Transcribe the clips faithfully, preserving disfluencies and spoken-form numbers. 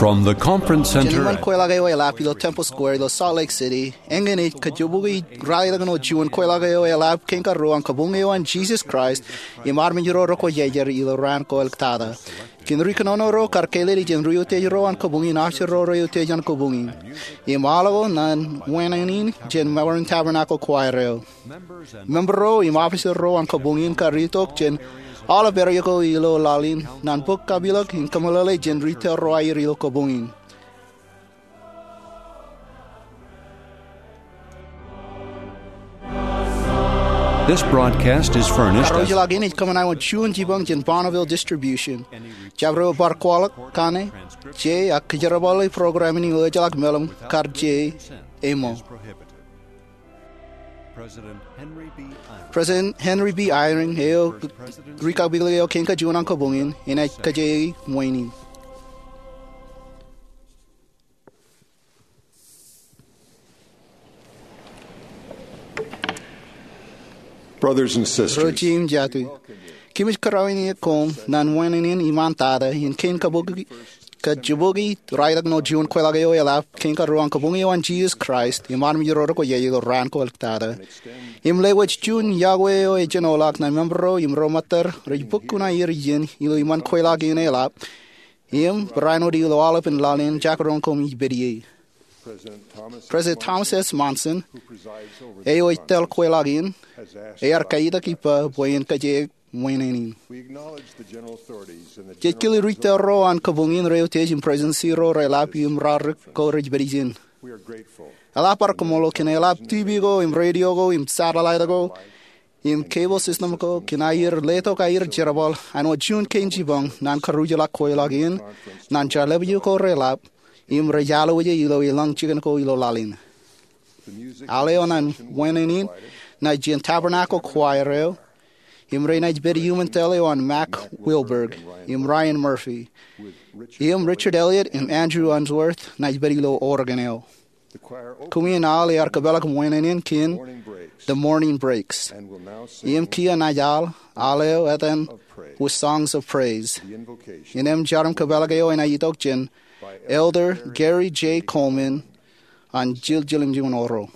From the conference center. Jān iṃōn kweilọk eo eḷap ilo Temple Square ilo Salt Lake City, eñin ej kajjibukwi raelōñ eo juon kweilọk eo eḷap kein karuo an Kabuñ eo an Jesus Christ im armej ro rekwojarjar ilo raan ko āliktata. Kōn ri kōnono ro kar kālele jān ri-utiej ro an kabuñ in, ajri ro ri-utiej an kabuñ in, im aolep ro ṇe wāween in jān Maroon Tabernacle Choir eo. Member ro im officer ro an kabuñ in kar itok jān aolep area ko ilo laḷ in ñan bōk kapilōk im kōmeḷeḷe jān ri tōl ro aer ilo kabuñ in. This broadcast is furnished as Karuojeḷā in ej kōṃṃan wōt juon jipañ jān Bonneville Distribution. Jabdewōt bar kwaḷọk kaṇe, je, ak kōjerbale program in ilo ejeḷā meḷeḷe kar je ṃōk. President Henry B. Eyring, eo ri kapilōk eo kein kajuon an kabuñ in, enaaj kōjeañ ṃwein in. Brothers and sisters, Ro jeiū im jatū, kōmij kōrā in iien koṃ ñan wāween in iṃaan tata in kein kajjibukwi raelōñ eo juon kweilọk eo eḷap kein karuo an Kabuñ eo an Jesus Christ im armej ro rekwojarjar ilo raan ko āliktata. Im lewōj juon iọkwe eo ejenoḷọk ñan member ro im ro ṃōttad rej bōk kuṇaer iien ilo iṃōn kweilọk in eḷap im barāinwōt ilo aolepen laḷ in jekdọọn koṃij pād ie. President Thomas S. Monson, eo ej tōl kweilọk in, ear kaitak ippa bwe en kōjeañ wāween in. Jej kile ri tōl ro an kabuñ in rej utiej im presidency ro reḷap im raorōk ko rej pād ijin. Eḷap ad kaṃṃoolol kōn eḷap TV ko im radio ko im satellite ko im cable system ko kōn aer letok aer jerbal āinwōt juon kein jipañ ñan karuojeḷā kweilọk in ñan jeḷāḷọkjeṇ ko reḷap im rej alwōje ilo elōñ jikin ko ilo laḷ in. Al eo ñan wāween in ṇa jān Tabernacle Choir eo, im renaaj pād iuṃwin tōl eo an Mac Wilberg im Ryan Murphy, im Richard Elliott im Andrew Unsworth naaj pād ilo organ eo. Kumi in al ear kōpeḷḷọk wāween in kōn The Morning Breaks. Im kiiō naaj al, al eo etan With Songs of Praise. Innām jar im kōpeḷḷọk eo enaaj itok jān Elder Gary J. Coleman an Chilchelem Juon Oro.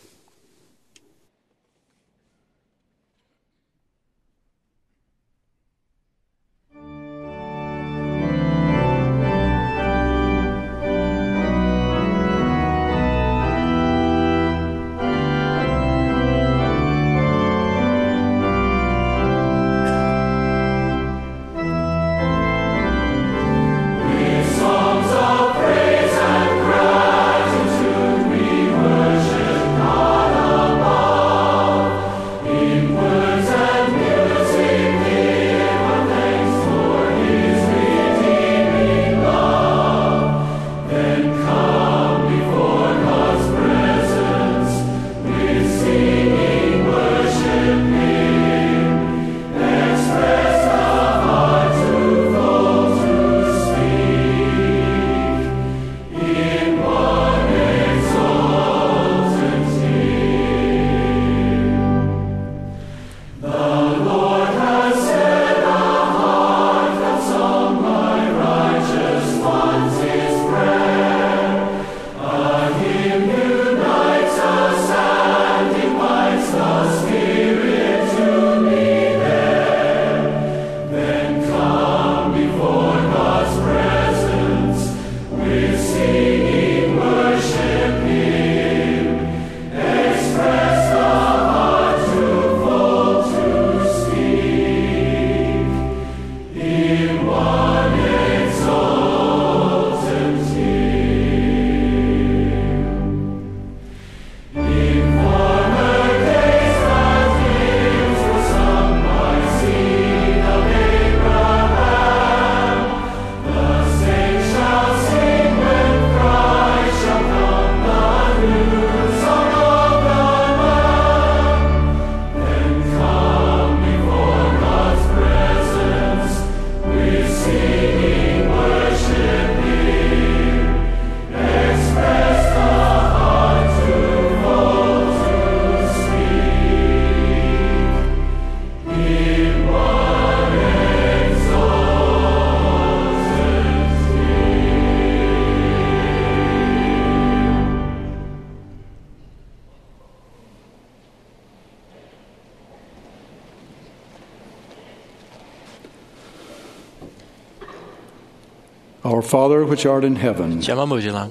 Father which art in heaven, Jema eo ej ilañ,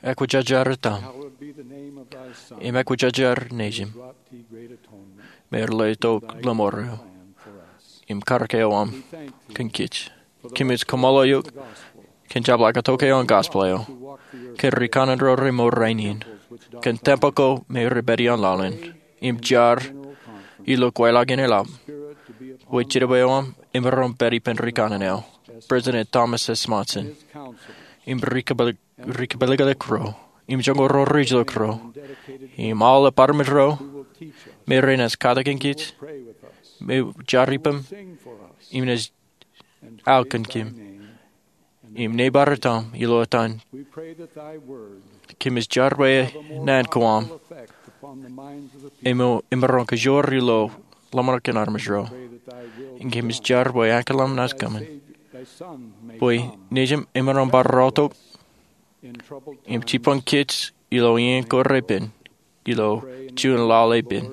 ekwōjarjar etaṃ, im ekwōjarjar nejim, me releitok ḷōṃaro, im karōk eo aṃ kōn kōj. Kōmij kaṃṃoolol eok kōn jab laḷ ke tok eo an gospel eo, kōn rikanaan ro remour rainin, kōn tempel ko me rej pād ioon laḷ in, im jar ilo kweilọk in eḷap, bwe jinōb eo aṃ emaroñ pād ippān rikanaan eo, President Thomas S. Monson, im ri kapeḷḷọk ro, im joñoul ro rej look ro, im aolep armej ro me ren ej katakin kōj, me jar ippām, im naaj aō kōn kōm, im neighbor etaṃ ilo etan. Kōmij jar bwe naan ko aṃ emaroñ kajoor ilo ḷōmṇak in armej ro. Im kōmij jar bwe ankilaṃ naaj kōṃṃan, bwe nejim emaroñ bar rọọltok im jibboñ kōj ilo iien ko repen, ilo juon laḷ epen.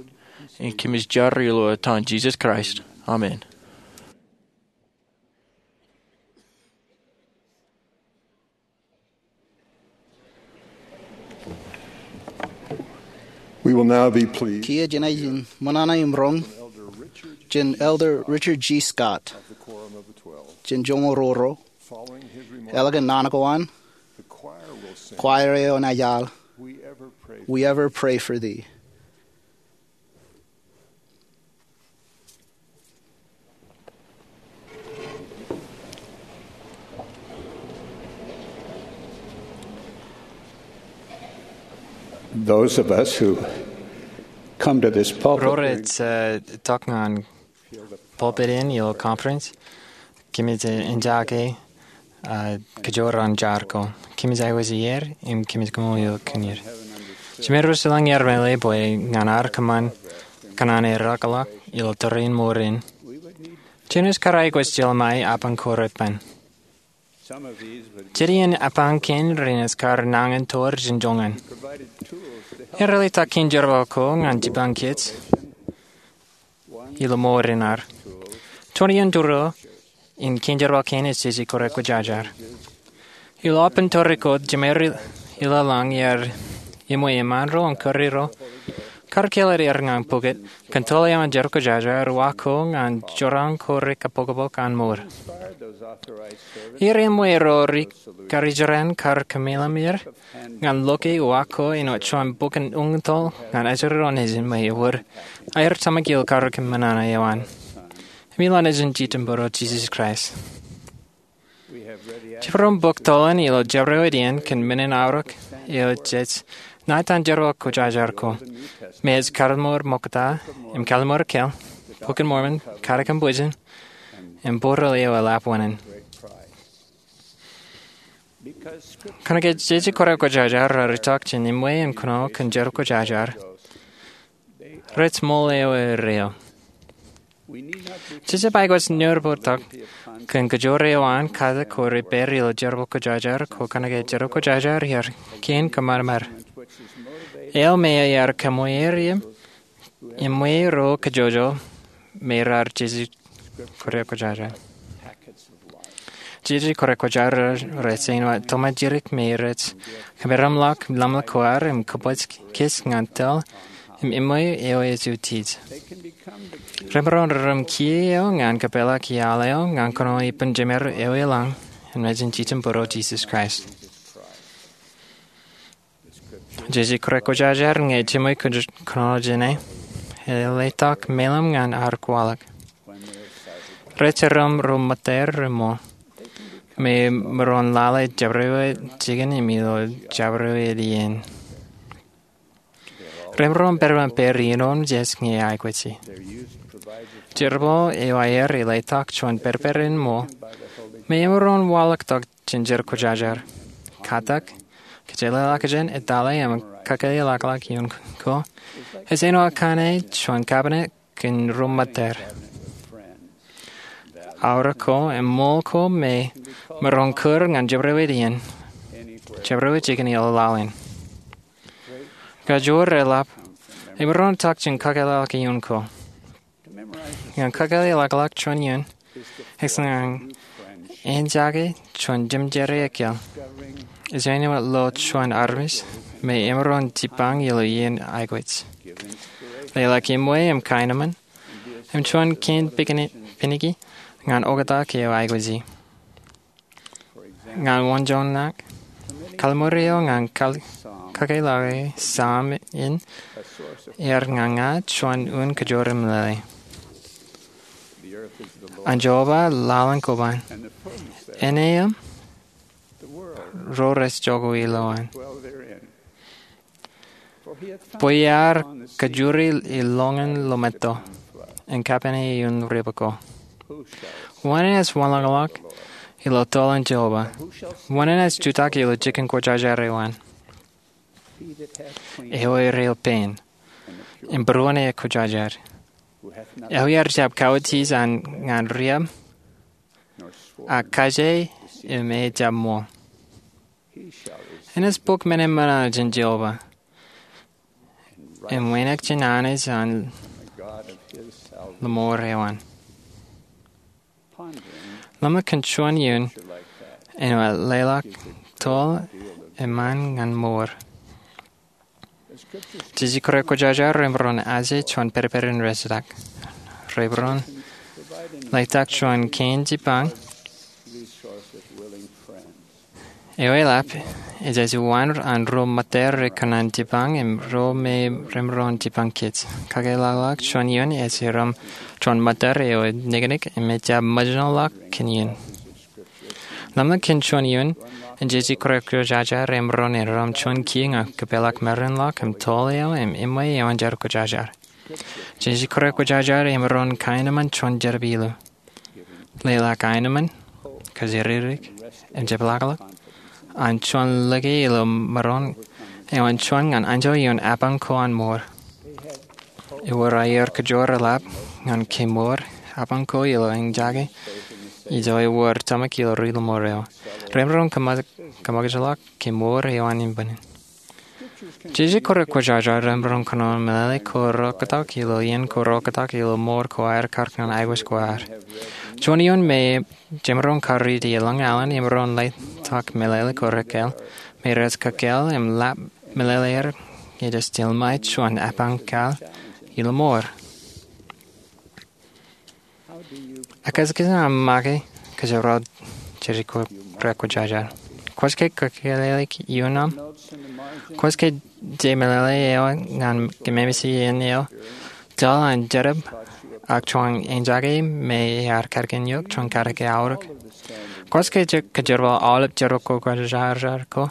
Im kōmij jar ilo etan Jisōs Kraist, amen. We will now be pleased Kiiō jenaaj ṃōṇōṇō im roñ jān Elder Richard G. Scott jān joñoul ruo ruo, ālikin naan ko an, choir eo enaaj al, We Ever Pray for Thee. Those of us who come to this pulpit Ro rej, uh, tok ñan pulpit in ilo conference, kōmij enjake uh, kajoor an jar ko. Kōmij aikuj ier, im kōmij kaṃṃoolol eok kōn er. Jemem ro rej ilañ, iar meḷeḷe bwe ñan ad kōṃṃan kōṇaan eḷapḷọk ilo tōre in mour in, jenaaj kar aikuj jeḷā ṃae apañ ko repen. Jen iien apañ kein renaaj kar nañintoḷọk jān joñan. Ear eḷap kōn jerbal ko ñan jibboñ kōj ilo mour in ad. Juon iien tōre in kōn jerbal kein ej jeje kwōjarjar. Ilo aolepān tōre ko, jemān ri-, ilo lañ iar eṃṃan ro im kūr ro, kar kāālōt er ñan pukot kōn tōl eo an jerbal kwōjarjar, uwaak ko ñan jorrāān ko rikapoklok an mour. Iar eṃṃan ro ri-, karijeran kar kōmeḷeḷe er ñan loke uwaak ko āinwōt juon bok in uñtōḷ ñan ajri ro nejin me ewōr aer tōmak ilo karōk in ṃōṇōṇō eo an. Im ilo etan Jitōnbōro Jisōs Kraist. Jemaroñ bōk tōlen ilo jabdewōt iien kōn men in aorōk eo jej ṇa etan jerbal kwōjarjar ko, me ej Kaḷimoor Ṃokta, im Kaḷimoor Keel, Bok in Mormon, Katakin Bwijin, im Borel eo Eḷap Wāween. Kōnke jeje kwōjarjar raar itok jān eṃṃan kōnono kōn jerbal kwōjarjar, rej ṃool eo eo. Jejjab aikuj ñorbōtok kōn kajoor eo an katak ko rej pād ilo jerbal kwōjarjar ko kōnke jerbal kwōjarjar iar kein kōṃadṃōd. Eo me eo iar kōṃṃan er im eṃṃan ro kajjojo me raar jeje kwōjarjar. Jeje kwōjarjar rej āinwōt tōmak jidik me rej kōmeramḷọk ḷōmṇak ko ad im kōbōj kōj ñan tōl im eṃṃan eo ej utiej. Remaroñ rūṃ kiiō eo ñan kōpeḷḷọk iaḷ eo ñan kōnono ippān jemān eo ilañ im etan Jitōnbōro Jisōs Kraist. Jeje kwōjarjar ñe jeṃṃan kōnono jāne, eḷap tok meḷeḷe ñan adwōj kwaḷọk. Rej rūṃ ro ṃōttar reṃool, me maroñ lale jabdewōt jikin im ilo jabdewōt iien. Remaroñ pād ippān pād iien otemjej ñe aikuji. Jerbal eo aer eḷap tok juon pedped in ṃool, me emaroñ waḷọktok jān jerbal kwōjarjar. Katak, kōjeḷāḷọkjeṇ, etale im kakāālḷọkḷọk iien ko, ej āinwōt kaṇe juon kabinet kōn ro ṃōttar. Aorōk ko im ṃool ko me maroñ kūr ñan jabdewōt iien, jabdewōt jikin ilo laḷ in. Kajoor eḷap, emaroñ tok jān kakāālḷọkḷọk iien ko. Ñan kakāālḷọkḷọk juon iien, ej ñan enjake juon jemjerā ekkeḷ. Ej āinwōt lo juon armej me emaroñ jipañ ilo iien aikuj. Leḷọk ṃweo im kaenōṃṃan im juon kein pikiniki ñan oktak eo aikuji. Ñan wōnjoñak, kalliṃur eo ñan kake lọke Sam in ear ña ña juon un kajjoor in meḷeḷe. An Jeova laḷ in koban, āne im ro rej jokwe ilowaan. Bwe iar kajjuri iloñan lometo im kapene ioon riab ko. Wōn enaaj wanlañlōñ ilo tōl an Jeova? Wōn enaaj jutak ilo jikin kwōjarjar eo an? Eo eo rej pein im būruon aer kwōjarjar, eo ear jab kauwōjij an ñan riab, ak kaje im e jab ṃool. Enaaj bōk men eṃṃan jān Jeova im wānōk jān Anij an lōṃoor eo an. Ḷōmṇak kōn juon iien āinwōt leḷọk tōl eṃṃan ñan mour. Jeje kōrā kwōjarjar remaroñ aje juon pedped in rejtak. Remaroñ leḷọk juon kein jipañ. Eo eḷap, ej aje waan an ro ṃōttad rej kōṇaan jipañ im ro me remaroñ jipañ kōj. Kakōḷḷe juon iien ej rom juon ṃōttad eo ej niknik im ejjab ṃōjṇọ ḷọk kōn iien. Ḷōmṇak kōn juon iien in jeje kōrā kwōjarjar remaroñ erom juon kiiō ñan kōpeḷḷọk maroñ ḷọk im tōl eo im eṃṃan eo an jar kwōjarjar. Jeje kōrā kwōjarjar remaroñ kaenōṃṃan juon jerbal ilo leḷọk aenōṃṃan, kōjatdikdik im jepḷaakḷọk an juon lōke ilo maroñ eo an juon ñan anjọ ioon apañ ko an mour. Ewōr aier kōjro reḷap ñan kemour apañ ko ilo eñjake ijo ewōr tōmak ilo ri lōṃoor eo. Remaroñ kōṃakūt ḷọk kemour eo an inpānin. Jeje kōrā kwōjarjar remaroñ kōnono meḷeḷe ko rōktak ilo iien ko rōktak ilo mour ko aer kar ñan aikuj ko ad. Juon iien me jemaroñ kariiti eḷaññe aolep emaroñ leḷọk meḷeḷe ko rekkal me rej kōkāāl im ḷap meḷeḷe er ñe jej tilṃae juon apañ kal ilo mour. Ekōjkan aṃ make kōjro jeje kōrā kwōjarjar? Kwōj ke kōkāāl ioon aṃ? Kwōj ke je meḷeḷe eo ñan kōmemej iien eo tōl an jerōb ak juon eñjake me ear kadkān eok juon kadeke aorōk? Kwōj ke je kōjerbal aolep jerbal kwōjarjar ko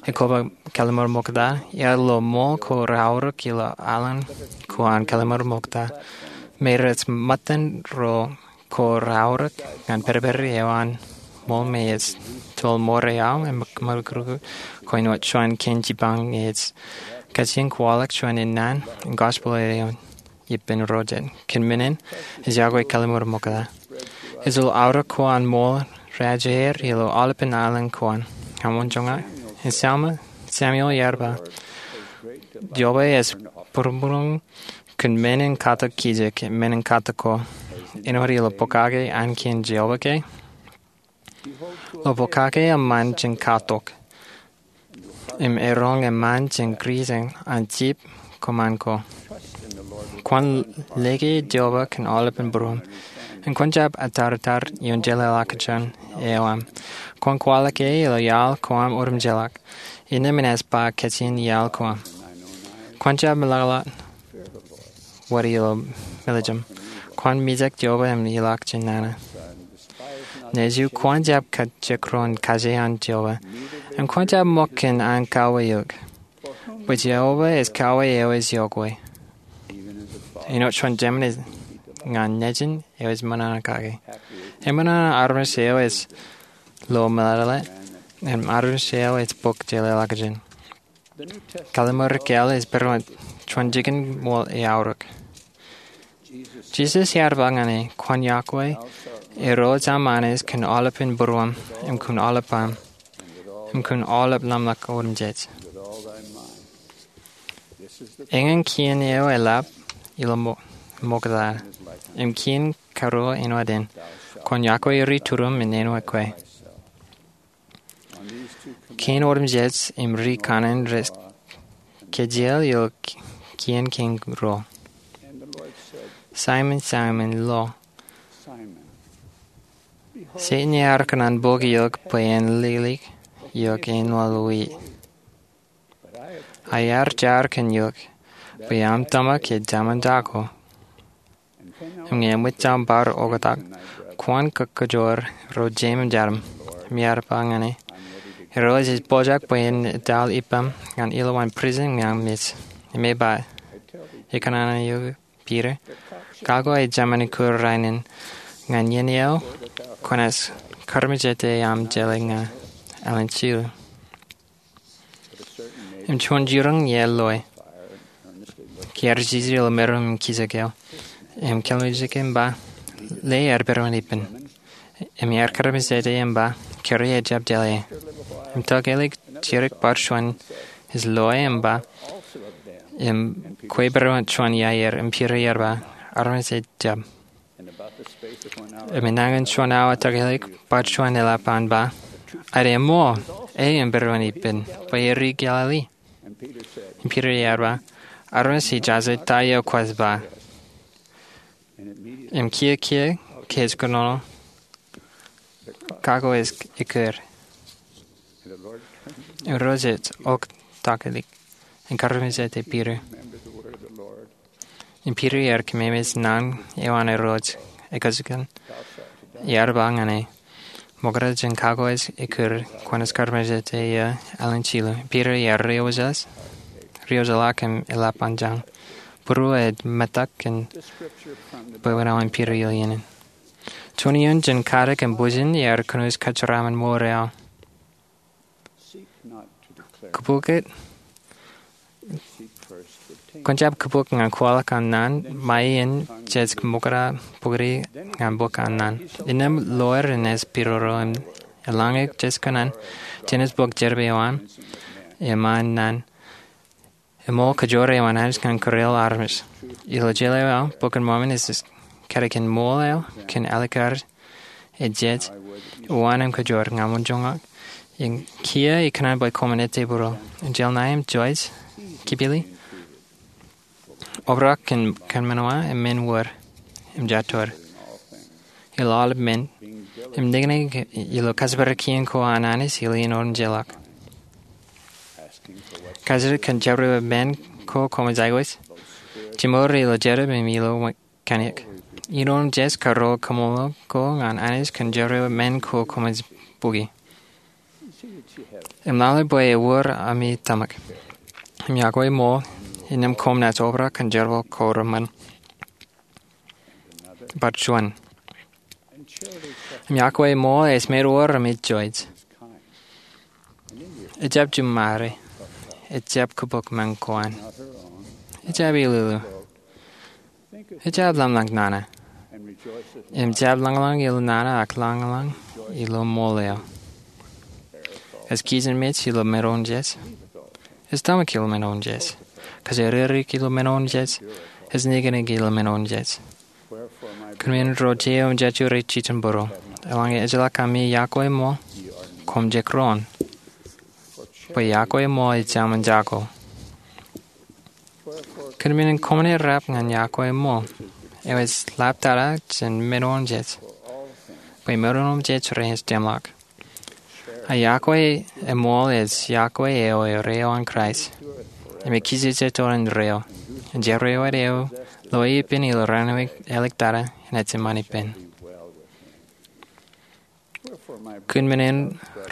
ej koba kalliṃur ṃokta? Ear lo ṃool ko reaorōk ilo aḷañ ko an kalliṃur ṃokta me rej ṃōttan ro ko reaorōk ñan pedped eo an ṃool me ej tōl mour eo aō im ṃōkurkut ko āinwōt juon kein jipañ ñe ej kajjien kwaḷọk juon in naan in gospel eo an ippān ro jet. Kōn men in ej yokwe kalliṃur ṃokta. Ej lo aorōk ko an ṃool reajeir ilo aolepān aḷañ ko an. Ñan wōnjoñak, in Samuel, Samuel ear ba, Jeova ej būroṃōr kōn men in katak kijek im men in katak ko. Āinwōt ilo pokake Ankiin Jeova ke, lo pokake eṃṃan jān katok im eroñ eṃṃan jān kūrjeañ an jip ko ṃaan ko. Kwōn lōke Jeova kōn aolepān būruōṃ im kwōn jab atartar ioon jeḷāḷọkjeṇ eo aṃ. Kwōn kwaḷọk e ilo iaḷ ko aṃ otemjeḷọk, innām enaaj ba kajjien iaḷ ko aṃ. Kwōn jab meḷọkḷọk wōt ilo meḷeḷeik. Kwōn mijak Jeova im ilọk jān nana. Nejū kwōn jab kajekdọọn kaje an Jeova im kwōn jab ṃōk kōn an kauwe eok, bwe Jeova ej kauwe eo ej yokwe, āinwōt juon jemān ñan nejin eo ej ṃōṇōṇō kake. Eṃṃan an armej eo ej lo meḷeḷe im armej eo ej bōk jeḷāḷọkjeṇ. Kalliṃur rakel ej pād wōt juon jikin ṃool eaorōk. Jisōs ear ba ñan e, kwōn yokwe Irooj aṃ Anij kōn aolepān būruōṃ im kōn aolep aṃ im kōn aolep ḷōmṇak otemjej. Eñin kien eo eḷap ilo ṃokta im kien karuo āinwōt in, kwōn yokwe ri-turiṃ in āinwōt kwe. Kein otemjej im ri kanaan rej kajjioñ ilo kien kein ro. Saimōn, Saimōn, lo Setan ear kōṇaan bōk eok bwe en liklik eok āinwōt wiik. Ak iar jar kōn eok bwe aṃ tōmak ej jaṃaanjako. Im ñe eṃōj aṃ bar oktak, kwōn kōkkujoor ro jeiṃ im jeraṃ. Im iar ba ñan e, Irooj ej pojak bwe en etal ippaṃ ñan ilowaan prison ñan mej. Im e ba, Ikōṇaan eok, Piter, kago ij jemān ikur rainin, ñan iien eo kwōnaaj karmejete aṃ jeḷā ña ālikin jilu. Im juon jiroñ ie loe, kiiō ej jiljilimjuonñoul im kijek eo, im kōḷmānḷọkjeṇ im ba, Lale aer pedowan ippān. Im iar karmejete im ba, Kōrā ejjab jeḷā e. Im tokālik jidik bar juon ej loe im ba, Im kwe pedowan juon iaer. Im Piter ear ba, Armej ejjab. Im enañin juon awa tokālik bar juon eḷap an ba, Āindein ṃool, e im pedowan ippān, bwe e ri Galili. Im Piter ear ba, Armej, ij jaje ta eo kwōj ba. Im kiiō kiiō ke ej kōnono, kago ej ekkōr. Im Irooj ej oktaklik im karmejete Piter. Im Piter ear kememej naan eo an Irooj ekōjkan, ear ba ñan e, Ṃokta jān kago ej ekkōr, kwōnaaj karmejete eō ālikin jilu. Piter ear riojeḷā, riojeḷā im eḷap an jañ. Būruō ej metak kōn bwebwenato in Piter ilo iien in. Juon iien jān kadik im bwijin ear kōnooj kōjeraaṃṃan mour eo. Kōbōk, kwōn jab kōbōk ñan kwaḷọk an naan, ṃae in jej ṃokta bōktok ñan bōk an naan. Innām loer in ej pidodo im eḷaññe jej kōṇaan, jenaaj bōk jerọwiwi eo an, im an naan, eṃool kōjro eo an Anij ñan kōrā armej. Ilo jeḷā eo aō, Bok in Mormon ej kaddekān ṃool eo kōn alikkar ejej, uwaan im kōjro. Ña ṃōn joñak im kiiō ikōṇaan bwe koṃ ettā būruō. Angel ṇe im Joyce, Kipili, obrak kōn kōṃṃan wa im men wōr im jatdor ilo aolep men, im niknik ilo kōjparok kien ko an Anij ilo iien otemjeḷọk. Kajjitōk kōn jabdewōt men ko koṃij aikuj, jiṃor ilo jetōb im ilo kōṇaan. Iien otemjej karuo kaṃṃoolol ko ñan Anij kōn jabdewōt men ko koṃij bukwi. Im lale bwe ewōr ami tōmak. Im iọkwe ṃool, innām koṃ naaj obrak kōn jerbal ko reṃṃan. Bar juon. Im iọkwe ṃool ej meḷeḷe ami joij. Ejjab juṃare. Ejjab kōbōk men ko an. Ejjab ilulu. Ejjab ḷōmṇak nana. Im jab lōñḷōñ ilo nana ak lōñḷōñ ilo ṃool eo. Ej kijenmej ilo men otemjej. Ej tōmak ilo men otemjej. Kōjatdikdik ilo men otemjej. Ej niknik ilo men otemjej. Kōn men ro jenaaj jejjet ijin būruō, eḷaññe ejjeḷọk ami iọkwe ṃool, koṃ jekdọọn. Bwe iọkwe ṃool ej jaṃaanjako. Kōn men in koṃwin errā ñan iọkwe ṃool, eo ej ḷaptata jān men otemjej, bwe men otemjej renaaj tōmak. Ak iọkwe ṃool ej iọkwe eo erreo an Kraist, im ekijejjet ioon erreo, im jabdewōt eo loe ippān ilo raan eo āliktata in ejāmin ippān. Kōn men in,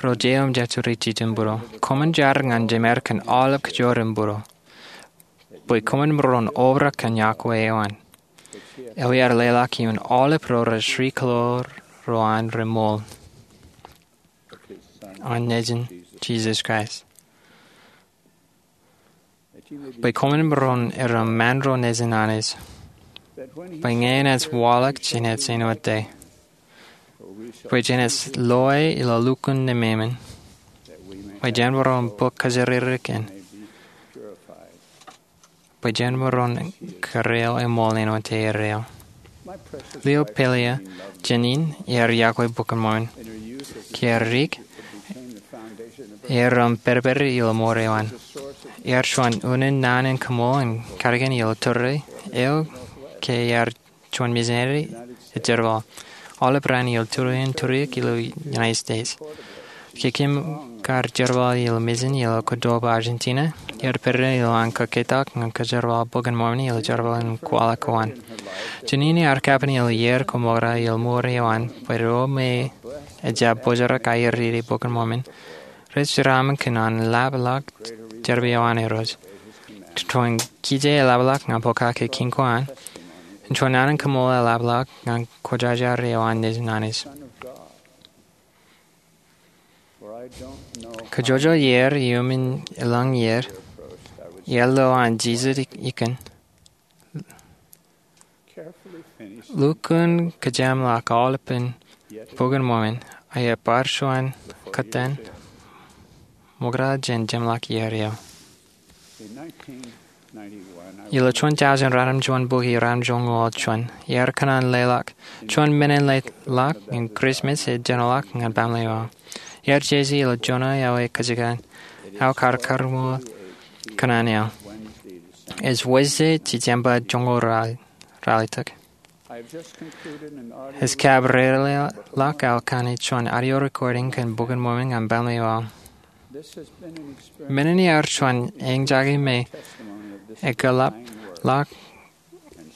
ro jenaaj jejjet ijin būruō, koṃwin jar ñan jemed kōn aolep kōjro im būruō, bwe koṃwin maroñ obrak kōn iọkwe eo an, eo ear leḷọk ioon aolep ro rej ri kōḷoor ro an reṃool. An nejin Jisōs Kraist. Bwe koṃwin maroñ erom ṃaan ro nejin Anij. Bwe ñe enaaj waḷọk jenaaj āinwōt e. Bwe jenaaj loe ilo lukkuun nememān. Bwe jen maroñ bōk kōjatdikdik in. Bwe jen maroñ kōrā eṃool āinwōt erreo. Leo Pelletier jān in ear iọkwe Bok in Mormon. Kiiō dik, Ear ro im pedped ilo mour eo an. Ear juon unin naan in koṃṃool in katakin ilo tōre eo ke ear juon misineri ejerbal aolep raan ilo turiōk in turiōk ilo United States. Ke kōm kar jerbal ilo misin ilo Córdoba, Argentina, ear pād ilo an kōketak ñan kōjerbal Bok in Mormon ilo jerbal in kwaḷọk ko an. Jeanene ear kapen ilo iiō ko ṃokta ilo mour eo an bwe ro me ejjab pojarrak aer riiti Bok in Mormon rej jeraaṃṃan kōn an eḷapḷọk jerbal eo an Irooj. Juon kije eḷapḷọk ñan pokake kein ko an, im juon naan in koṃṃool eḷapḷọk ñan kwōjarjar eo an Nejin Anij. Kōjojol iiō iuṃwin elōñ iiō, iiō lo an jijet ikin, lukkuun kōjeṃḷọk aolepān Bok in Mormon, ak bar juon kōttan ṃokta jān jeṃḷọk iiō eo. Ilo juon tọujin ratimjuonbukwi ratimjuonñoul juon, ear kōṇaan leḷọk juon men in leḷọk in Christmas ej jenoḷọk ñan baaṃle eo aō. Ear jeje ilo Jona eo ej kajjitōk, aō kar karuṃwij kōṇaan eo. Ej Wōjde, December joñoul ralitōk. Ej kab reireḷọk aō kaṇe juon audio recording kōn Bok in Mormon ñan baaṃle eo aō. Men in ear juon eñjake me ekōḷapḷọk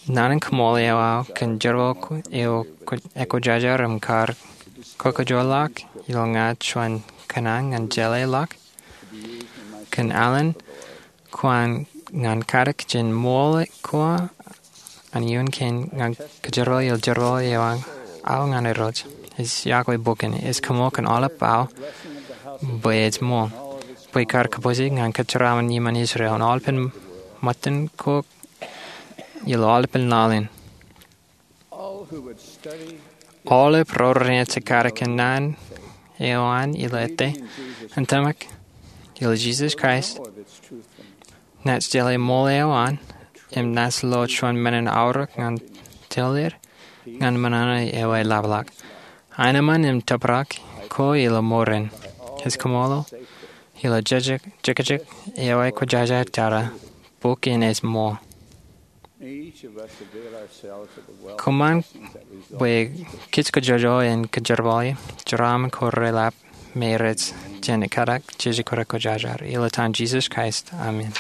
naan in koṃṃool eo aō kōn jerbal eo ekwōjarjar im kar kōkōjotḷọk ilo ña juon kōṇaan ñan jeḷā ḷọk kōn alen ko an ñan katak jān ṃool ko an iuṃwin kein ñan kōjerbal ilo jerbal eo aō ñan Irooj. Ej yokwe bok in, ej koṃṃool kōn aolep aō bwe ej ṃool, bwe kar kōpooj ñan kōjeraaṃṃan iṃaan Israel im aolepān ṃōttan ko ilo aolepān laḷ in. Aolep ro renaaj katakin naan eo an ilo ete im tōmak ilo Jisōs Kraist, naaj jeḷā ṃool eo an, im naaj lo juon men in aorōk ñan tōl er ñan ṃōṇōṇō eo eḷapḷọk. Aenōṃṃan im tōprak ko ilo mour in. Ij kōṃṃool ilo jekjek eo ekwōjarjar tata, bok in ej ṃool. Kōṃṃan bwe kōj kōjojol in kōjerbale jeraaṃṃan ko reḷap me rej jān katak jeje ko rekwōjarjar. Ilo etan Jisōs Kraist, amen.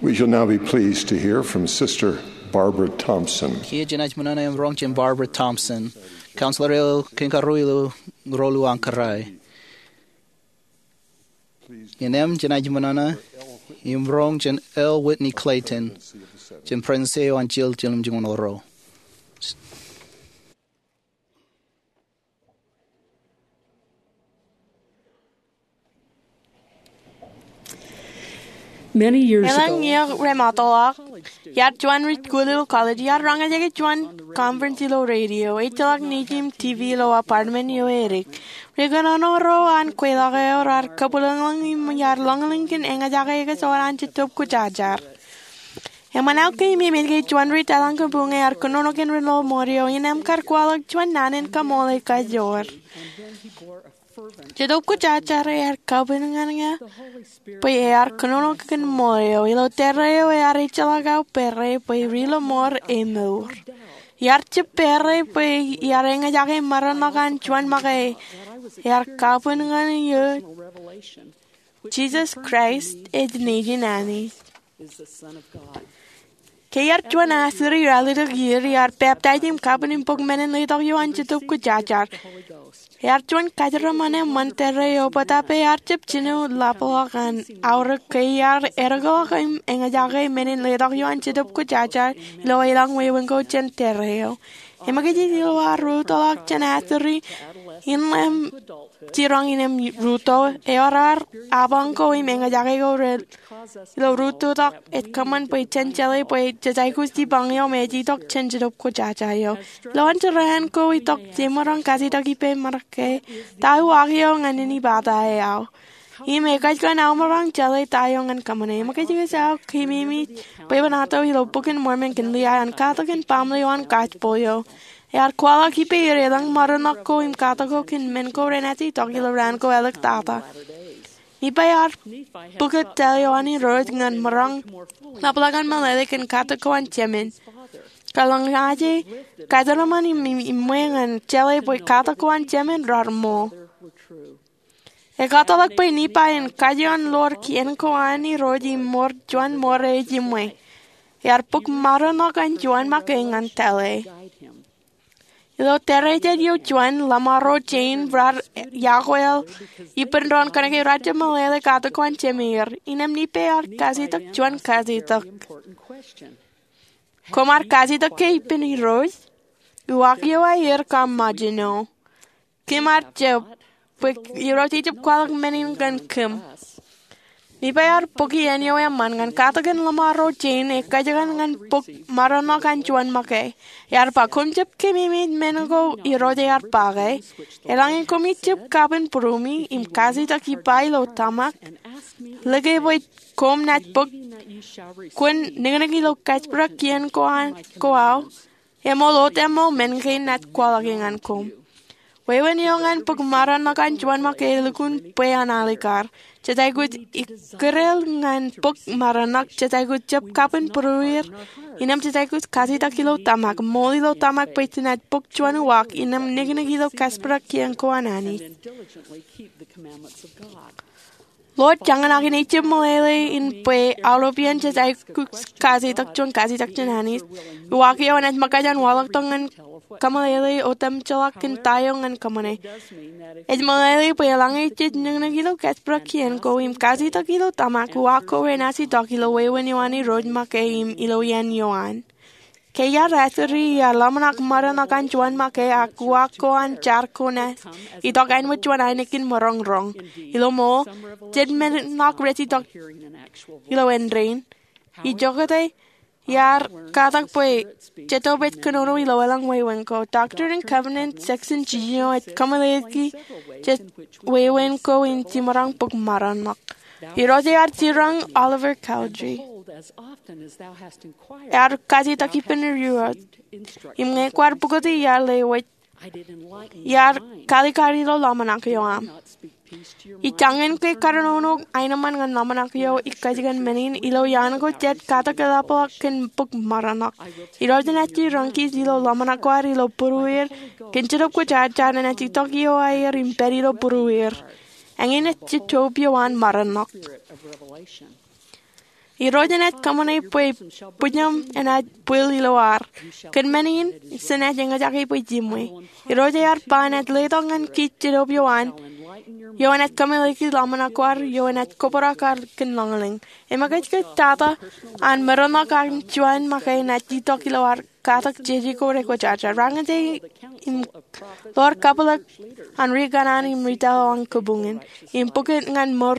You'll now be pleased to hear from Sister Barbara Thompson. Kiiō jenaaj ṃōṇōṇō im roñ jān Barbara Thompson, counselor eo kein karuo ilo Rūḷ Uwaak Kōrā. Innām jenaaj ṃōṇōṇō im roñ jān L. Whitney Clayton, jān President eo an Chil Jiljilimjuonñoul Ro. Many years ago, elōñ iiō remootḷọk, iar juon ri-school ilo college, iar roñjake juon conference ilo radio. Ejjeḷọk news im TV ilo apartment eo edik. Ri-kōnono ro an kweilọk eo raar kabwilōñlōñ im iar lōñlōñ kōn eñjake ekōt ewōr an Jetōb Kwōjarjar. Eṃṃan aō keememej ke juon ri-tōl ḷọk kab uñe ear kōnono kōn ri-lọmọọr ro eo, innām kar kwaḷọk juon naan in kaṃool ekajoor. Jetōb Kwōjarjar ear kabwilōñlōñ bwe ear kōnono kōn ṃool eo. Ilo tōre eo ear ejjeḷọk aō pere bwe ri-lọmọọr emour. Iar jab pere bwe iar eñjake maroñ ḷọk an juon make. Ear kabwilōñlōñ, Jisōs Kraist ej Nejin Anij. Ke iar juon asuri ralitōk iiō, iar baptize im kabwil im bōk men in letok eo an Jetōb Kwōjarjar. Ear juon kōjeraṃṃan eṃṃan tōre eo bōtab ear jab jino ḷapḷọk an aorōk ke iar edekḷọk im eñjake men in letok eo an Jetōb Kwōjarjar ilo elōñ wāween ko jān tōre eo. Eṃōkajij ilo ad rūttoḷọk jān asuri, innām jiroñ innām rūtto, ewōr ad apañ ko im eñjake ko ilo rūtto tok ej kōṃṃan bwe jen jeḷā bwe jej aikuj jipañ eo me ej itok jān Jetōb Kwōjarjar eo. Ilo an jeraan ko itok jemaroñ kajjitōk ippān ṃōṇōṇō ke, ta uwaak eo ñan inepata eo aō? Im ekōjkan aō maroñ jeḷā ta eo ñan kōṃṃane. Eṃōkajkōj aō keememej bwebwenato ilo Bok in Mormon kōn liā an katak kōn baaṃle eo an gospel eo. Ear kwaḷọk ippāer elōñ maroñ ḷọk ko im katak ko kōn men ko renaaj itok ilo raan ko āliktata. Nephi ear bōk tōl eo an Irooj ñan maroñ ḷapḷọk an meḷeḷe kōn katak ko an Jemān. Kōḷmānḷọkjeṇ, kōjeraṃṃan im, im iṃwe ñan jeḷā bwe katak ko an Jemān raar ṃool. Ekataḷọk bwe Nephi en kajoor ḷọk kien ko an Irooj im ṃool juon ṃool ej iṃwe. Ear bōk maroñ ḷọk an juon make ñan tōl e. Ilo tōre jet eo juon, Ḷōṃaro Jane raar iọkwe ippān doon kōnke raar jab meḷeḷe katak ko an Jemān. Innām Nephi ear kajjitōk juon kajjitōk. Koṃ ar kajjitōk ke ippān Irooj? Uwaak eo aer kōṃṃan jino. Kōm ar jab, bwe Irooj ejab kwaḷọk men in ñan kōm. Nephi ear bōk iien eo eṃṃan ñan katak in Ḷōṃaro Jane ekōjkan ñan bōk maroñ ḷọk an juon make. Ear ba, koṃ jab keememej men ko Irooj ear ba ke? Eḷaññe koṃij jab kapen būruemi im kajjitōk ippa ilo tōmak, lōke bwe koṃ naaj bōk, kwōn niknik ilo kōjparok kien ko an, ko aō, eṃool wōt eṃool men kein naaj kwaḷọke ñan koṃ. Wāween eo ñan bōk maroñ ḷọk an juon make elukkuun bwe an alikar. Jej aikuj ikkure ñan bōk maroñ ḷọk, jej aikuj jab kapen būrueir, innām jej aikuj kajjitōk ilo tōmak, ṃool ilo tōmak bwe jenaaj bōk juon uwaak, innām niknik ilo kōjparok kien ko an Anij. Lord, jañin ak inaaj jab meḷeḷe in bwe aolep iien jej aikuj kajjitōk juon kajjitōk jān Anij, uwaak eo enaaj ṃōkaj an waḷọktok ñan kōmeḷeḷe otemjeḷọk kōn ta eo ñan kōṃṃane. Ej meḷeḷe bwe eḷaññe jej niknik ilo kōjparok kien ko im kajjitōk ilo tōmak, uwaak ko renaaj itok ilo wāween eo an Irooj make im ilo iien eo an. Ke iar asuri, iar ḷōmṇak maroñ ḷọk an juon make ak uwaak ko an jar ko naaj itok āinwōt juon ainikien maroñ roñ. Ilo ṃool, jet men ṇak rej itok ilo āindein. Ijoko te, iar katak bwe Jetōb ej kōnono ilo elōñ wāween ko. Doctrine and Covenants, section jiljino ej kōmeḷeḷeiki jet wāween ko in jemaroñ bōk maroñ ḷọk. Irooj ear jiroñ Oliver Cowdery. Ear kajjitōk ippān Irooj. Im ñe kwaar pukoti, iar lewōj, iar kaalikkar ilo ḷōmṇak eo aṃ. Ij jañin ke karunono aenōṃṃan ñan ḷōmṇak eo ikkajkan men in ilo iaan ko jej katak eḷapḷọk kōn bōk maroñ ḷọk. Irooj enaaj jiroñ kōj ilo ḷōmṇak ko ad ilo būrueir, kōn Jetōb Kwōjarjar enaaj itok iowaer im pād ilo būrueir. Eñin ej Jetōb eo an maroñ ḷọk. Irooj enaaj kōṃṃane bwe bwijaṃ enaaj bwil ilo ad. Kōn men in, Jen enaaj eñjake bwe jimwe. Irooj ear ba enaaj letok ñan kij Jetōb eo an, eo enaaj kōmeḷeḷeiki ḷōmṇak ko ad, eo enaaj kobrak ad kōn lañlōñ. Eṃōkajkōj tata an merenḷọk an juon make enaaj itok ilo ad katak jeje ko rekwōjarjar. Raṇ eo im ḷoor kabwilōk an ri kanaan im ri tōl eo an kabuñōn im pukot ñan mour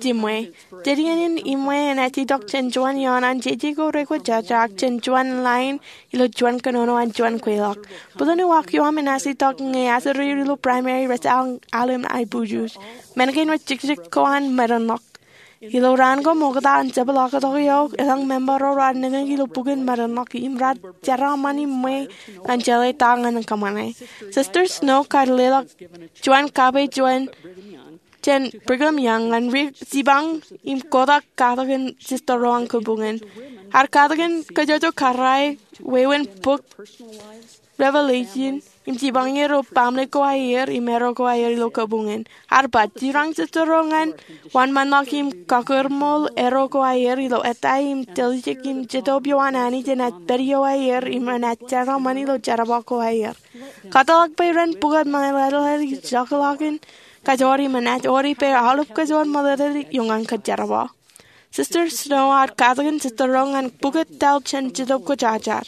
jimwe. Dān in, jimwe enaaj itok jān juon ioon an jeje ko rekwōjarjar ak jān juon lain ilo juon kōnono an juon kweilọk. Bōlen uwaak eo aṃ enaaj itok ñe asōrier ilo Primary rej al alem aiboojoj. Men kein rej jekjek ko an merenḷọk. Ilo raan ko ṃokta an jepḷaaktok eo, elōñ member ro raar nekñek ilo bukun merenḷọk im raar jeraaṃṃan iṃwe ñan jeḷā ta ñan kōṃṃane. Sister Snow kar leḷọk juon kape jān Brigham Young ñan ri jipañ im kotak katakin sister ro an kabuñōn. Ear katakin kōjwōj kōrā wāween bok Revelation im jipañ er ilo baaṃle ko aer im erro ko aer ilo kabuñōn. Ear ba, jerañ sister ro ñan wōnṃaanḷọk im kakūrṃool erro ko aer ilo ettā im tiljek im Jetōb eo an Anij enaaj pād iowaer im enaaj jeraaṃṃan ilo jerbal ko aer. Kōtḷọk bwe ren pukot meḷeḷe ijọkḷọk in kajoor im enaaj ewōr ippāer aolep kajoor meḷeḷe eo ñan kōjeraṃṃan. Sister Snow ear katakin sister ro ñan pukot tōl jān Jetōb Kwōjarjar.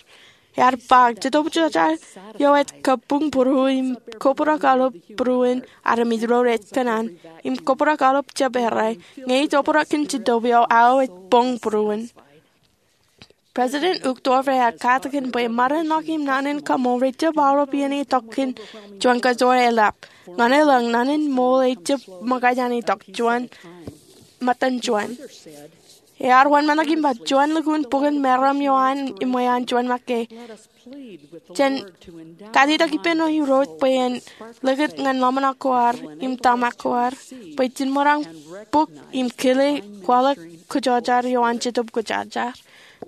Ear ba, Jetōb Kwōjarjar eo ej kabuñ būruō im kobrak aolep būruon armej ro rej kōṇaan im kobrak aolep jab errā. Ñe ij obrak kōn Jetōb eo, aō ej boñ būruon. President Uchtdorf ear katakin bwe merenḷọk im naan in kaṃṃool rej jab aolep iien itok kōn juon kajoor eḷap. Ñan elōñ, naan in ṃool ej jab ṃōkaj an itok juon, ṃōttan juon. Ear wōnṃaanḷọk im ba, juon lukkuun bukun meram eo an iṃwe an juon make. Jen kajjitōk ippān Irooj bwe en likūt ñan ḷōmṇak ko ad im tōmak ko ad bwe jilmaroñ bōk im kile kwaḷọk kwōjarjar eo an Jetōb Kwōjarjar.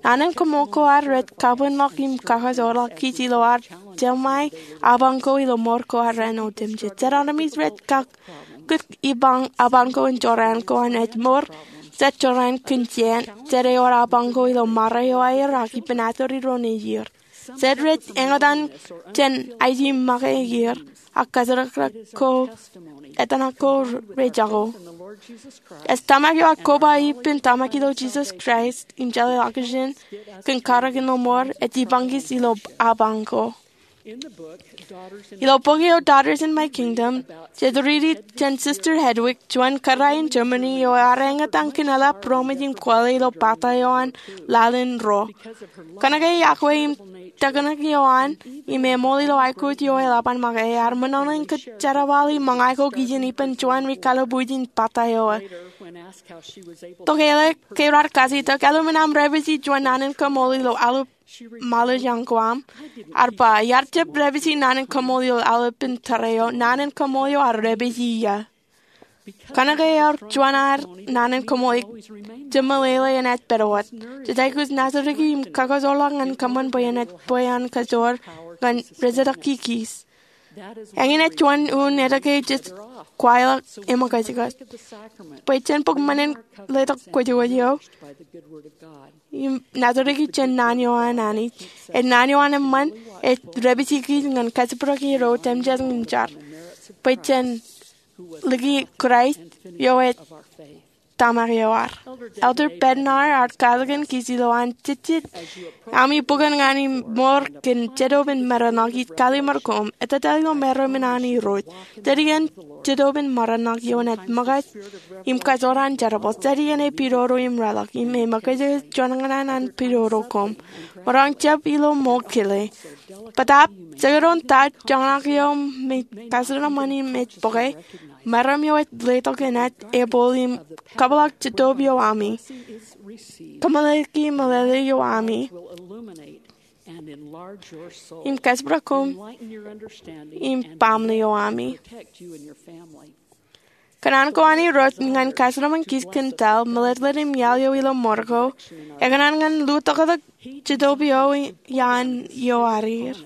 Naan in kaṃṃool ko ad rej kabuñḷọk im kakajoorḷọk kij ilo ad jeṃae apañ ko ilo mour ko ad raan otemjej. Jet armej rej kak kōj ipañ apañ ko in jorrāān ko an ej mour jet jorrāān kōn jān jet ewōr apañ ko ilo mare eo aer ak ippān asōri ro nejier. Jet rej eñtaan jān aiji make er ak kōjerakrōk ko etan ko rej jako. Ej tōmak eo ak koba ippān tōmak ilo Jisōs Kraist im jeḷā ḷọkjeṇ kōn karōk in mour ej ipañ kōj ilo apañ ko. Ilo bok eo Daughters in My Kingdom, jet riiti jān Sister Hedwig, juon kōrā in Germany eo ear eñtaan kōn eḷap roṃōj im kwōle ilo pata eo an laḷ in ro. Kōnke iọkwe im teknōk eo an im eṃool ilo aikuj eo eḷap an make, ear ṃōṇōṇō in kōjerbal im ṃōñā ko kijen ippān juon ri kalbuuj in pata eo. Tokālik ke raar kajjitōk, aolep aṃ repāji juon naan in kaṃṃool ilo aolep ṃaḷooj ko aṃ? Ear ba, iar jab repāji naan in kaṃṃool ilo aolepān tōre eo, naan in kaṃṃool eo ear repāji ia. Kōnke ear juon ad naan in kaṃṃool, jemeḷeḷe enaaj pād wōt. Jej aikuj nōsriki im kakajoorḷọk ñan kōṃṃan bwe enaaj bwe an kajoor ñan rejatōk kōj. Eñin ej juon unin etke jej kwaḷọk eṃōkajkōj. Bwe jen bōk men in letok kwōjkwōj eo im nōsriki jān naan eo an Anij. Ej naan eo an eṃṃan, ej repāji kōj ñan kōjparok er otemjej ñan jar. Bwe jen liki Kraist eo ej tōmak eo ad. Elder Bednar ear katakin kōj ilo an jejjet ami bukun ñan im mour kōn Jetōb in Merenḷọk. Ij kallimur koṃ, ettā ilo meram in an Irooj. Dān iien Jetōb in Merenḷọk eo enaaj ṃōkaj im kajoor an jerbal. Dān iien epidodo im reḷọk im eṃōkajkōj juon ñan an pidodo koṃ. Maroñ jab ilo ṃool kile. Bōtaab, jekdọọn ta joñak eo me kajeraaṃṃan im ej bōke, meram eo ej letok enaaj ebōl im kabwilọk Jetōb eo ami, kōmeḷeḷeiki meḷeḷe eo ami, im kōjparok koṃ im baaṃle eo ami. Kōṇaan ko an Irooj ñan kōjeraaṃṃan kōj kōn tōl, meletlet im iaḷ eo ilo mour ko, ekōṇaan ñan lutōktok Jetōb eo iaan iowaer.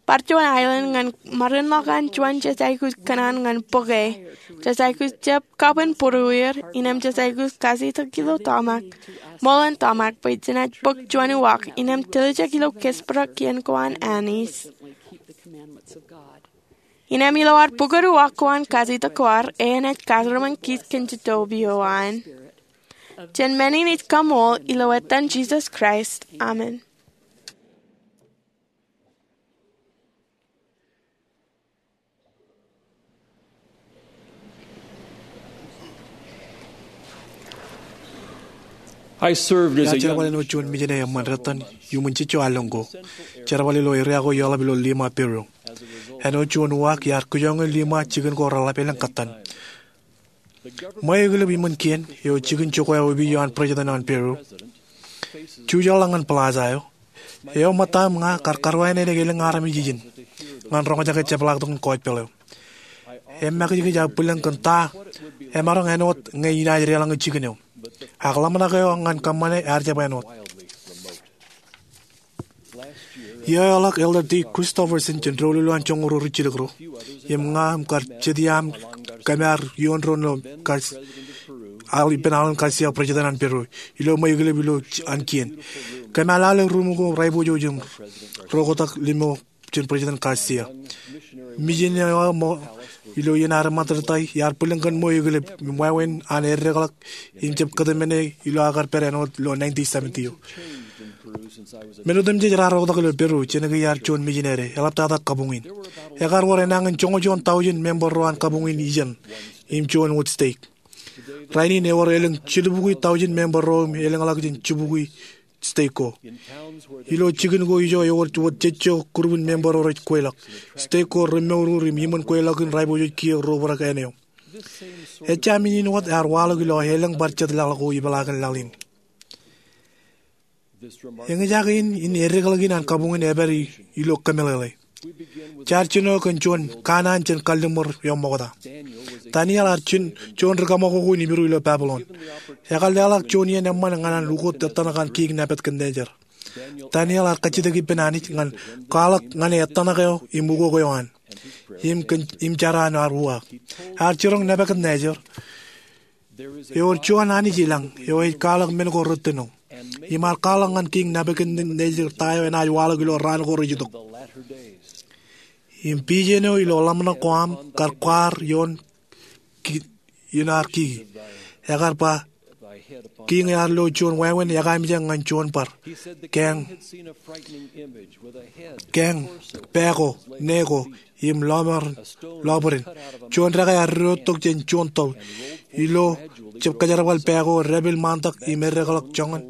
bar juon aelōñ ñan maroñ ḷọk an juon jejaikus kōṇaan ñan bōke. Jejaikus jab kabwin būruwier, innem jejaikus kajjitōk ilo tōmak, ṃool in tōmak bwe jenaaj bōk juon uwaak, innem tiljek ilo kōjparok kien ko an Anij. Innem ilo ad pukot uwaak ko an kajjitōk ko ad, enaaj kajjirōṃōn kij kōn jitōb eo an. Jen men in ij kaṃool ilo etan Jisōs Kraist. Amen. I served as a Iar jerbal āinwōt juon mijene eṃṃan retan iuṃwin jijo allōñ ko. Jerbal ilo eria ko eḷap ilo Lima, Peru. Āinwōt juon uwaak iar kijoñe Lima jikin ko reḷap elōñ kōttan. Ṃweo eklep iṃōn kien eo jikin jokwe eo opiij eo an President an Peru. Jujaḷ ḷọk ñan plaza eo. Eo ṃōttaṃ ña kar karuwainene elōñ armej ijin ñan roñjake jepḷaaktok in kọjpeḷ eo. Im makijkij aō bwilōñ kōn ta emaroñ āinwōt ñe inaaj deḷọñe jikin eo. Ak ḷōmṇak eo ñan kōṃṃane ear jab āinwōt. Iiō eo ḷọk Elder D. Christofferson jān doulul eo an joñoul ruo rijjilōk ruo im ña im kar jet iaam kōmeaar ioon doon ilo Gar- al- ippān Alan García, President an Peru, ilo ṃweo eklep ilo an kien. Kōmeaar lale ruum ko raipojoj im ro kotak limo jān President García. Mijene eo ṃōk ilo iien ad eṃṃan tōtōtōi iar bwilōñ kōn ṃweo eklep im wāween an eddekḷọk im jab kōtmāne ilo aō kar pād āinwōt ilo nineteen seventy eo. Men otemjej raar oktak ilo Peru jān ke iar juon mijinede, eḷaptata kabuñ in. Ekar wōr enañin joñoul juon taujin member ro an kabuñ in ijeṇ im juon wōt stake. Rainin ewōr elōñ jilubukwi taujin member ro im elōñḷọk jān jibukwi stake ko. Ilo jikin ko ijo ewōr wōt jejjo kurupin member ro rej kweilọk. Stake ko remour im iṃōn kweilọk in raipojoj kiiō ro obrak āne eo. Ejja men in wōt ear waḷọk ilo elōñ bar jet laḷ ko ipeḷaakin laḷ in. Eñjake in, in eddekḷọk in an kabuñ in epād i- ilo kōmeḷeḷe. Jaar jino kōn juon kanaan jān kalliṃur eo ṃokta. Daniel ear juon ri kaṃakoko in Hibru ilo Babilon. Ekar leḷọk juon iien eṃṃan ñan an ukot etan ko an Kiiñ Nebukadnejar. Daniel ear kajjitōk ippān Anij ñan kwaḷọk ñan etan ko im ukok eo an im kōn im jar an ear uwaak. Ear jiroñ Nebukadnejar, ewōr juon Anij ilañ eo ej kwaḷọk men ko rettino. Im ear kwaḷọk ñan Kiiñ Nebukadnejar ta eo enaaj waḷọk ilo raan ko rej itok. Im pijen eo ilo ḷōmṇak ko aṃ kar kwaar ioon ki- ioon ad kiki. Ekar ba, kiiñ ear lo juon wāween ekaamijak ñan juon bar. Keeñ, keeñ, pā ko, ne ko, im lọmọọr, lọbwidin. Juon dekā ear diwōjtok jān juon toḷ. Ilo jab kajerbal pā ko, dāpel ṃaantak im eddekḷọk joñan.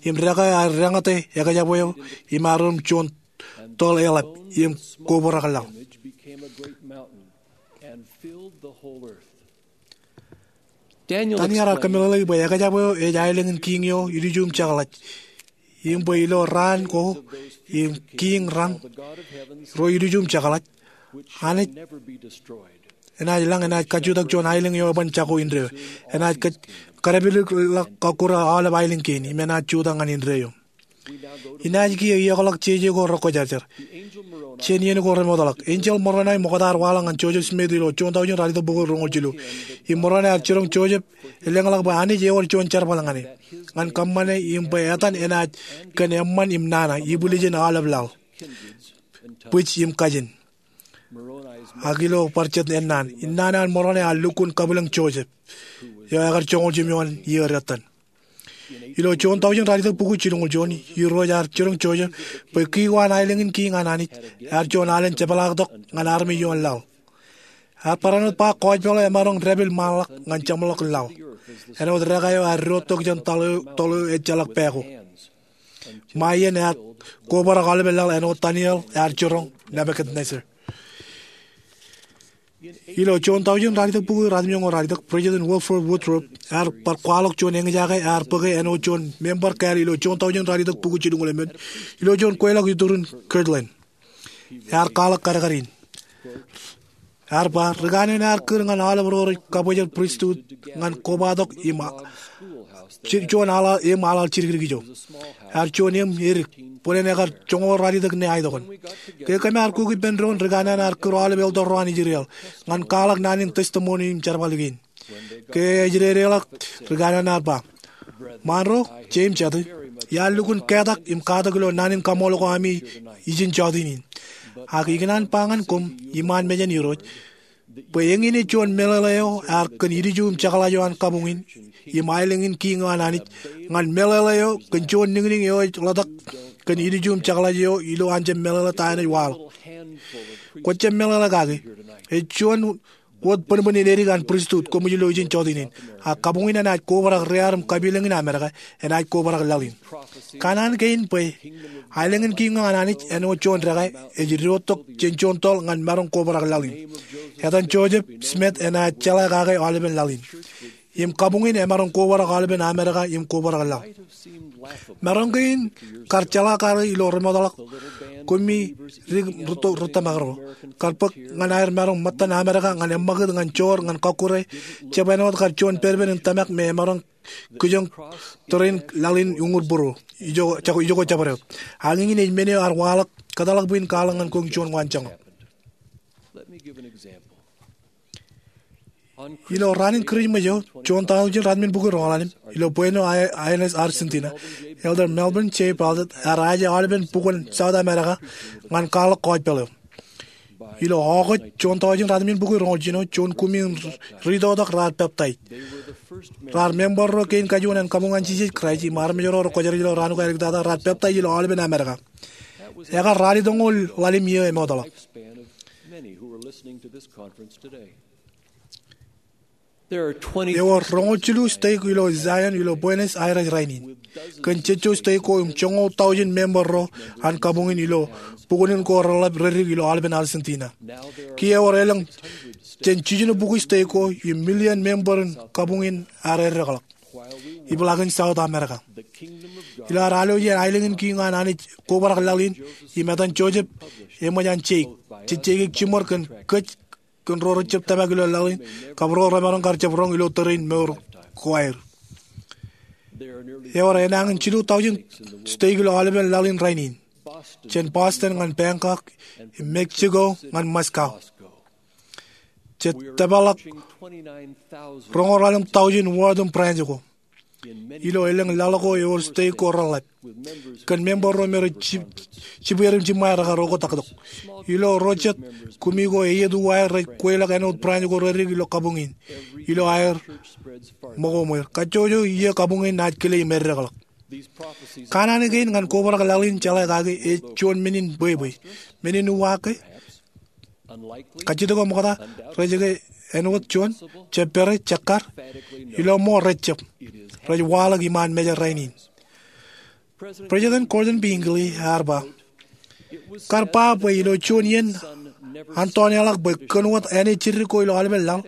Im dekā ear deñōte ekjab eo im ear rom juon toḷ eḷap im kobrak laḷ. Daniel ear kōmeḷeḷe bwe ekjab eo ej aelōñ in kiiñ eo ilju im jekḷaj. Im bwe ilo raan ko im kiiñ raṇ ro ilju im jekḷaj, Anij enaaj lañ enaaj kajutak juon aelōñ eo eban jako indeeo. Enaaj kōj- kōdāpilḷọk kọkkure aolep aelōñ kein im enaaj jutak ñan indeeo. Inaaj kiiō iọkḷọk jeje ko rekwōjarjar jān iien ko remootḷọk. Enjeḷ Moroni ṃokta ear waḷọk ñan Joseph Smith ilo juon taujin ralitōk bukwi roñoul jilu. Im Moroni ear jiroñ Joseph elōñḷọk bwe Anij ewōr juon jerbal ñan e, ñan kōṃṃane im bwe etan enaaj kōn eṃṃan im nana, ibwiljin aolep laḷ, bwij im kajin. Ak ilo bar jet ennaan, innaan eo an Moroni ear lukkuun kabwilōñ Joseph, eo ekar joñoul jimjuon iiō retan. Ilo juon taujin ralitōk bukwi jilñuul juon, Irooj ear jiroñ Joseph bwe kiko an aelōñ in kiiñ an Anij ear juon alen jepḷaaktok ñan armej ioon laḷ. Ear barāinwōt ba kọjpeḷ eo emaroñ dāpel ṃaanḷọk ñan jeṃḷọkin laḷ. Āinwōt dekā eo ear diwōjtok jān toḷ eo, toḷ eo ejjeḷọk pā ko. Ṃae iien ear kobrak aolepen laḷ āinwōt Daniel ear jiroñ Nebukadnezzar. Ilo juon taujin ralitōk bukwi ratimjuonñoul ralitōk, President Wilford Woodruff ear bar kwaḷọk juon eñjake ear bōke āinwōt juon member kāāl ilo juon taujin ralitōk bukwi jilñuul emān, ilo juon kweilọk iturin Kirtland. Ear kwaḷọk kadkad in. Ear ba, ri kanooj in ear kūr ñan aolep ro rej kabwejer pristut ñan kobatok im a- juon aḷaḷ, eṃ aḷaḷ jidikdik ijo. Ear juon eṃ edik, bōlen ekar joñoul ralitōk ne aetokon. Ke kōm ar kuk ippān doon, ri kanaan ear kūr aolep elder ro an Israel ñan kwaḷọk naan in testimony im jerbal kein. Ke ej dedeḷọk, ri kanaan ear ba, Ṃaanro, jeiū im jatū, iar lukkuun ketak im katak ilo naan in kaṃool ko ami ijin jọteen in. Ak ikōṇaan ba ñan koṃ iṃaan mejān Irooj bwe eñin ej juon meḷeḷe eo ear kōn ilju im jekḷaj eo an kabuñ in im aelōñ in kiiñ eo an Anij ñan meḷeḷe eo kōn juon niñniñ eo ej ḷotak kōn ilju im jekḷaj eo ilo an jab meḷeḷe ta eṇ ej waḷọk. Kwō jab meḷeḷe kaki. Ej juon wōt bōnbōn in edik an pristut koṃij lo ijin jọteen in. Ak kabuñ in enaaj kobrak riar im kapilōñ in Amerika, enaaj kobrak laḷ in. Kanaan kein bwe aelōñ in kiiñ eo an Anij āinwōt juon dekā ej diwōjtok jān juon toḷ ñan maroñ kobrak laḷ in. Etan Joseph Smith enaaj jeḷā kake aolepen laḷ in. Im kabuñ in emaroñ kobrak aolepen Amerika im kobrak laḷ. Maroñ kein kar jeḷā kake ilo remootḷọk koṃij dik rūtto rūttōmak ro. Kar bōk ñan aer maroñ ṃōttan Amerika ñan eṃṃakūt, ñan joor, ñan kọkkure, jab āinwōt kar juon pedped in tōmak me emaroñ kijoñ tōre in laḷ in uñūr būruo. Ijoko, ijoko jabdewōt. Ak eñin ej men eo ear waḷọk, kōtḷọk bwe in kwaḷọk ñan koṃ juon waanjoñak. Ilo raan in Kūrijṃōj eo, juon taujin ratimjuon bukwi roñoul ḷalem, ilo Buenos Aires, Argentina, Elder Melvin J. Ballard ear aje aolepen bukwōn South America ñan kwaḷọk gospel eo. Ilo August juon taujin ratimjuon bukwi roñoul jiljino, juon kumi in ritotok raar peptaij. Raar member ro kein kajuon an kabuñ an Jisōs Kraist im armej ro rekwōjarjar ilo raan ko aer ektata raar peptaij ilo aolepen America. Ekar ralitōñoul ḷalem iiō emootḷọk. Ewōr roñoul jilu stake ilo Zion ilo Buenos Aires rainin, kōn jejjo stake ko im joñoul taujin member ro an kabuñ in ilo bukwōn in ko reḷap reddik ilo aolepen Argentina. Kiiō ewōr elōñ jān jiljino bukwi stake ko im million member in kabuñ in ear eddekḷọk. Ibḷakin South America. Ilo ad alwōj jān aelōñ in kiiñ eo an Anij kobrak laḷ in, im etan Joseph eṃōj an jeik, jej jeik jiṃor kōn kōj kōn ro rejjab tōmak ilo laḷ in, kab ro remaroñ kar jab roñ ilo tōre in mour ko aer. Ewōr enañin jilu taujin stake ilo aolepen laḷ in rainin, jān Boston ñan Bangkok, Mexico ñan Moscow. Jej tōpar ḷọk roñoul ḷalem taujin ward im branch ko. Ilo elōñ laḷ ko ewōr stake ko reḷap, kōn member ro me rej jibwe im jiṃṃae rekar oktaktok. Ilo ro jet, kumi ko eiet uwaer rej kweilọk āinwōt branch ko reddik ilo kabuñ in, ilo aer ṃōko ṃweer. Kajjojo iiō kabuñ in enaaj kile im eddekḷọk. Kanaan kein ñan kobrak laḷ in jeḷā kaki ej juon men in bwebwe. Men in uwaak ke? Kajjitōk eo ṃokta, rej ke āinwōt juon, jab pere, jekkar, ilo ṃool rejjab. Rej waḷọk iṃaan mejān rainin. President Gordon B. Hinckley ear ba, kar ba bwe ilo juon iien an toneḷọk bwe kōn wōt āne jidik ko ilo aolepen laḷ,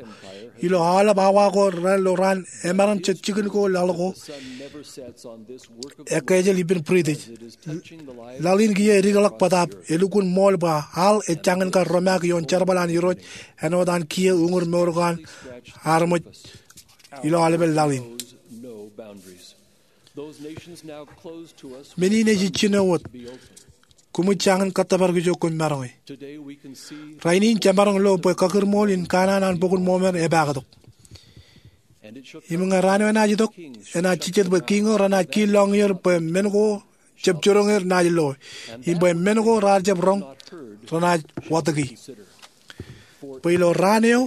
ilo aolep awa ko ilo raan emaroñ jet jikin ko laḷ ko, ekkejel ippān British. Laḷ in kiiō edikḷọk bōtaab elukkuun ṃool bwe aḷ ej jañin kar romaak ioon jerbal an Irooj āinwōt an kiiō uñūr mour ko an armej ilo aolepen laḷ in. Men in ej ijjino wōt. Koṃij jañin kōttōpar kōj eo koṃ maroñe. Rainin jemaroñ lo bwe kakūrṃool in kanaan an Bok in Mormon epaaktok. Im ñe raan eo enaaj itok, enaaj jijet bwe kiiñ eo renaaj kiil lọñier bwe men ko jab jiroñ er naaj loe, im bwe men ko raar jab roñ renaaj watōki. Bwe ilo raan eo,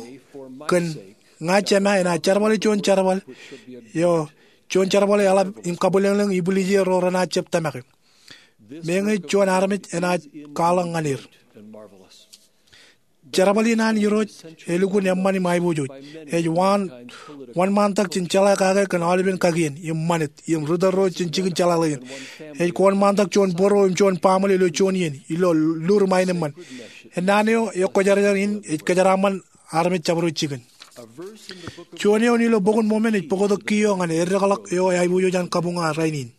kōn ña Jema enaaj jerbale juon jerbal eo, juon jerbal eo eḷap im kabwilōñlōñ ibwiljel ro renaaj jab tōmake. Meñe juon armej enaaj kwaḷọk ñan er. Jerbal in an Irooj elukkuun eṃṃan im aiboojoj. Ej wōnṃaantak jān jeḷā kake kōn aolepen kakien im ṃanit im ri tōl ro jān jikin jeḷāḷọkjeṇ. Ej kōṃṃantak juon bōro im juon baaṃle ilo juon iien ilo lur im aenōṃṃan. Ennaan eo ekwōjarjar in ej kōjeraaṃṃan armej jabdewōt jikin. Juon eoon ilo Bok in Mormon ej bōktok kiiō ñan eddekḷọk eo aiboojoj an kabuñ eo rainin.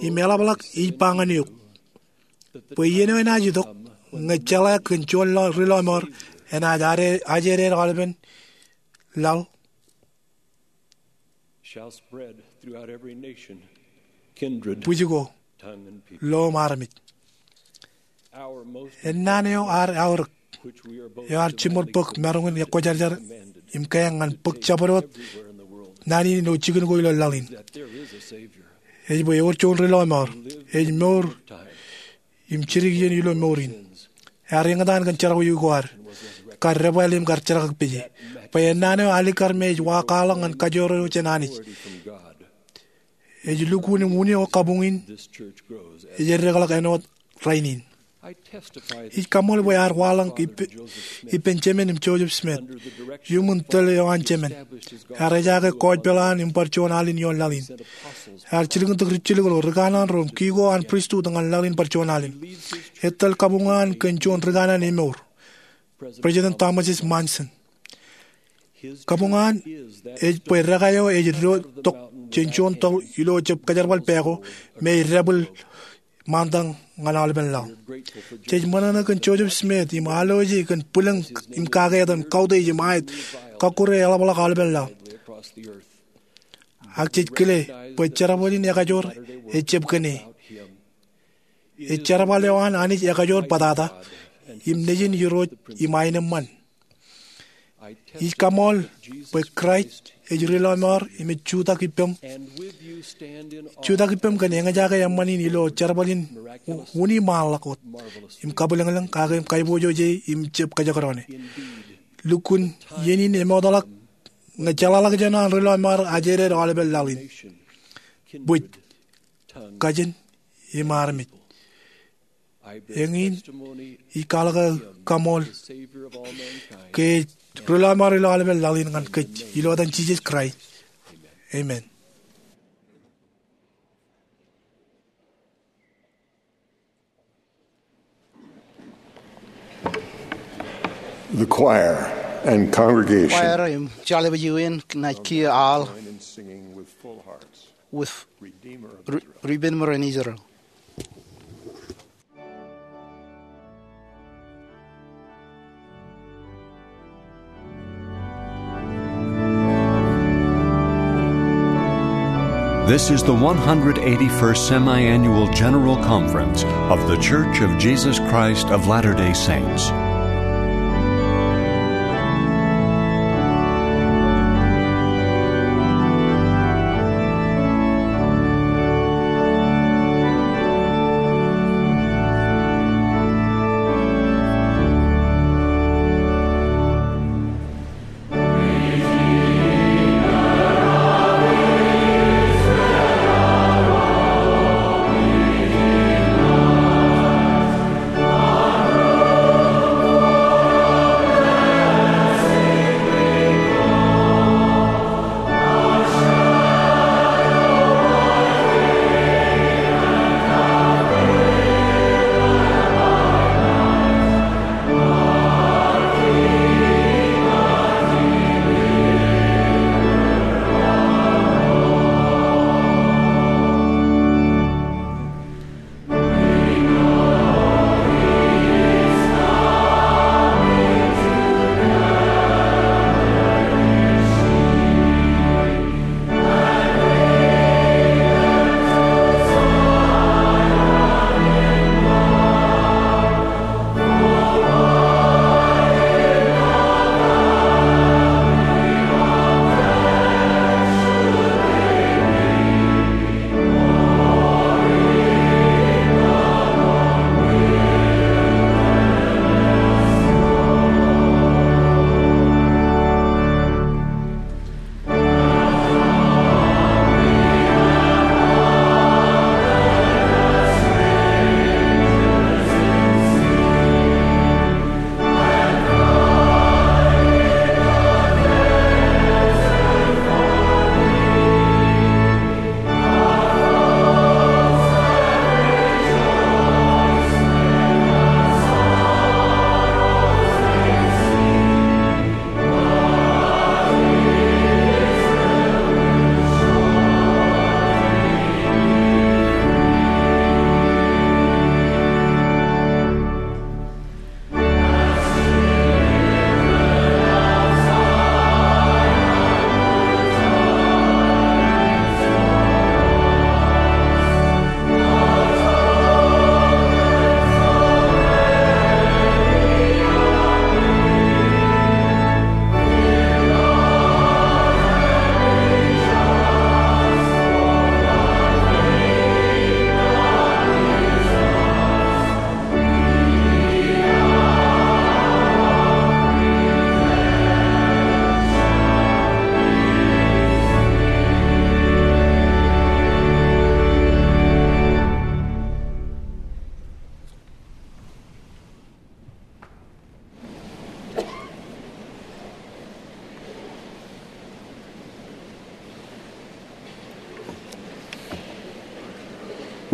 Im eḷapḷọk ij ba ñan eok bwe iien eo enaaj itok, ñe jeḷā kōn juon ri lọmọọr enaaj ajeeded aolepen laḷ, shall spread throughout every nation, kindred, bwijko, tongue, and people. Lo im armej. Our most ennaan eo ad aorōk, which we are both eo ad jiṃor bōk maroñ in ekwōjarjar im kaeñ ñan bōk jabdewōt naan in ilo jikin ko ilo laḷ in, that there is a Savior. Ej bwe ewōr juon Ri Lọmọọr. Ej mour im jidik iien ilo mour in. Ear eñtaan kōn jerọwiwi ko ad, kar debwāāl im kar jerkakpeje. Bwe ennaan eo alikkar me ej wa kwaḷọk ñan kajoor eo jān Anij. Ej lukkuun im unin eo kabuñ in ej eddekḷọk āinwōt rainin. Ij kaṃṃoolol bwe ear waḷọk ippān, ippān Jemān im Joseph Smith. Iuṃwin tōl eo an Jemān, ear ejaake kọọjpel eo an im bar juon alen ioon laḷ in. Ear jilkintok rijjilōk ro, ri kanaan ro im kiko an pristut ñan laḷ in bar juon alen. Etōl kabuñ eo an kōn juon ri kanaan emour, President Thomas S. Monson. Kabuñ eo an ej bwe dekā eo ej diwōjtok jān juon tọḷ ilo jab kajerbal pā ko me ej dāpwil ṃaantak ñan aolepen laḷ. Jej ṃōṇōṇō kōn Joseph Smith im alooje kōn bwilōñ im kake etan, kautiej im aet, kọkkure eḷapḷọk aolepen laḷ. Ak jej kile bwe jerbal in ekajoor ejjab kōn e. Ej jerbal eo an Anij ekajoor bōtata im Nejin Irooj im aenōṃṃan. Ij kaṃṃoolol bwe Kraist ej Ri Lọmọọr im ej jutak ippem, jutak ippem kōn eñjake eṃṃan in ilo jerbal in unin ṃaanḷọk wōt im kabwilōñlōñ kake im kaiboojoj e im jab kajekdọọn e. Lukkuun iien in emootḷọk ñe jeḷāḷọkjeṇ an Ri Lọmọọr ajeleid aolepen laḷ in. Bwij, kajin im armej. Eñin ij kwaḷọk aō kaṃṃoolol ke ej Ri Lọmọọr ilo aolepen laḷ in ñan kōj, ilo etan Jisōs Kraist, amen. The choir and congregation. Choir im jeḷā bwe jen naaj kiiō aḷ. Join in singing with full hearts. With Redeemer of Re-, Israel. Redeemer of Israel. This is the one hundred eighty-first Semiannual General Conference of The Church of Jesus Christ of Latter-day Saints.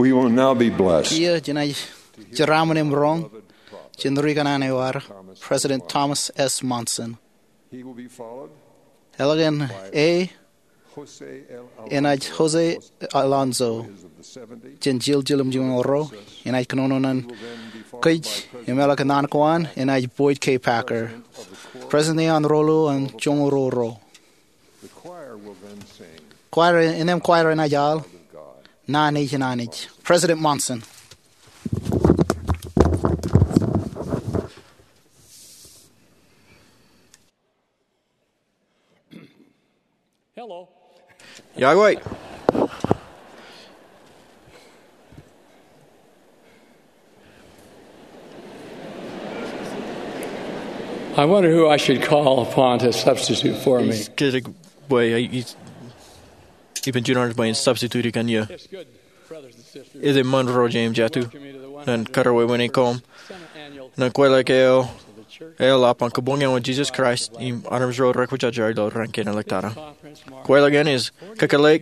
We will now be blessed. Kiiō jenaaj jeraaṃṃan im roñ jān ri kanaan eo ad, President Thomas S. Monson. He will be followed Eḷak eṇ e Jose L. enaaj Jose Alonso, jān jiljilimjuonñoul ruo, enaaj kōnono ñan kōj, im eḷak eṇ an ko an enaaj Boyd K. Packer, President eo an Ruo Luo an Joñoul Ruo Ruo. Kwaer, innem kwaer enaaj aḷ, Naan Ej in Anij. President Monson. Hello. Iọkwe. I wonder who I should call upon to substitute for me. Ij kajjitōk bwe, ij, iban juon armej bwe en substitute kōn eō. Ej eṃṃan ro jeiū im jatū, ñan kōrā wāween koṃ ñan kweilọk eo eḷap an Kabuñ eo an Jesus Christ im Armej ro Rekwōjarjar ilo raan kein ḷōmṇak. Kweilọk eṇ ej kōkōḷḷe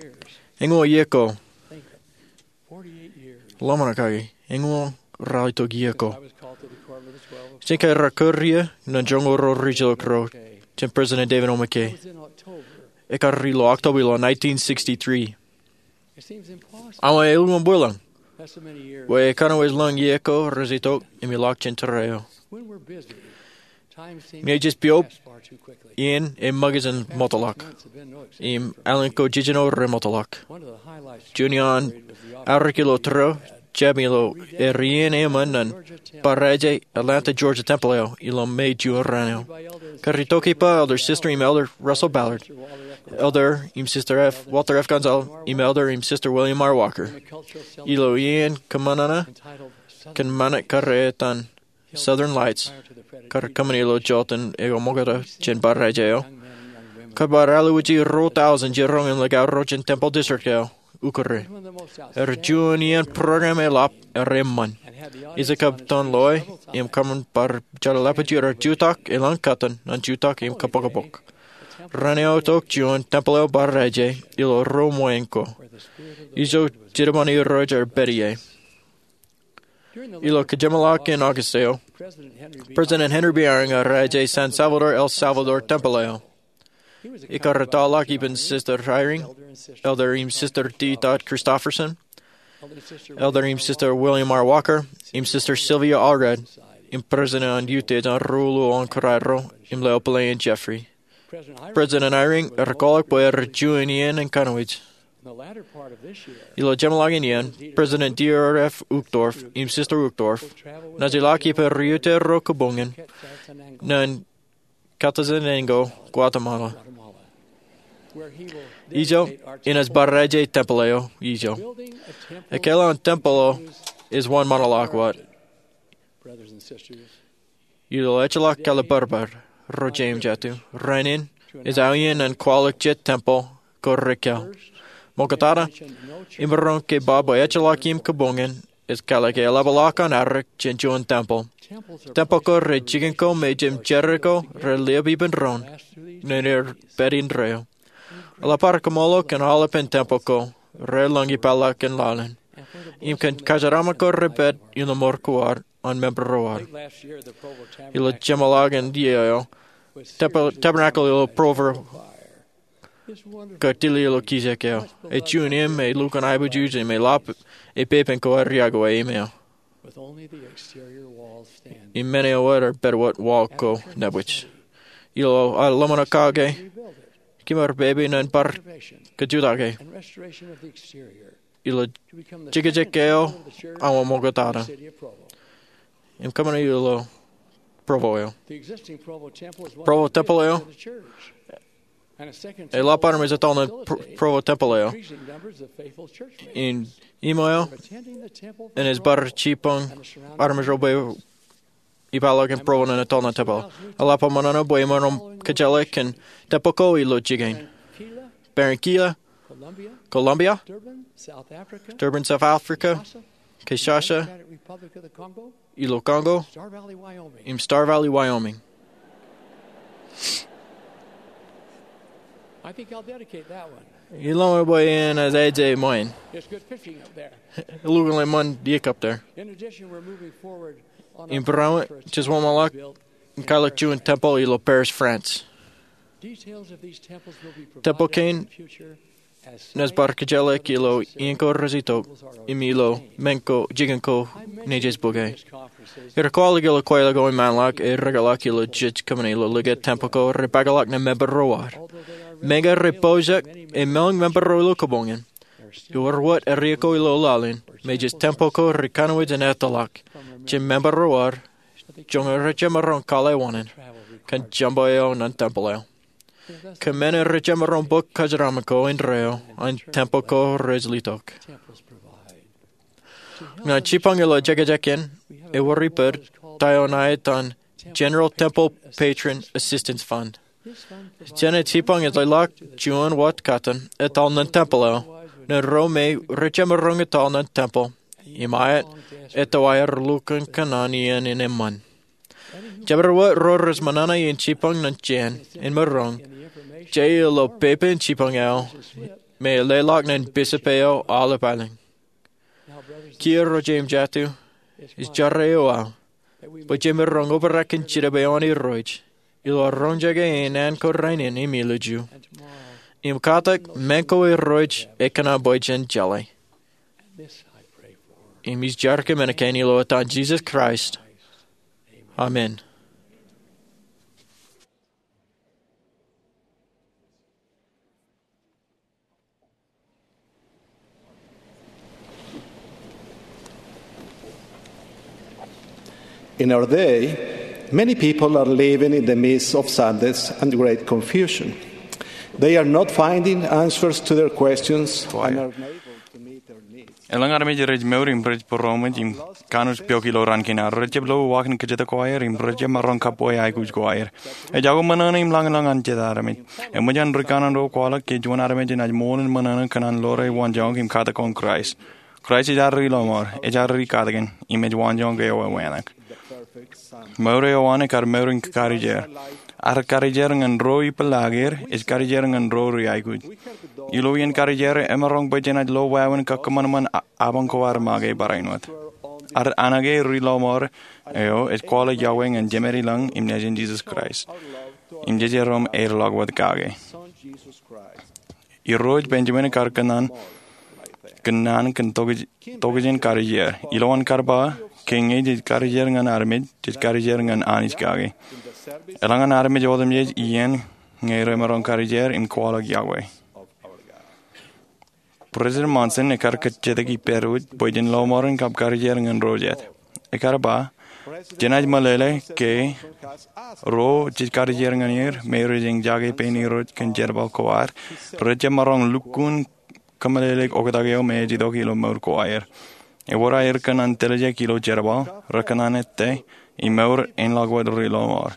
eñoul iiō ko. Lọmọọr kake, eñoul ralitōk iiō ko. Jen kōrā kōrā iiō ñan joñoul ruo ri jilōk ro jān President David O. McKay. Ekkar ilo October ilo nineteen sixty-three. Awa elukkuun bwilōñ bwe ekanooj lōñ iiō ko rej itok im ilọk jān tōre eo. Ñe jej piobrak, iien ej ṃōkaj in ṃōtḷọk im alen ko jejino reṃōtḷọk. Juon iaan aorōk ilo tōre eo jab ilo ear iien eṃṃan ñan Barāinwōt Atlanta Georgia Tempel eo ilo May juon raan eo. Kar itok ippa Elder Sister im Elder Russell Ballard, Elder im Sister F. Walter F. Gonzalez, im Elder im Sister William R. Walker. Ilo iien kōṃanana kōn ṃanit kar etan Southern Lights, kar kōṃṃani ilo joteen eo ṃokta jān Barāinwōt eo, kar bar alwōji ruo tọujin jiroñ in likao ro jān tempel district eo, Ukōre. Ear juon iien program eḷap ear eṃṃan. Ij kab tōn loe im kōṃṃan bar jeḷā ḷapajjek ro jutak elōñ kōttan ñan jutak im kōpokpok. Raan eo itok juon tempel eo Barāinwōt ilo ruo ṃōñā ko. Ijo jidiṃaan irooj ear pād ie. Ilo kajeṃḷọk in August eo, President Henry B. Eyring ear raije San Salvador El Salvador Tempel eo. Ekar ettoḷọk ippān Sister Eyring, Elder im Sister D. Todd Christofferson, Elder im Sister William R. Walker, im Sister Sylvia Allred, im President an Utiej an Ruo Luo an Kōrā Ro im Leo Pele in Jeffrey. President Eyring ear kwaḷọk bwe ear juon iien in kanooj. Ilo jeṃḷọkin iien, President Dieter F. Uchtdorf im Sister Uchtdorf naaj ilọk ippān ri-utiej ro kabuñ in ñan Quetzaltenango, Guatemala. Ijo enaaj bar raije tempel eo ijo. Ekkā eo an tempel eo ej wōnṃaanḷọk wōt. Ilo ejjeḷọk kalibbōrbōr, ro jeiū im jatū, rainin ej aō iien ñan kwaḷọk jet tempel ko rekkā. Ṃoktata, imaroñ ke ba bwe ejjeḷọk im kabuñ in ej kālọke eḷapḷọk an arrik jān juon tempel. Tempel ko rej jikin ko me jeiū im jerā ko rej liab ippān doon ñan er pād indeeo. Eḷap ad kaṃṃoolol kōn aolepān tempel ko rej lōñ ippaḷọk kōn laḷ in im kōn kōjeraaṃṃan ko rej pād innem ṃor ko ad an member ro ad. Ilo jeṃḷọkin iiō eo, Tabernacle ilo Provo kar tile ilo kijek eo. Ej juon im ej lukkuun aiboojoj im eḷap epepen ko ad riakoe im eo. Im men eo ad pād wōt wall ko nebwij. Ilo ad lōṃōṇō kake, kōmar pepe ñan bar kajutake ilo jekjek eo awa ṃoktata im kōṃṃane ilo Provo eo. Provo tempel eo, eḷap armej ettoḷ ñan Provo tempel eo. Im iṃō eo enaaj bar jibboñ armej ro bwe ippaḷọk in Provo ñan ettoḷ ñan tempel. Eḷap aō ṃōṇōṇō bwe imaroñ kōjeḷā kōn tempel ko ilo jikin: Barranquilla, Colombia; Durban, South Africa; Kinshasa, ilo Congo; im Star Valley, Wyoming. I think I'll dedicate that one. Ilọk bwe iien ej aje ṃwein. It's good fishing up there. Lukkuun ḷe ṃōn iiōk up there. In addition, we're moving forward on our Im barāinwōt, first jes wōnṃaanḷọk, built in Paris, im kwaḷọk juon tempel ilo Paris, France. Details of these temples will be provided in the future. Tempel kein naaj bar kōjjeḷọk ilo iien ko rej itok, im ilo men ko, jikin ko, naaj bōke. Ij kwaḷọk ilo kweilọk ko im ṃaanḷọk, ej rekōtḷọk ilo jej kōṃṃane ilo likūt tempel ko rej pākḷọk ñan member ro ad. Meñe rej pojak, im elōñ member ro ilo kōpoñ in, ewōr wōt area ko ilo laḷ in, me jej tempel ko rej kanooj in etōḷọk jān member ro ad, joñan rej jemaroñ kwaḷọk wōṇāān, kōn jaṃbo eo ñan tempel eo. Kōmān rej jemaroñ bōk kōjeraṃṃan ko indeeo an tempel ko rej itok. Ñan jibboñ ilo jekjekin, ewōr ippād ta eo ṇa etan General Temple Patron Assistance Fund. Jenaaj jibboñ eḷḷọk juon wōt kōttan etal ñan tempel eo, ñan ro me rej jemaroñ etal ñan tempel, im aet, etto aer lukkuun kōṇaan iien in eṃṃan. Jabdewōt ro rej ṃōṇōṇō in jibboñ ñan jen in maroñ, je ilo pepe in jibboñ eo, me leḷọk ñan bishop eo aolep aelōñ. Kiiō ro jeiū im jatū, ij jar eo aō, bwe jemaroñ obrak kōn jinōb eo an Irooj, ilo roñjake in an ko rainin im ilju, im katak men ko Irooj ekōṇaan bwe jen jeḷā. Im ij jar kōn men kein ilo etan Jisōs Kraist. Amen. In our day, many people are living in the midst of sadness and great confusion. They are not finding answers to their questions and are unable to meet their needs. Elōñ armej rej mour im rej būroṃōj im kanooj piok ilo raan kein ad. Rej jab lo waḷọk kōjatdikdik ko aer im rej jab maroñ kab bwe aikuj ko aer. Ej jako ṃōṇōṇō im lañlōñ an jet armej. Eṃōj an rikanaan ro kwaḷọk ke juon armej enaaj ṃool in ṃōṇōṇō kōn an lore waanjoñak im katak kōn Kraist. Kraist ej ad ri lọmọọr, ej ad ri katakin, im ej waanjoñak eo ewānōk. Mour eo an ekar mour in karijer. Ad karijer ñan ro ipeḷaakier, ej karijer ñan ro ri aikuj. Ilo iien karijer, emaroñ bwe jenaaj lo wāween kakkōṃanṃan a-, apañ ko ad make barāinwōt. Ad anōke ri lọmọọr eo ej kwaḷọk Yahweh ñan Jemān i lañ im Nejin Jisōs Kraist. Im jejerom aer ḷọk wōt kake. Irooj Benjamin ekar kōnnaan, kōnnaan kōn tokjān, tokjān karijer. Ilowaan kar ba, ke ñe jej karijer ñan armej, jej karijer ñan Anij kake. Eḷaññe armej otemjej iien ñe remaroñ karijer im kwaḷọk Yahweh. President Monson ekar kōjatdikdik ippād wōj bwe jen lọmọọren kab karijer ñan ro jet. Ekar ba, jenaaj meḷeḷe ke ro jej karijer ñan er me rej eñjake pein Irooj kōn jerbal ko ad, rej jab maroñ lukkuun kōmeḷeḷeik oktak eo me ej itok ilo mour ko aer. Ewōr aer kōṇaan tiljek ilo jerbal, rekōṇaan ettā, im mour āinḷọk wōt ri lọmọọr.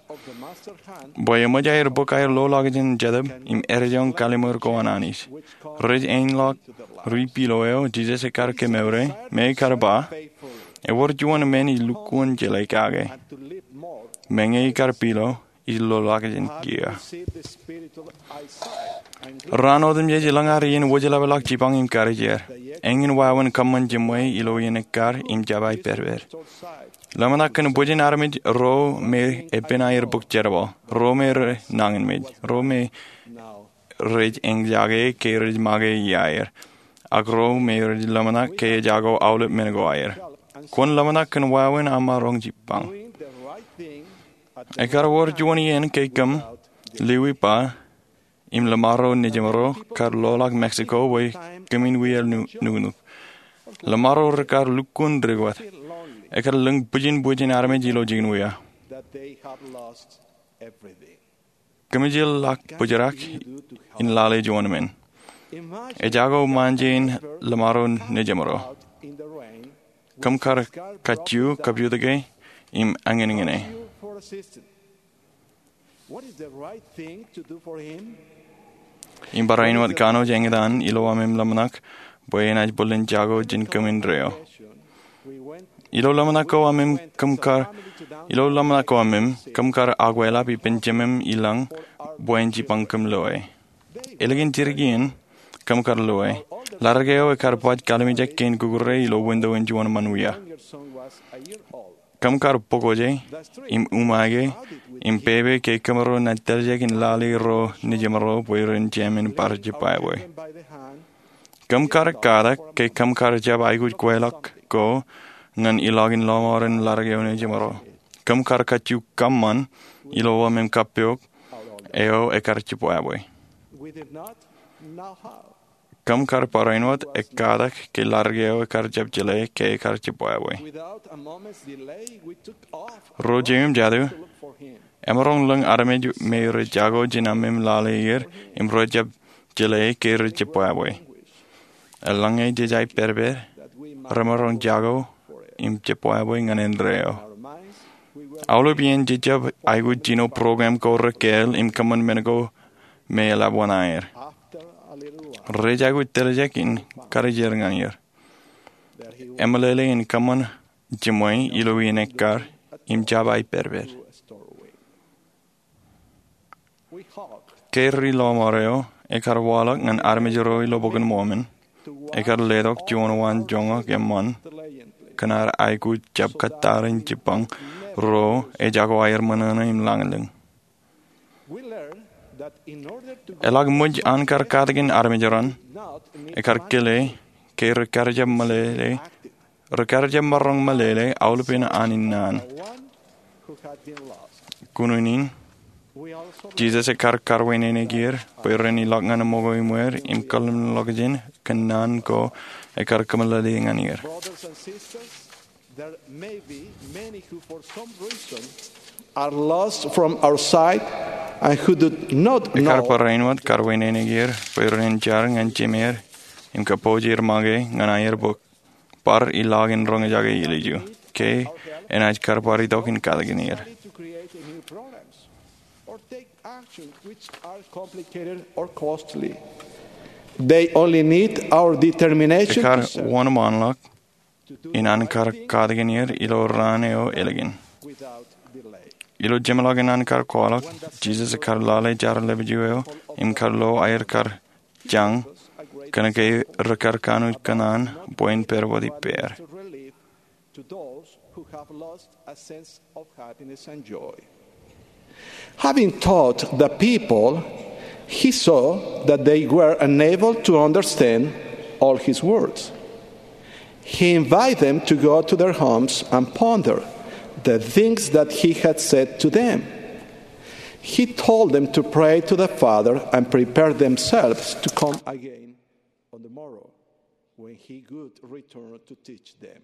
Bwe eṃōj aer bōk aer lolọkjeṇ jetōb im edejoñ kalliṃur ko an Anij. Rej āinḷọk ri pilo eo Jisōs ekar kemoure, me ekar ba, ewōr juon men ij lukkuun jeḷā kake, meñe ikar pilo, ij lolọkjeṇ kiiō. Raan otemjej elōñ ad iien wōjlepḷọk jibboñ im karijer. Eñin wāween kōṃṃan jiṃwe ilo iien ekkar im jab aepedped. Ḷōmṇak kōn bwijin armej ro me epen aer bōk jerbal, ro me rej nañinmej, ro me rej eñjake ke rej make iaer, ak ro me rej ḷōmṇak ke ejako aolep men ko aer. Kwōn ḷōmṇak kōn wāween aṃ maroñ jibboñ. Ekar wōr juon iien ke kōm, Louis Parr, im Ḷōṃaro Nejimro kar loḷọk Mexico bwe kōmin wiaer nu-, nuknuk. Ḷōṃaro rekar lukkuun dik wōt. Ekar lōñ bwijin bwijin armej ilo jikin wia. Kōmij ḷak bōjrak in lale juon men. Ejako ṃaanje in Ḷōṃaro Nejimro. Kōm kar kajju, kajju tōke im añinñine. Im barāinwōt kanooj eñtaan ilo aṃ ḷōmṇak bwe enaaj bōlen jako jān kōm indeeo. Ilo ḷōmṇak ko aṃ im kōm kar, ilo ḷōmṇak ko aṃ im kōm kar akweḷap ippān Jemem ilañ bwe en jibboñ kōm loe. Ālikin jidik iien, kōm kar loe. Ladik eo ekar baj kalimjek kein kukure ilo winto in juon ṃanwia. Kōm kar bōk wōje im umaake im pepe ke kōmro naaj teljek in lale ro nejimro bwe ren jemān bar jibwābwe. Kōm kar katak ke kōm kar jab aikuj kweilọk ko ñan ilọk in lọmọọren ladik eo nejimro. Kōm kar kajju kōṃṃan ilo ḷōmān kappok eo ekar jibwābwe. Kōm kar barāinwōt ekkatak ke ladik eo ekar jab jeḷā ke ekar jibwābwe. Ro jeiū im jatū, emaroñ lōñ armej me rej jako jān aṃ im lale er im rej jab jeḷā ke rej jibwābwe. Eḷaññe jej aipedped, remaroñ jako im jibwābwe ñan indeeo. Aolep iien jej jab aikuj jino program ko rekāāl im kōṃṃan men ko me eḷap wōṇāer. Rej aikuj teljek in karijer ñan er. Emeḷeḷe in kōṃṃan jiṃwe ilo iien ekkar im jab aipedped. Ke ri lọmọọr eo ekar waḷọk ñan armej ro ilo Bok in Mormon, ekar letok juon waan joñak eṃṃan kōn ad aikuj jab kōttar in jibbañ ro ej jako aer ṃōṇōṇō im lañlōñ. Eḷak ṃōj an kar katakin armej raṇ, ekar kile ke rekar jab meḷeḷe, rekar jab maroñ meḷeḷe aolepen an in naan. Kōn unin, Jisōs ekar karwaineneik er bwe ren ilọk ñan ṃōko iṃweer im kōḷmānḷọkjeṇ kōn naan ko ekar kōmeḷeḷe ñan er. There may be many who, for some reason, are lost from our sight and who do not know. Ekar barāinwōt karwaineneik er bwe ren jar ñan jimeer im kōpooj er make ñan aer bōk bar ilọk in roñjake ilju ke enaaj kar bar itok in katakin er. To create a new programs or take actions which are complicated or costly. They only need our determination. Ekar wōnṃaanḷọk in an kar katakin er ilo raan eo ālikin. Ilo jeṃḷọkin an kar kwaḷọk, Jisōs ekar lale Jerọlipju eo im kar lo aer kar jañ kōnke rekar kanooj kōṇaan bwe en pād wōt ippāer. To those who have lost a sense of happiness and joy. Having taught the people, he saw that they were unable to understand all his words. He invited them to go to their homes and ponder the things that he had said to them. He told them to pray to the Father and prepare themselves to come again on the morrow when he would return to teach them.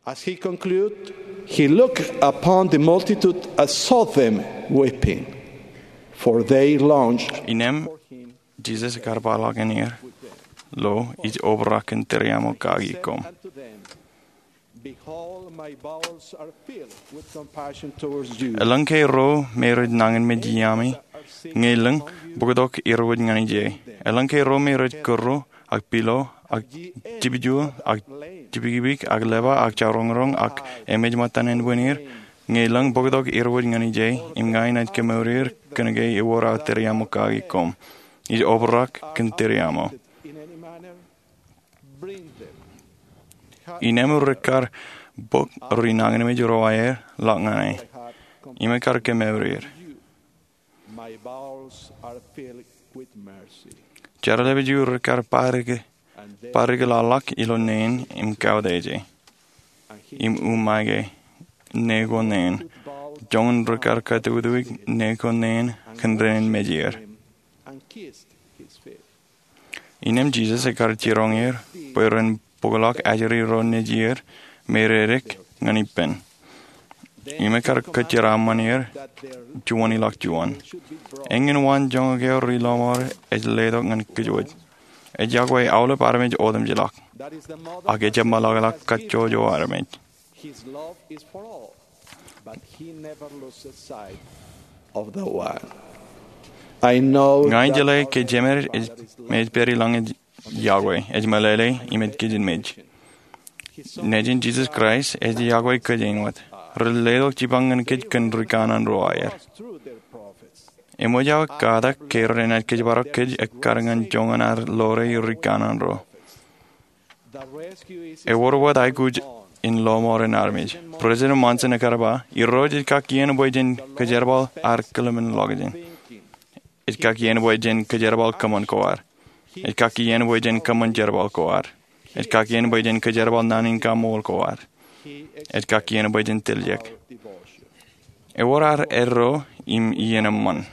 As he concluded, he looked upon the multitude and saw them weeping, for they longed. Innem, Jisōs ekar kwaḷọk ñan er, lo, ij obrak kōn tūriaṃo kaki koṃ. Behold, my bowels are filled with compassion towards you. Eḷaññe ro me rej nañinmej iaami, ñe elōñ, bōktok irwōj ñan ije. Eḷaññe ro me rej kūrro, ak pilo, ak jipjuon, ak jipikipik, ak lepa, ak jaroñroñ, ak emej ṃōttan ānbwinnier, ñe elōñ, bōktok irwōj ñan ije, im ña inaaj kemour er, kōnke ewōr aō tūriaṃo kaki koṃ. Ij obrak kōn tūriaṃo. Innem rekar bōk ri nañinmej ro aer ḷọk ñan e, im ekar kemour er. My bowels are filled with mercy. Jerọlipju rekar parike, parike ḷọk ilo neen im kaudeje, im umaake, ne ko neen, joñan rekar katukutuk ne ko neen kōn dān in mej er. And kissed his feet. Innem Jisōs ekar jiroñ er bwe ren bōkḷọk ajri ro nejier me reddik ñan ippān. Im ekar kōjeraaṃṃan er juon ilo juon. Eñin waan joñak eo ri lọmọọr ej letok ñan kōj wōj. Ej yokwe aolep armej otemjej ḷọk. Ak ejjab ṃōḷọkḷọk kajjojo armej. His love is for all, but he never loses sight of the one. I know. Ña ij jeḷā ke Jemed ej, me ej pād ilañ ej yokwe, ej meḷeḷe, im ej kōjenmej. Nejin Jisōs Kraist ej yokwe kōj āinwōt. Rej letok jipañ ñan kōj kōn ri kanaan ro aer. Eṃōj aō katak ke ren kōjparok kōj ekkar ñan joñan ad ḷoore ri kanaan ro. Ewōr wōt aikuj in lọmọọren armej. President Monson ekkar ba, Irooj ej kakkien bwe jen kōjerbal ad kōḷmānḷọkjeṇ. Ej kakkien bwe jen kōjerbal kōṃṃan ko ad. Ej kakkien bwe jen kōṃṃan jerbal ko ad. Ej kakkien bwe jen kōjerbal naan in kaṃṃool ko ad. Ej kakkien bwe jen tiljek. Ewōr ad eddo im iien eṃṃan.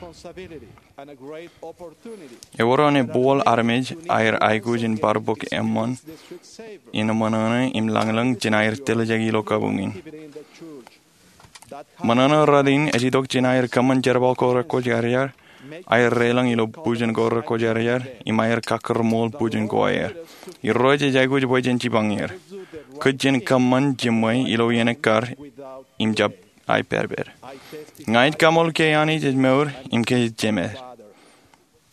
Ewōr eo ej bōk armej aer aikuj in bar bōk eṃṃan in ṃōṇōṇō im lañlōñ jān aer tiljek ilo kabuñ in. Ṃōṇōṇō rot in ej itok jān aer kōṃṃan jerbal ko rekwōjarjar, aer deḷọñ ilo bujen ko rekwōjarjar, im aer kakkōrṃool bujen ko aer. Irooj ej aikuj bwe jen jipañ er. Kōj jen kōṃṃan jiṃwe ilo iien ekkar im jab aepād pād. Ña ij kaṃool ke Anij ej mour im ke ej jemed.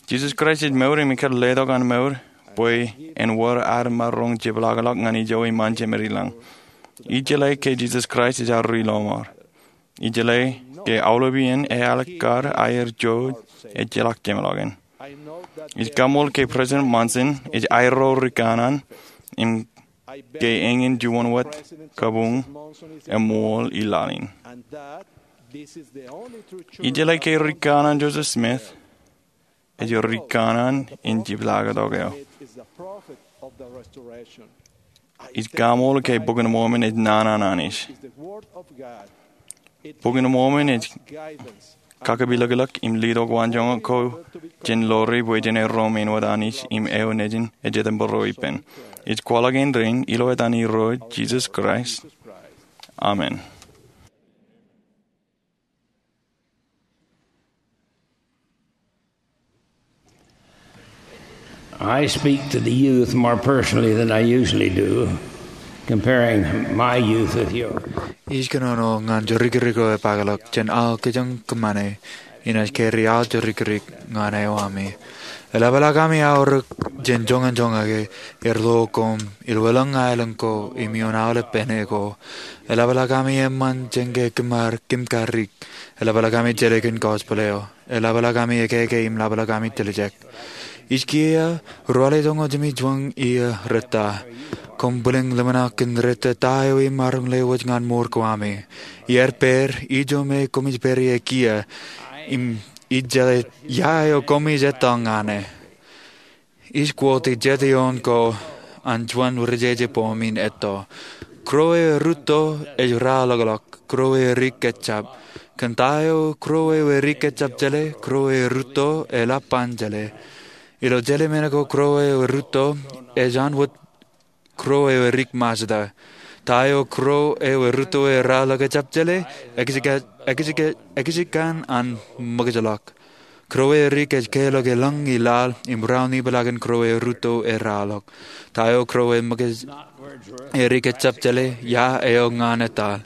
Jisōs Kraist ej mour im ekkar letok an mour bwe en wōr ad maroñ jepḷaakḷọk ñan ijo iṃaan Jemed i lañ. Ijeḷā ke Jisōs Kraist ej ad ri lọmọọr. Ijeḷā ke aolep iien eaḷikkar aer jouj ejjeḷọk jeṃḷọkin. Ij kaṃool ke President Monson ej aerro ri kanaan im ke eñin juon wōt kabuñ eṃṃool i laḷ in. Ijeḷā ke ri kanaan Joseph Smith ej ri kanaan in jepḷaaktok eo. Ij kaṃool ke Bok in Mormon ej naan an Anij. Bok in Mormon ej kakepilōklōk im letok waanjoñak ko jān ḷoore bwe jen erro ṃaan wōt Anij im eo nejin ejjetempeḷ ro ippān. Ij kwaḷọk in rainin ilo etan Irooj Jisōs Kraist. Amen. I speak to the youth more personally than I usually do, comparing my youth with yours. Ij kōnono ñan jorikrek ro epakḷọk jān aō kōjeañ kōṃṃane, inaaj kari aō jorikrek ñan eo ami. Eḷapḷọk ami aorōk jān joñan joñak er lo koṃ, ilweḷọk aelōñ ko im ioon aolep pāne ko. Eḷapḷọk ami eṃṃan jān ke kōṃṃan kōm karrik. Eḷapḷọk ami jeḷā kōn gospel eo. Eḷapḷọk ami ekeke im eḷapḷọk ami tiljek. Ij kiiō ruwaḷe joñoul jimjuon iiō rōta. Koṃ bwilōñ ḷōmṇak kōn rōta ta eo imaroñ lewōj ñan mour ko ami. Iar pād ijo me koṃij pād ie kiiō im ij jeḷā ia eo koṃij etto ñan e. Ij quote jet ioon ko an juon rijeje poem in etto. Kro eo erūtto ej raḷọkḷọk, kro eo erik ejjab. Kōn ta eo kro eo erik ejjab jeḷā, kro eo erūtto eḷap an jeḷā. Ilo jeḷā men ko kro eo erūtto ej an wōt kro eo erik Mazda. Ta eo kro eo erūtto eḷap ejjab jeḷā, ekijjikkan an ṃōkajḷọk. Kro eo erik ej kelọk eḷaññe laḷ im raunipḷaak in kro eo erūtto eḷapḷọk. Ta eo kro eo erik ejjab jeḷā, ia eo ñan etal.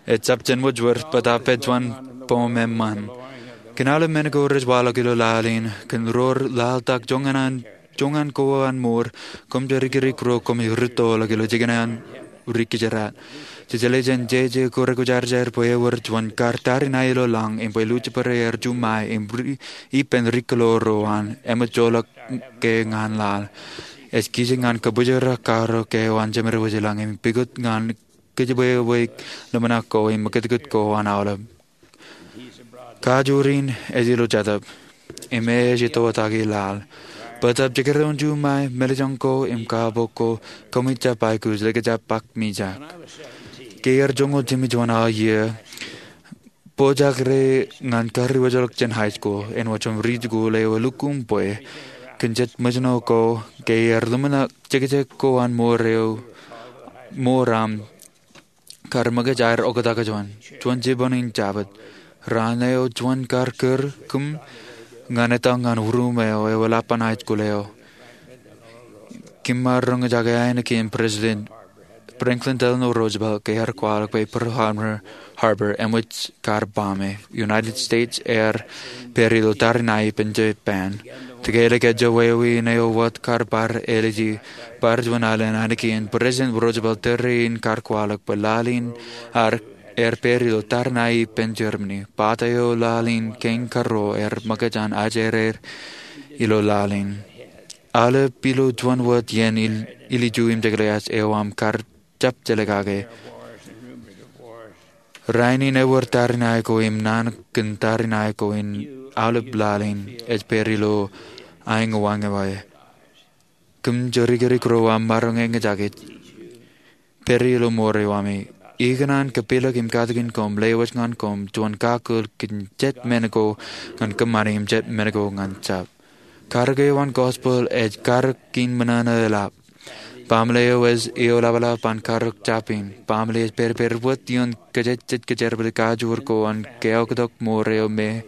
Ejjab jān wōjwōr bōtaab pād juon poem eṃṃan. Kōn aolep men ko rej waḷọk ilo laḷ in, kōn ro rej laḷtak joñan ko an mour, koṃ jorikrek ro koṃij rūttoḷọk ilo jikin an ri kijeraad. Jejeḷā jān jeje ko rekwōjarjar bwe ewōr juon kar tariṇae ilo lañ im bwe Lucifer ear juṃae im ippān ri kōḷḷā ro an eṃōj joḷọk ke ñan laḷ. Ej kijjien ñan kabōjrak karo ke eo an jemed wōj i lañ im pukot ñan kōjparok ḷōmṇak ko im ṃōkutkūt ko an aolep. Kajoor in ej ilo jatōb im e ej itoitak i laḷ. Bōtaab jekdọọn juṃae, meḷejañ ko im kaabok ko, koṃij jab aikuj likjab ak mijak. Ke iar joñoul jimjuon aō iiō, pojak ro ñan kariwōjḷọk jān high school, āinwōt jom riit ko ḷeo eḷukkuun bwe kōn jet ṃōjṇọ ko, ke iar ḷōmṇak jekjek ko an mour eo, mour am, kar ṃōkaj aer oktak juon, juon jipañ in Jabōt. Raan eo juon kar kūr kōm ñan etal ñan ruum eo, eo eḷap an high school eo. Kōm ar roñjake ainikien President Franklin Delano Roosevelt ke ear kwaḷọk bwe Pearl Harbor, Harbor eṃōj kar baaṃe. United States ear pād ilo tariṇae ippān Japan. Tōkālik ejjo wāween eo wōt kar bar āliji, bar juon alen ainikien President Roosevelt tōre in kar kwaḷọk bwe laḷ in ar er pād ilo tariṇae ippān Germany. Pata eo laḷ in kein karro er ṃōkaj an ajri er ilo laḷ in. Aolep ilo juon wōt iien ilju im jekḷeaaj eo aṃ kar jab jelōt kake. Rainin ewōr tariṇae ko im naan kōn tariṇae ko in aolep laḷ in ej pād ilo aenōwaenō. Kōm jorikirik ro aṃ maroñ eñjake, pād ilo mour eo ami. Ikōṇaan kapilōk im katakin koṃ, lewōj ñan koṃ juon kakōl kōn jet men ko ñan kōṃṃani im jet men ko ñan jab. Karōk eo an gospel ej karōk in ṃōṇōṇō eḷap. Baaṃle eo ej eoḷapḷap an karōk jab in. Baaṃle ej pedped wōt ioon kōjejjet kōjerbale kajoor ko an keoktak mour eo me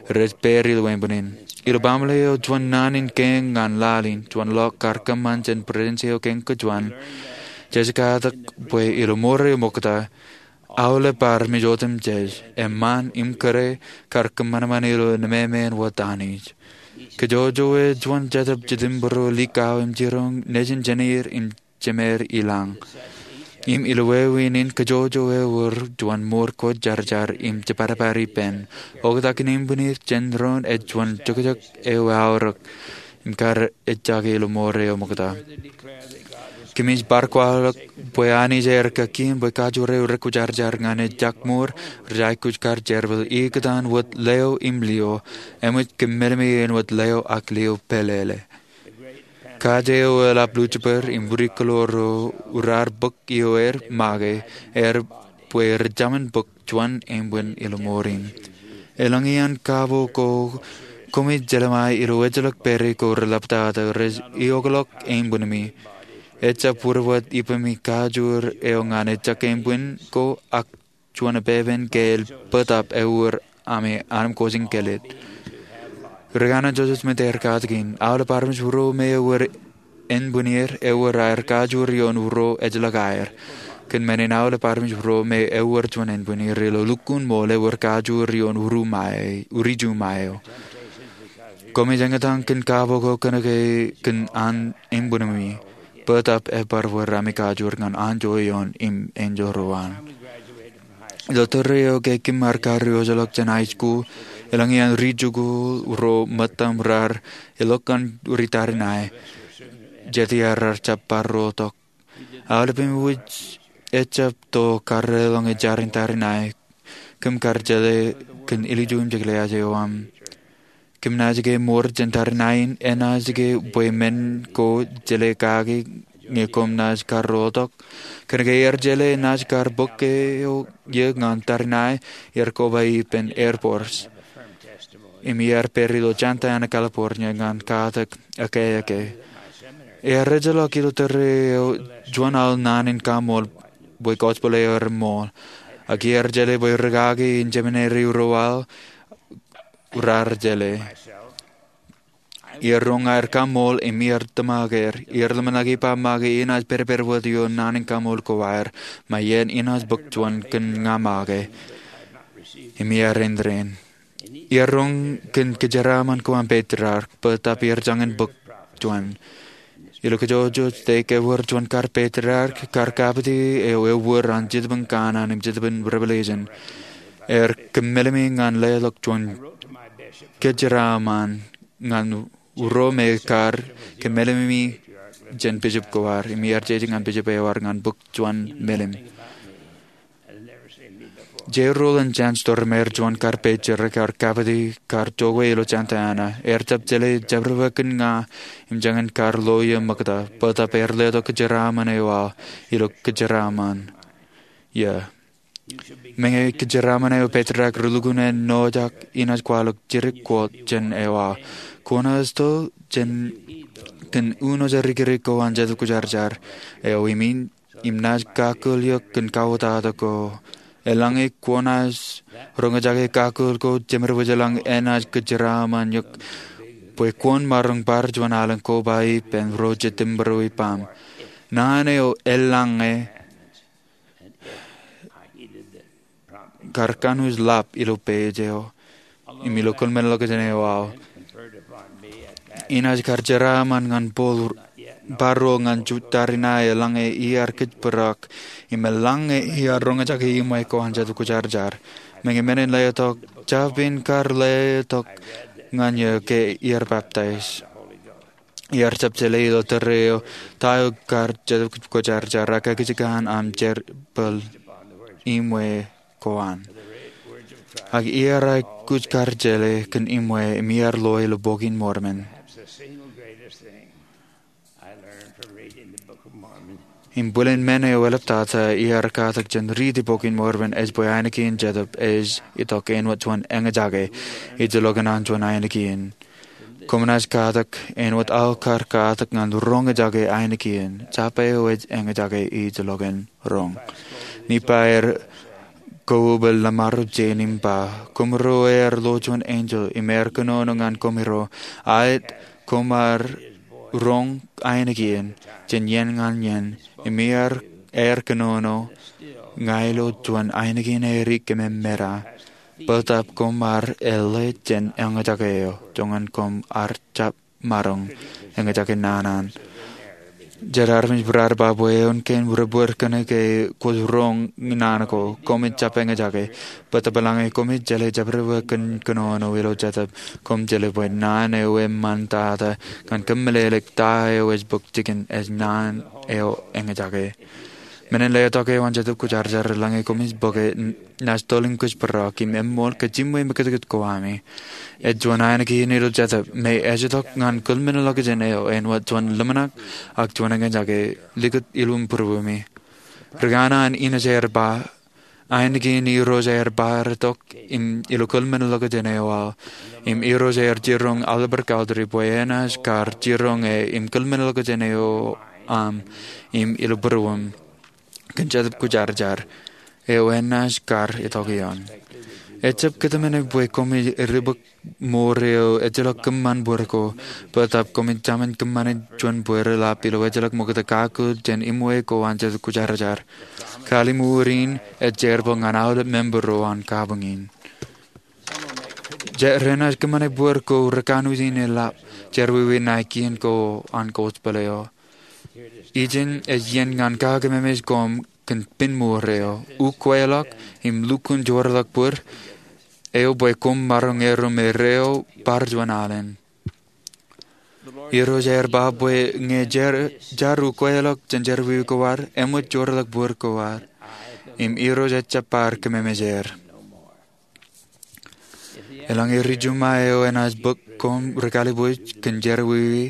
rej pād ilo ānbwinnin. Ilo baaṃle eo juon naan in kein ñan laḷ in, juon ḷọk kar kōṃṃan jān President eo kein kōjuon, jej katak bwe ilo mour eo ṃokta, aolep armej otemjej, eṃṃan im kōrā, kar kōṃanṃan ilo nemāmeen wōt Anij. Kōjwōjwō eo juon jetōb jitōnbōro likao im jiroñ nejin jenier im jemeer ilañ. Im ilo wāween in kōjwōjwō eo ewōr juon mour kwōjarjar im jepatpat ippān. Oktak in ānbwinnin jān doon ej juon jokjok eo aorōk im kar ejjake ilo mour eo ṃokta. Kōmij bar kwaḷọk bwe Anij ear kakien bwe kajoor eo rekwōjarjar ñan ejjak mour rej aikuj kar jerbal ikōtaan wōt leo im lio, eṃōj kōm meḷeḷe in wōt leo ak lio pālele. Kaj eo eḷap Lucifer im wūdikḷọk ro raar bōk ioer make er bwe rej jaṃin bōk juon ānbwin ilo mour in. Eḷaññe an kabo ko koṃij jelṃae ilo ejjeḷọk pere ko reḷaptata rej eokḷọk ānbwinmi, ejjab wūd wōt ippemi kajoor eo ñan ejjak ānbwin ko ak juon epepen ke el bōtap ewōr ami anemkwōj in kellet. Ri kanaan Joseph Smith ear katakin, aolep armej ro me ewōr ānbwinnier ewōr aer kajoor ioon ro ejjeḷọk aer. Kōn men in aolep armej ro me ewōr juon ānbwinnier ilo lukkuun ṃool ewōr kajoor ioon uri iju ṃae eo. Koṃij eñtaan kōn kabo ko kōnke kōn an ānbwinmi, bōtap ebar wōr ami kajoor ñan anjọ eoon im enjeḷ ro an. Ilo tōre eo ke kōm ar kariwōjḷọk jān high school, eḷaññe an ri jikuuḷ ro ṃōttaṃ raar elọk ñan ri tariṇae, jet iar raar jab bar ro tok. Aolep im wōj ejjab to karreoḷọk ejarin tariṇae. Kōm kar jeḷā kōn ilju im jekḷeaaj eo aṃ. Kōm naaj ke mour jān tariṇae in, enaaj ke bwe men ko jeḷā kaki ñe koṃ naaj karreoḷọk. Kōnke er jeḷā naaj kar bōk eo ie ñan tariṇae, er koba ippān Air Force. Im iar pād ilo Santa Ana, California ñan katak ekkā ekkā. Ear ejjeḷọk ilo tōre eo juon aḷ naan in kaṃool bwe gospel eo ear ṃool. Ak iar jeḷā bwe rūkaki in seminary ro aḷ raar jeḷā. Iar roñ aer kaṃool im iar tōmak er, iar ḷōmṇak ippa make enaaj pedped wōt ioon naan in kaṃool ko aer, ṃae iien enaaj bōk juon kōn ña make. Im iar endein. Iar roñ kōn kōjeraaṃṃan ko an patriarch, bōtap iar jañin bōk juon. Ilo kōjwōj stek ewōr juon kar patriarch, kar kapiti eo ewōr an Jetōb in Kanaan im Jetōb in Revelation. Ear kōmeḷeḷe ñan leḷọk juon kōjeraaṃṃan ñan ro me kar kōmeḷeḷe jān bishop ko ad, im iar jeje ñan bishop eo ad ñan bōk juon meḷeḷe. Jeroḷọk jān Stormont, juon kar patriarch kar kapiti kar jokwe ilo Santa Ana, ear jab jeḷā jabdewōt kōn ña im jañin kar loia ṃokta, bōtap ear letok kōjeraaṃṃan eo aḷ ilo kōjeraaṃṃan. Ia. Meñe kōjeraaṃṃan eo patriarch relukkuun ennojak, enaaj kwaḷọk jidik quote jān eo aḷ. Kwōnaaj to jān kōn uno jarikirik ko an Jetōb Kwōjarjar eo im in im naaj kakōl eok kōn kautato ko. Eḷaññe kwōnaaj roñjake kakōl ko, jemedwōj eḷaññe enaaj kōjeraaṃṃan eok bwe kwōn maroñ bar juon alen koba ippān ro jet tōmbro ippaṃ. Naan eo eḷaññe kar kanooj ḷap ilo page eo im ilo kōḷmānḷọkjeṇ eo aḷ. Enaaj kar jeraaṃṃan ñan bōl bar ro ñan jutak in aō, eḷaññe iar kōjparok im eḷaññe iar roñjake iṃwe ko an Jetōb Kwōjarjar. Meñe men in letok, jab in kar letok ñan eō ke iar peptaij. Iar jab jeḷā ilo tōre eo ta eo kar Jetōb Kwōjarjar, ak ekijjeen aṃ jerbal iṃwe ko an. Ak iar aikuj kar jeḷā kōn iṃwe im iar lo ilo Bok in Mormon. Im bōlen men eo eḷaptata iar katak jān riiti Bok in Mormon ej bwe ainikien Jetōb ej itok āinwōt juon eñjake ijellọkin an juon ainikien. Koṃ naaj katak āinwōt aō kar katak ñan roñjake ainikien. Japa eo ej eñjake ijellọkin roñ. Nephi er kōwōbōl laṃaro jān im ba, koṃro ear lo juon enjeḷ im ear kōnono ñan koṃro, aet koṃ ar roñ ainikien jān iien ñan iien, im iar, ear kōnono ña ilo juon ainikien erik im emera, bōtab koṃ ar eḷḷā jān eñjake eo, joñan koṃ ar jab maroñ eñjake naan an. Jet armej bar ba bwe eoon kein rebōd kōnke kwōj roñ naan ko, koṃij jab eñjake. Bōtab eḷaññe koṃij jeḷā jabdewōt kōnono ilo Jetōb, koṃ jeḷā bwe naan eo eṃṃan tata ñan kōmeḷeḷeik ta eo ej bōk jikin ej naan eo eñjake. Men in letok eo an Jetōb Kwōjarjar, eḷaññe koṃij bōke, naaj tōl im kōjparok im eṃṃool kōj iṃwe mekūtkūt ko ami. Ej juon ainikien ilo Jetōb me ej itok ñan kōḷmenḷọkjeṇ eo āinwōt juon ḷōmṇak ak juon eñjake likūt ilo būruemi. Ri kanaan Inesh ear ba, ainikien Irooj ear bar itok im ilo kōḷmenḷọkjeṇ eo aō. Im Irooj ear jiroñ Oliver Cowdery bwe enaaj kar jiroñ e im kōḷmenḷọkjeṇ eo aṃ im ilo būruōṃ kōn Jetōb Kwōjarjar eo enaaj kar itok ioon. Ejab kōtmāne bwe koṃij ribōk mour eo ejjeḷọk kōṃṃan bōd ko, bōtab koṃij jaṃin kōṃṃane juon bōd eḷap ilo ejjeḷọk ṃokta kakkōl jān iṃwe ko an Jetōb Kwōjarjar. Kalliṃur in ej jerbal ñan aolep member ro an kabuñ in. Jet renaaj kōṃṃane bōd ko rekanooj in eḷap jerọwiwi ṇae kien ko an gospel eo. Ijin ej iien ñan kakememej koṃ kōn pen mour eo. Ukweḷọk im lukkuun joorḷọk bōd eo bwe koṃ maroñ erro me reo bar juon alen. Irooj ear ba bwe ñe jar, jar ukweḷọk jān jerọwiwi ko ad, eṃōj joorḷọk bōd ko ad. Im Irooj ejjab bar kememej er. Eḷaññe ri-Jumai eo enaaj bōk koṃ ri-kalbuuj kōn jerọwiwi,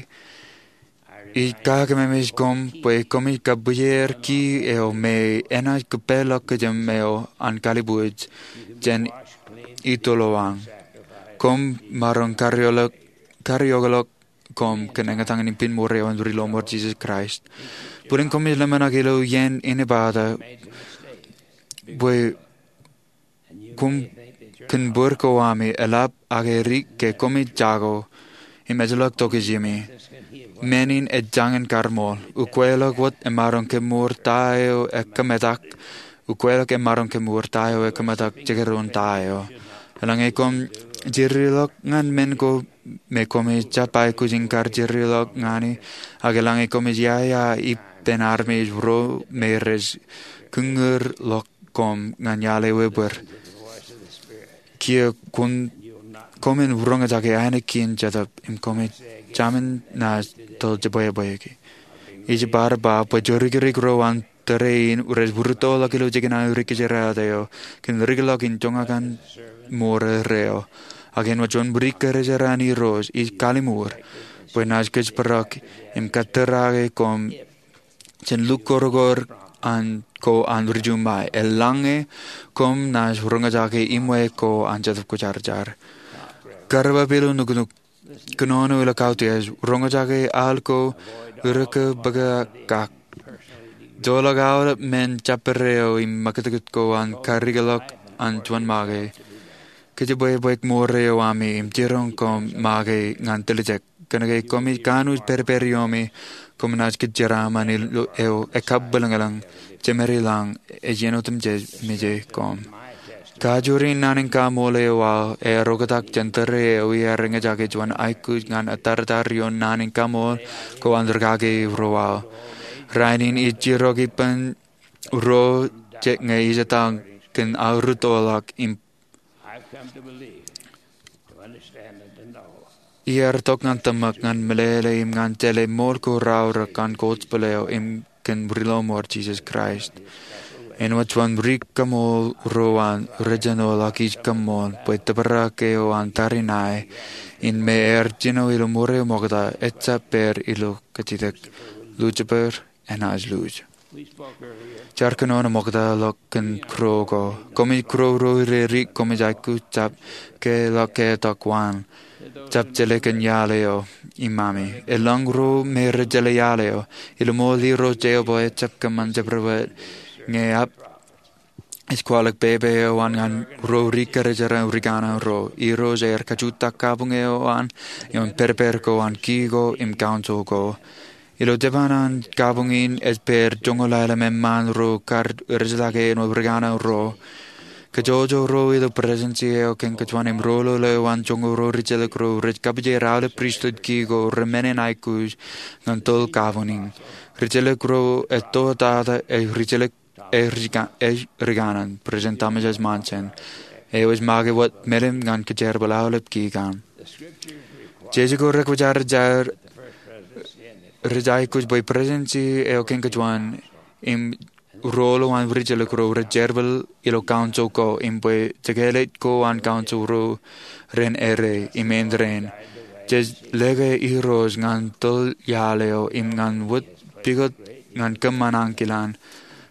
ij kakememej koṃ bwe koṃij kabwijer ki eo me enaaj kōpeḷḷọk kōjām eo an kalbuuj jān itolowañ. Koṃ maroñ karreoḷọk, karreoḷọk koṃ kōn eñtaan im pen mour eo an ri-lọmọọr Jisōs Kraist. Bōlen koṃij ḷōmṇak ilo iien inepata bwe koṃ kōn bōd ko ami eḷap ak edik ke koṃij jako im ejjeḷọk tokjimi. Men in ej jañin kar ṃool. Ukweḷọk wōt emaroñ kemour ta eo ekōmetak. Ukweḷọk emaroñ kemour ta eo ekōmetak jekdọọn ta eo. Eḷaññe koṃ jirilọk ñan men ko me koṃij jab aikuj in kar jirilọk ñani, ak eḷaññe koṃij iaia ippān armej ro me rej kūñūrḷọk koṃ ñan iaḷ ewe bōd, kiiō koṃ, koṃwin roñjake ainikien Jetōb im koṃij jaṃin naaj tōl jebwābwāki. Ij bar ba bwe jorikirik ro an tōre in rej bōrtōḷọk ilo jikin aō ri kōjeraaō eo kōn rikḷọk in joñak an mour eo. Ak āinwōt juon bwidikkerjeran Irooj, ij kalliṃur bwe naaj kōjparok im kattōrake koṃ jān lukkuun kōrkōr an ko an ri-Jumai, eḷaññe koṃ naaj roñjake iṃwe ko an Jetōb Kwōjarjar. Karreoḷọk ilo nuknuk, kōnono ilo kautiej, roñjake al ko ureke bōke kak. Joḷọk aolep men jabdewōt eo im mekūtkūt ko an karikḷọk an juon make. Kōjebwābwāik mour eo ami im jiroñ koṃ make ñan tiljek. Kōnke koṃij kanooj pedped iomi, koṃ naaj kōjeraaṃṃan ilo eo ekkabwilōñlōñ, jemād ilañ, ej iien otemjej meje koṃ. Kajoor in naan in kaṃool eo aō ear oktak jān tōre eo iar eñjake juon aikuj ñan atartar ioon naan in kaṃool ko an rikaki ro aō. Rainin ij jirok ippān ro je ñe ij etal kōn aō rūttoḷọk im iar tok ñan tōmak ñan meḷeḷe im ñan jeḷā ṃool ko raorōk an gospel eo im kōn Ri Lọmọọr Jisōs Kraist. Āinwōt juon ri kaṃool ro an rej jino ḷọk ij kaṃool bwe tōprak eo an tariṇae in me ear jino ilo ṃure ṃokta ejjab pād ilo kajjitōk. Lucifer enaaj luuj. Jaar kōnono ṃokta ḷọk kōn kūr ko. Koṃij kūr ro ri koṃij aikuj jab ke ḷọk ke tok waan. Jab jeḷā kōn iaḷ eo im ami. Eḷaññe ro me rej jeḷā iaḷ eo, ilo ṃool Irooj Jeova ejjab kōṃṃan jabdewōt ñe ej kwaḷọk pepe eo an ñan ro ri kōjeraṇ ri kanaan ro. Irooj ear kajutak kabuñ eo an ioon pedped ko an ki ko im council ko. Ilo jeban an kabuñ in ej pād joñoul aelōñ eṃṃaan ro kar rej jeḷā ke āinwōt ri kanaan ro. Kōjojō ro ilo presidency eo kein kōjuon im roḷoḷ eo an joñoul ro rijjelōk ro rej kapijer aolep pristut ki ko remennin aikuj ñan toḷ kabuñ in. Rijjelōk ro ej to tata ej rijjelōk ej ri kanaan, President Thomas S. Monson, eo ej make wōt melim ñan kōjerbal aolep ki kaṇ. Jeje ko rekwōjarjar rej aikuj bwe presidency eo kein kōjuon im roḷoḷ an rijjelōk ro rej jerbal ilo council ko im bwe jekāālōt ko an council ro ren errā im āindein jej lōke Irooj ñan toḷ iaḷ eo im ñan wōt pukot ñan kōṃṃan ankilōñ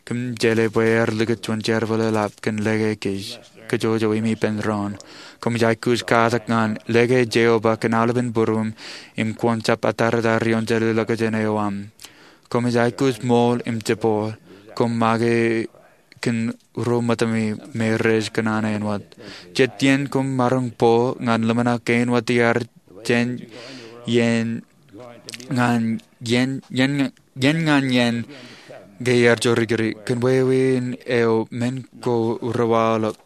kōm jeḷā bwe ear likūt juon jerbal eḷap kōn lōke kōj kōjojō im ippān doon. Koṃij aikuj katak ñan lōke Jeova kōn aolepen būruōṃ im kwōn jab atartar ioon jeḷā ḷọkjeṇ eo aṃ. Koṃij aikuj ṃool im jepooḷ. Koṃ make kōn ro ṃōttami me rej kōṇaan āinwōt. Jet iien koṃ maroñ bōk ñan ḷōmṇak kein wōt iar jān iien ñan iien, iien ñan iien ke iar jorrikdik. Kōn wāween eo men ko rewaḷọk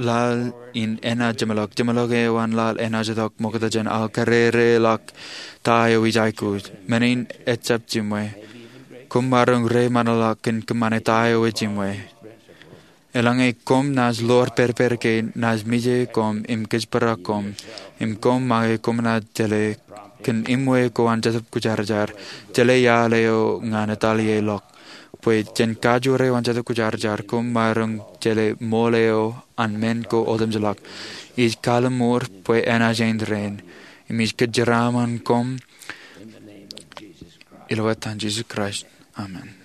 laḷ in enaaj jeṃḷọk. Jeṃḷọk eo an laḷ enaaj itok ṃokta jān aō karere ḷọk ta eo ij aikuj. Men in ejjab jiṃwe. Koṃ maroñ reiṃaanḷọk kōn kōṃṃane ta eo ejiṃwe. Eḷaññe koṃ naaj ḷoor pedped kein, naaj mije koṃ im kōjparok koṃ, im koṃ make koṃ naaj jeḷā kōn iṃwe ko an Jetōb Kwōjarjar, jeḷā iaḷ eo ñan etalielọk. Bwe jān kajoor eo an Jetōb Kwōjarjar koṃ maroñ jeḷā ṃool eo an men ko otemjeḷọk. Ij kalimur bwe enaaj āindein, im ij kōjeraaṃṃan koṃ ilo etan Jisōs Kraist, amen.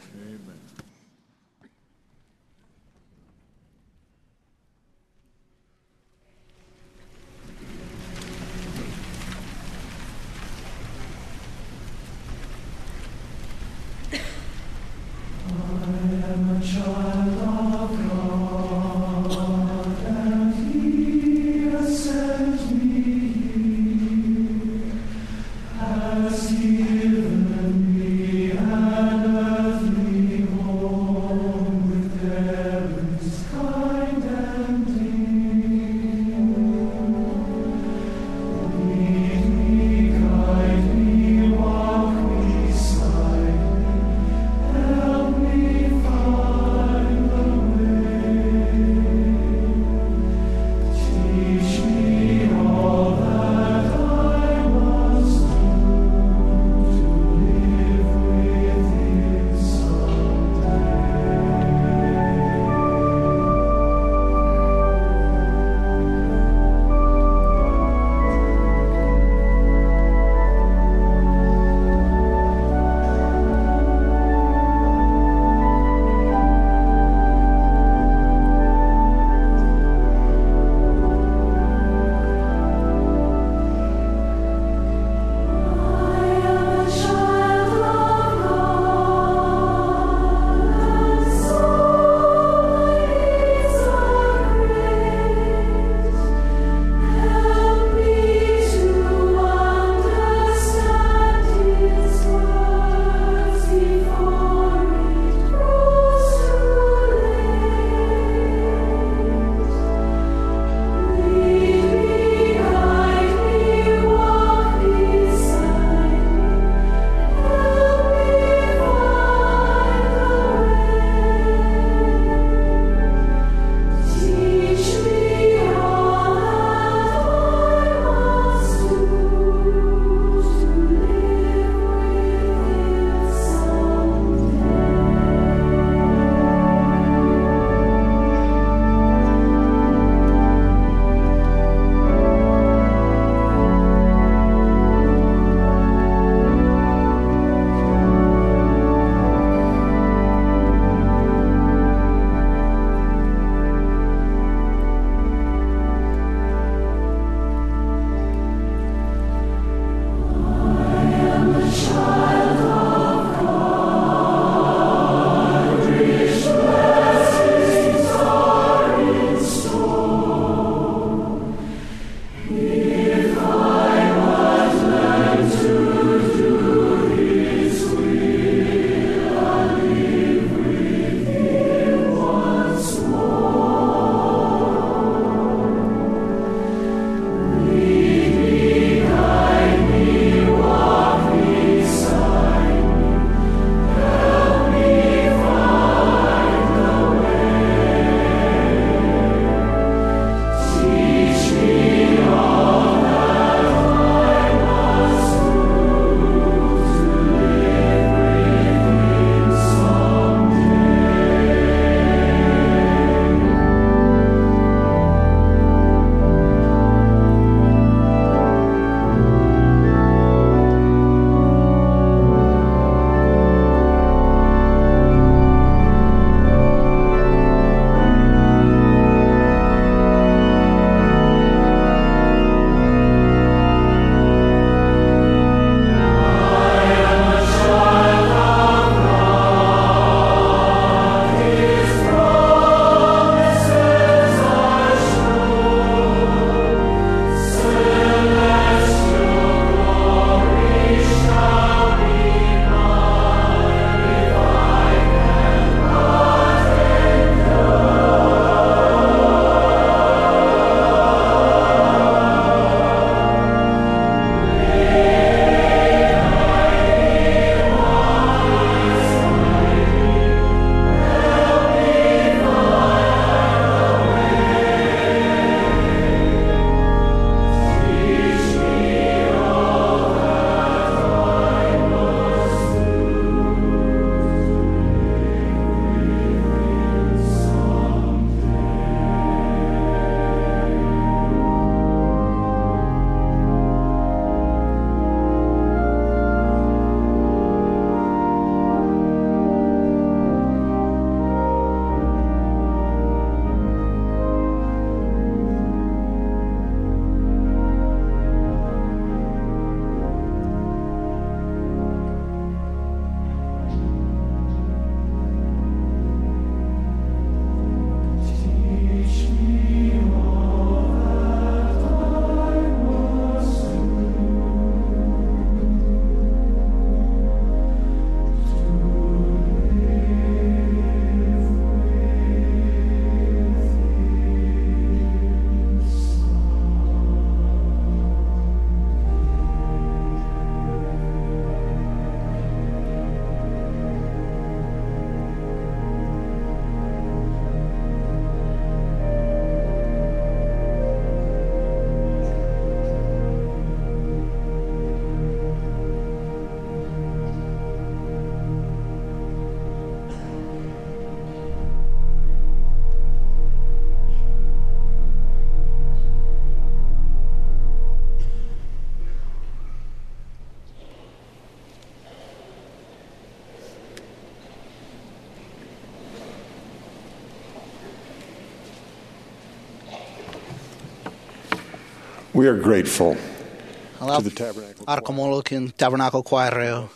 We are grateful to the Tabernacle Choir, our Tabernacle Choir eo,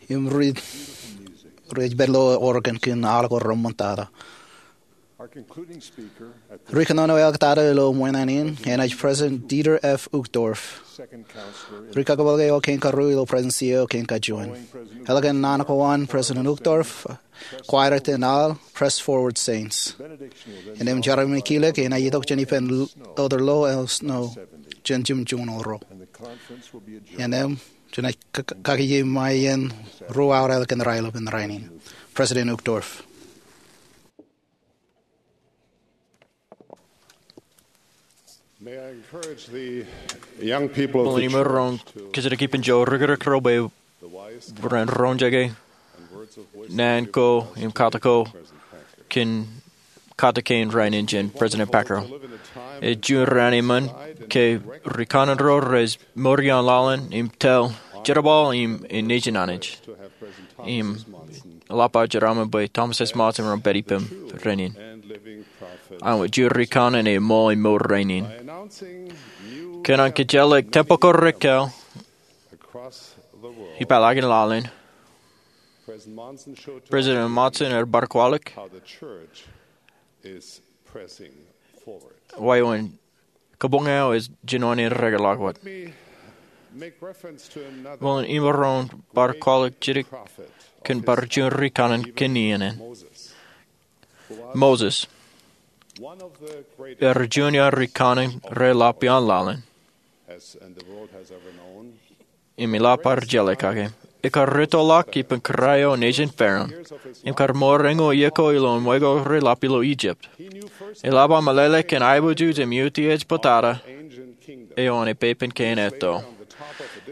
im ri, ri ej pād ilo organ kōn aolep ko reṃṃantata. Our concluding speaker at the Ri kōnono eo ektato ilo ṃōṇōṇō in enaaj President Dieter F. Uchtdorf. Second counselor in Ri kakapalle eo kein karuo ilo President eo kein kajuon. Eḷap an naan ko an President Uchtdorf, Choir eo ej aō Press Forward Saints. Innem Jeremy McKillough enaaj itok jān ippān Elder Lowell Snow jān jimjuon oro. Innem jenaaj kakajeṃae iien ruo awa ḷọk kōn raelep in rainin. President Uchtdorf. May I encourage the young people of the church to Bōlen imaroñ kōjatdikdik ippān ijo rikūruk ro bwe ren roñjake naan ko im katak ko kōn katak kein rainin jān President Packer. Ej juon raan eṃṃan ke ri kanaan ro rej mour ioon laḷ in im tōl jerbal im nejin Anij. Im eḷap aō jeraaṃṃan bwe Thomas S. Monson ren pād ippām rainin. Āinwōt juon ri kanaan eo eṃṃan im mour rainin. Kōn an kōjeḷā tempel ko rekkal ippaḷọk in laḷ in, President Monson ear bar kwaḷọk wāween kabuñ eo ej jinoin in rekōtḷọk wōt. Bōlen imaroñ bar kwaḷọk jidik kōn bar juon ri kanaan kōn iien in. Moses, ear juon iaan ri kanaan reḷap ioon laḷ in. Im eḷap aer jeḷā kake, ekar rūttoḷọk ippān kōrā eo nejin Pharaoh, im kar mour eñoul iiō ko ilo ṃweo ko reḷap ilo Egypt. Eḷap aō meḷeḷe kōn aiboojoj im utiej bōtata eo an epepen kein etto.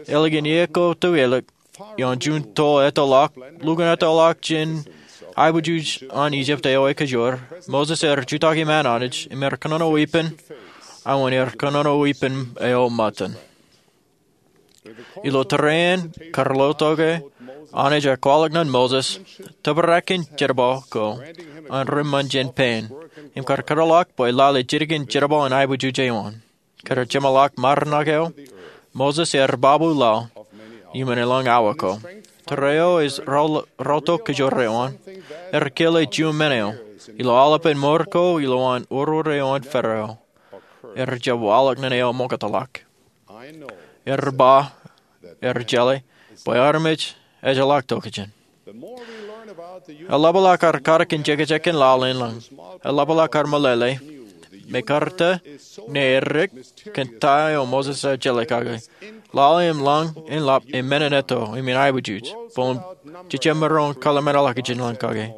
Ālikin iiō ko tō ālik, ioon juon to ettoḷọk, lukkuun ettoḷọk jān aiboojoj an Egypt eo ekajoor, Moses ear jutak iṃaan Anij, im ear kōnono weeppān, āinwōt ear kōnono weeppān eo ṃōttan. Ilo tōre in kar lo tok e, Anij ear kwaḷọk ñan Moses, tōprak in jerbal ko an reṃṃan jān pein, im kar kōtḷọk bwe lale jidik in jerbal in aiboojoj eo an. Kar jeṃḷọk ṃarinōk eo, Moses ear babu laḷ, im en elōñ awa ko. Tōre eo ej raotok kōjro eo an, ear kile juon men eo, ilo aolepān mour ko ilowaan oror eo an Pharaoh, ear jab waḷọk ñan eo ṃoktōḷọk. Ear ba, ear jeḷā, bwe armej ejjeḷọk tokjān. Eḷapḷọk ad katak in jekjek in laḷ in lañ. Eḷapḷọk ad meḷeḷe, mekarta, ñe edik, kōn ta eo Moses ear jeḷā kake. Laḷ in lañ in ḷap, im men in etto, im in aiboojoj. Bōlen jejjab maroñ kōḷmānḷọkjeṇ lañ kake.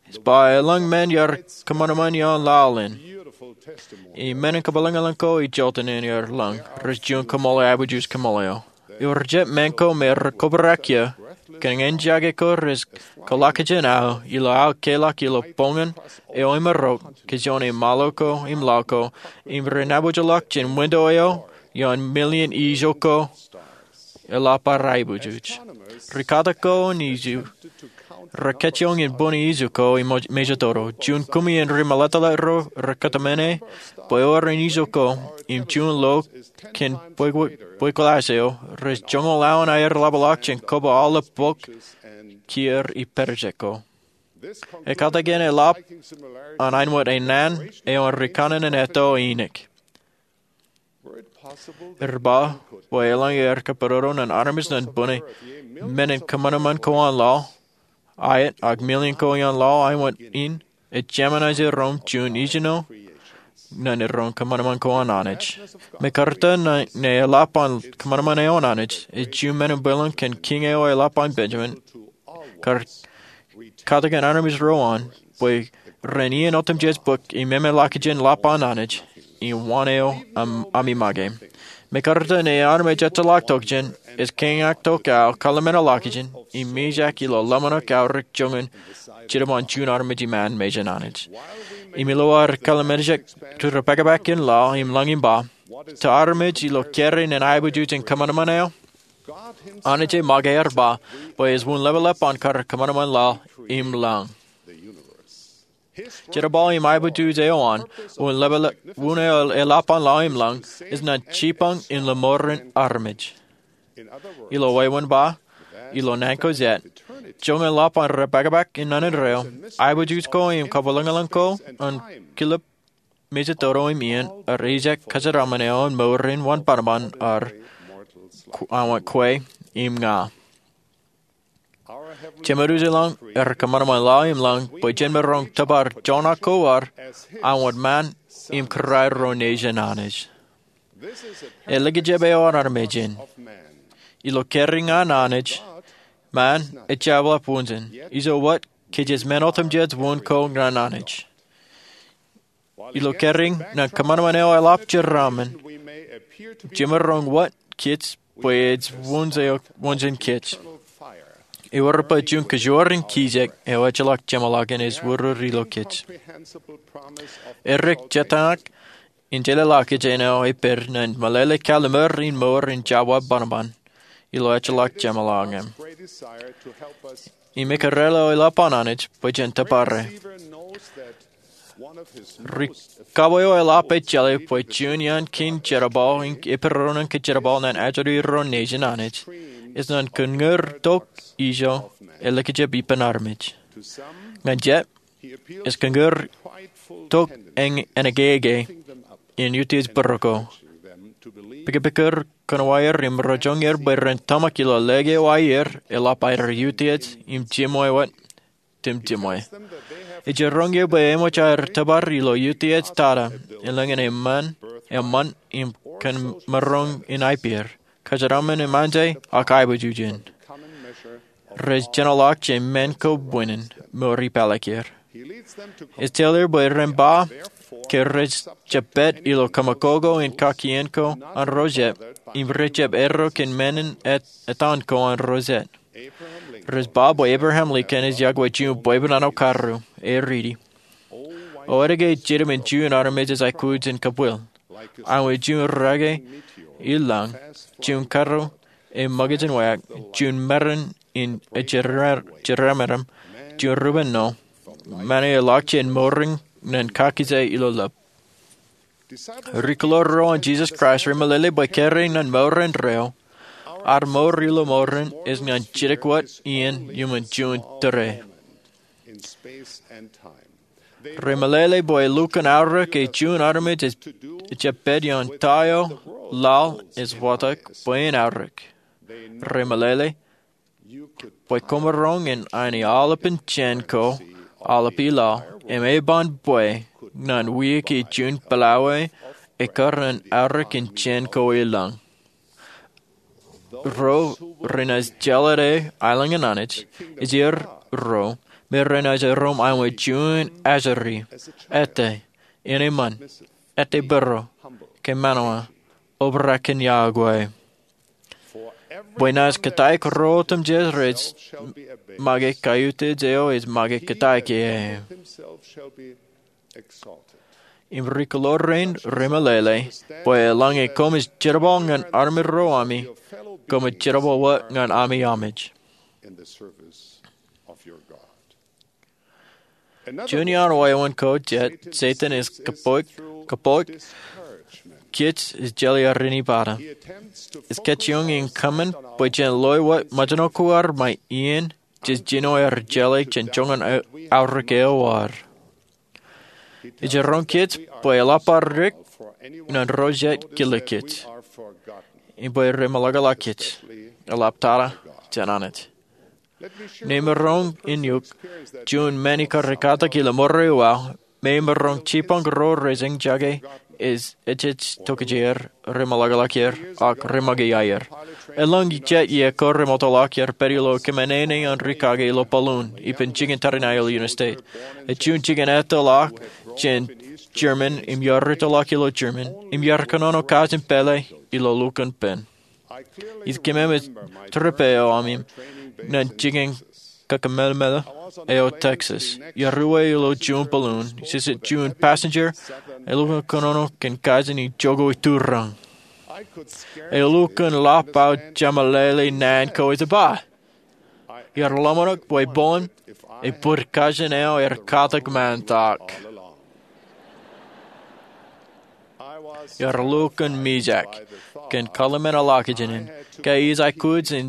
Ej ba elōñ men iar kōṃanṃan ioon laḷ in. Im men in kabwilōñlōñ ko ej jota in iar lañ, rej juon kaṃṃoolol aiboojoj kaṃṃoolol eo. Ewōr jet men ko me rekobrak iiō, kōn ñan jake ko rej kōḷọkjeṇ aō, ilo aō keḷọk ilo boñan eo emaroñ, kōjeañ im ṃaḷo ko, im laḷ ko, im renabōjḷọk jān winto eo, ioon million ijo ko, eḷap ad aiboojoj. Ri katak ko in iju, rekajjioñ in bōne ijo ko im mejatoto. Juon kumi in ri meḷeḷe ro rekōtmāne, bwe ewōr in ijo ko, im juon lo kōn bwe, bwe kwōlaḷ eo, rej joñoul aō in aer ḷapḷọk jān kōba aolep bok, kiiō im pād ijeko. Ekatakin eḷap an āinwōt enaan eo an ri kanaan in etto iiō. Ear ba, bwe elōñ aer kōponono ñan armej ñan bōne, men in kōṃanṃan ko an laḷ, aet, ak million ko ioon laḷ, āinwōt in, ej jeṃaanḷọk iroñ juon ijin eo, ñan iroñ kōṃanṃan ko an Anij. Mekarta ñe, ñe eḷap an kōṃanṃan eo an Anij, ej juon men in bwilōñ kōn kiiñ eo eḷap an Benjamin, kar katakin armej ro an, bwe ren iien otemjej bōk im eṃṃanḷọkjeṇ ḷap an Anij, im waan eo am, ami make. Mekarta ñe armej ejjeḷọk tokjān, ej kiiñ tok aō kōḷmānḷọkjeṇ, im mijak ilo ḷōmṇak aorōk joñan, jidik an juon armej iṃaan mejān Anij. Im ilo ad kōḷmānḷọkjeṇ ri pākpākin laḷ im lañ im ba, ta armej ilo kōrā in aiboojoj in kōṃanṃan eo, Anij ej make ear ba, bwe ej wūn ḷapḷap an kar kōṃanṃan laḷ im lañ. Jerbal im aiboojoj eo an, wūn eo eḷap an lọmọọr im lañ, ej ñan jipañ in lemoran armej. Ilo wāween ba, ilo naan ko jet, joñan ḷap an ri pākpāk in naan in rainin, aiboojoj ko im kabwilōñlōñ ko an kilep mejatoto im iien, ej ijjek kōjeraṃṃan eo an mour in wan bōnbōn, ej kwe im ña. Jemedwōj e lañ, ej kōṃanṃan lọmọọr im lañ bwe jen maroñ tōpar joñak ko ad, an wōt ṃaan im kōrā ro nejin Anij. Elikjab eo an armej in. Ilo kōrā ñan Anij, ṃaan ejjab ḷap wūnjin. Ijo wōt, kōj ej men otemjej wūn ko ñan Anij. Ilo kōrā ñan kōṃanṃan eo eḷap jeraaṃṃan, jemaroñ wōt kōj bwe ej wūnjin kōj. Ewōr bwe juon kōjwōr in kijek eo ejjeḷọk jeṃḷọkin ej urur ilo kōj. Erik jetañak in jeḷāḷọkjeṇ eo epād ñan meḷeḷe kallimur in mour in jabdewōt bōnbōn ilo ejjeḷọk jeṃḷọkin. Im ekōrā eo eḷap an Anij bwe jen tōpare. Ri kab eo eḷap ej jeḷā bwe juon iaan kein jerbal in epiroñ ke jerbal ñan ajri ro nejin Anij, ej ñan kōn ñūr tok ijo elikjab ippān armej. Ñan jet, ej kōn ñūr tok eñin eñin in utiej būruo ko. Pikpikūr kōnwāer im roñjake er bwe ren tōmak ilo lōke eo aer eḷap aer utiej im jiṃwe wōt im jiṃwe. Ej roñjake bwe eṃōj aer tōpar ilo utiej tata, eḷaññe eṃṃan, eṃṃan im kōn maroñ in aiboojoj, kōjeraṃṃan im anjāan ak aiboojoj in. Rej jenoḷọk jān men ko bwinin mour ipālōk er. Ej tōl er bwe ren ba ke rej jab pād ilo kōṃakoko in kakien ko an ro jet, im rej jab erro kōn men in etan ko an ro jet. Rej ba bwe Abraham Lincoln ej yokwe juon bwebwenato karu, e riiti: O, etke jidim in juon armej ej aikuj in kabwil, āinwōt juon rake i lañ, juon karu e ṃōkajin wāween, juon merin in jeraaṃṃan, juon rupen ṇo, ṃani eḷak jān mour in ñan kakije ilo lōb. Ri kōḷoor ro an Jesus Christ remeḷeḷe bwe kōrā ñan mour indeeo, ad mour ilo mour in ej ñan jidik wōt iien iuṃwin juon tōre. Remeḷeḷe bwe lukkuun aorōk ej juon armej ej jab pād ioon ta eo laḷ ej watōk bwe en aorōk. Remeḷeḷe bwe koṃaroñ in aini aolepān jān ko, aolepān laḷ, im eban bwe ñan wiik eo juon pālae ekar aorōk in jān ko i lañ. Ro renaaj jeḷā aelōñ in Anij, ej er ro me renaaj erom āinwōt juon ajri, ete, enaaj eṃṃan, ete būruo, kōmānō, obrak kōn yokwe. Bwe naaj kōttāik ro otemjej rej make kaiutiej eo ej make kōttāik ie. Im ri kōḷoor rein remeḷeḷe bwe eḷaññe koṃij jerbal ñan armej ro ami, koṃij jerbal wōt ñan ami amij. Juon iaan wāween ko jet Setan ej kōpooj, kōpooj kōj ej jeḷā aer in ippān. Ej kajjioñ in kōṃṃan bwe jen loe wōt mejān ko ad ṃae iien jej jino aer jeḷā jān joñan aorōk eo ad. Ej roñ kōj bwe eḷap aorōk ñan ro jet kile kōj im bwe remeḷọkḷọk kōj, eḷap tata jān Anij. Ij maroñ in itok juon men ikar ekatak ilo ṃōrā eo aō, me ij maroñ jipañ ro rej eñjake ej ejej tokjāer, remeḷọkḷọk er, ak remoñā aer. Eḷaññe jet iiō ko remootḷọk er pād ilo kōmāne an ri kake ilo balloon ippān jikin tariṇae ilo Union State. Ej juon jikin ettoḷọk jān German im iar ettoḷọk ilo German im iar kōnono kajin pālle ilo lukkuun pen. Ij kōmemej trip eo ami ñan jikin kakememej eo Texas. Iar uwe ilo juon balloon, ij juon passenger, elukkuun kōnono kōn kajin ijoko ituriañ. Elukkuun ḷap aō jemeḷeḷe naan ko ej ba, Iar ḷōmṇak bwe boñ, ebōd kajin eo aer katak ṃaantak. Iar lukkuun mijak kōn kaḷmān ḷọkjeṇ in, ke ij aikuj in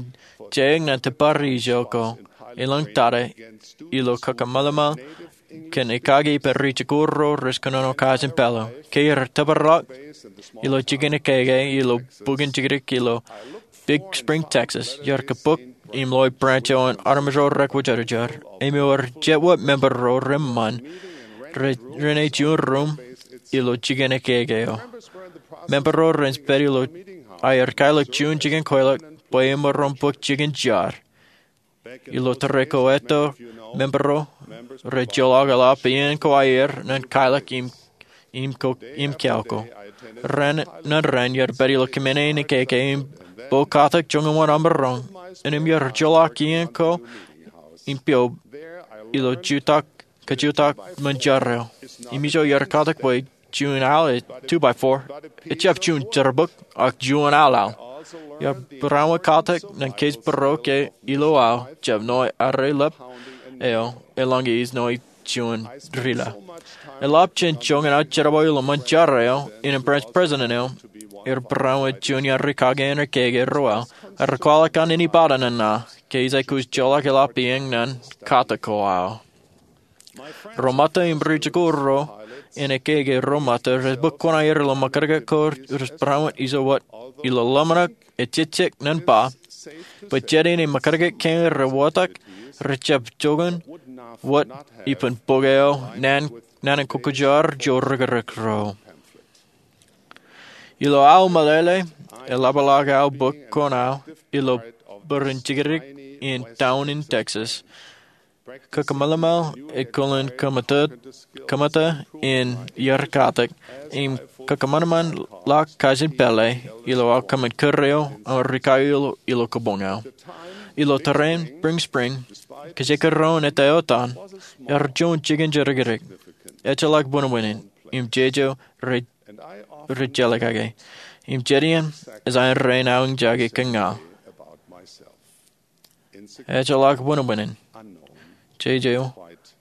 jeañ ñan tōpar ijo ko elōñ tata ilo kakōṃṃan kōn ekake ippān ri-jikuuḷ ro rej kōnono kajin pālo. Ke iar tōprak ilo jikin ekake ilo bukwōn jikdik ilo Big Spring, Texas, iar kōbōk im loe branch eo an armej ro rekwōjarjar im ewōr jet wōt member ro reṃṃan renaaj juon ruum ilo jikin ekake eo. Member ro rej pād ilo aer kaelōk juon jikin kweilọk bwe emaroñ bōk jikin jar. Ilo tōre ko etto, member ro rej joḷọk eḷap iien ko aer ñan kaelōk im im ko im kiao ko. Ran ñan raṇ iar pād ilo kōmāne in ekake im bo katak joñan wōn amaroñ. Innām iar joḷọk iien ko im piob ilo jutak kajutak ṃōn jar eo. Im ijo iar katak bwe juon al, a two by four, ejjab juon jerbal ak juon alal. Iar barāinwōt katak ñan kōj būruo ke ilo aō jab ṇoe arre lōb eo eḷaññe ij ṇoe juon rila. Eḷap jān joñan aō jerbal ilo ṃōn jar eo, innem branch president eo, iar barāinwōt juon iaan ri kake in ekake ro aō, ak kwaḷọk an inepata ñan aō ke ij aikuj joḷọk eḷap iien ñan katak ko aō. Ro ṃōtta im ri-jikuuḷ ro in ekake ro ṃōtta rej bōk kuṇaer ilo ṃōkajkōt ko rej barāinwōt ijo wōt ilo ḷōmṇak ejejjek ñan ba bwe jet in ṃōkajkōt kein rewōtak rejjab joñan wōt ippān bok eo naan in kwōjarjar ijo rikirikro. Ilo aō meḷeḷe, eḷapḷọk aō bōk kuṇaō ilo bōran jikdik in town in Texas. Kakōṃṃan ḷọk ej kōḷan kōṃōta in iar katak im kakōṃanṃan ḷọk kajin pālle ilo aō kōṃṃan kūr eo im rikaio ilo kabuñ eo. Ilo tōre in Big Spring, kōjekdọọn ettā eo etan, ear juon jikin jidikdik. Ejjeḷọk buñbuñin im jeje rej jelōt kake. Im jet iien ej aō rein aō eñjake kōn ña. Ejjeḷọk buñbuñin, jeje eo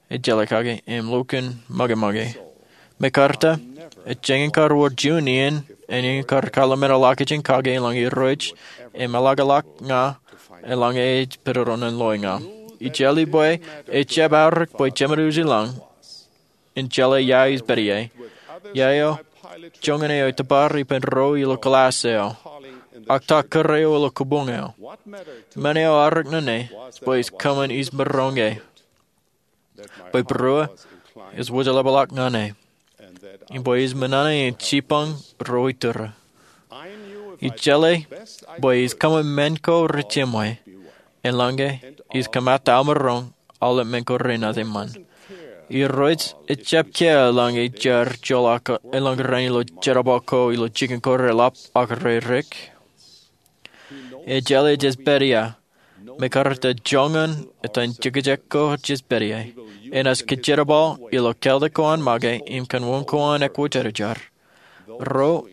ej jelōt kake im lukkuun ṃōkeṃōke. Mekarta, ejjañin kar wōr juon iien eñin kar kaḷmān ḷọkjeṇ kake eḷaññe Irooj emeḷọkḷọk ña eḷaññe ej pedodo ñan loe ña. Ij jeḷā bwe ejjab aorōk bwe jemed uji lañ in jeḷā ia ij pād ie. Ia eo joñan eo etōpar ippān ro ilo class eo ak ta kūr eo ilo kabuñ eo. Men eo aorōk ñan e bwe ij kōṃṃan ij maroñ e, bwe būruō ej wōjḷapḷọk ñan e, im bwe ij ṃōṇōṇō in jibboñ ro iturū. Ij jeḷā bwe ij kōṃṃan men ko rej jeṃwe eḷaññe ij kōṃṃan aō maroñ aolep men ko renaaj eṃṃan. Irooj ejjab kiiō eḷaññe jar joḷọk eḷaññe raṇ ilo jerbal ko ilo jikin ko reḷap ak redik. Ejjeḷọk jej pād ia, mekarta joñan etan jekjek ko jej pād ie. Enaaj kōjerbal ilo keltik ko an make im kōn wōn ko an ekwōjarjar. Ro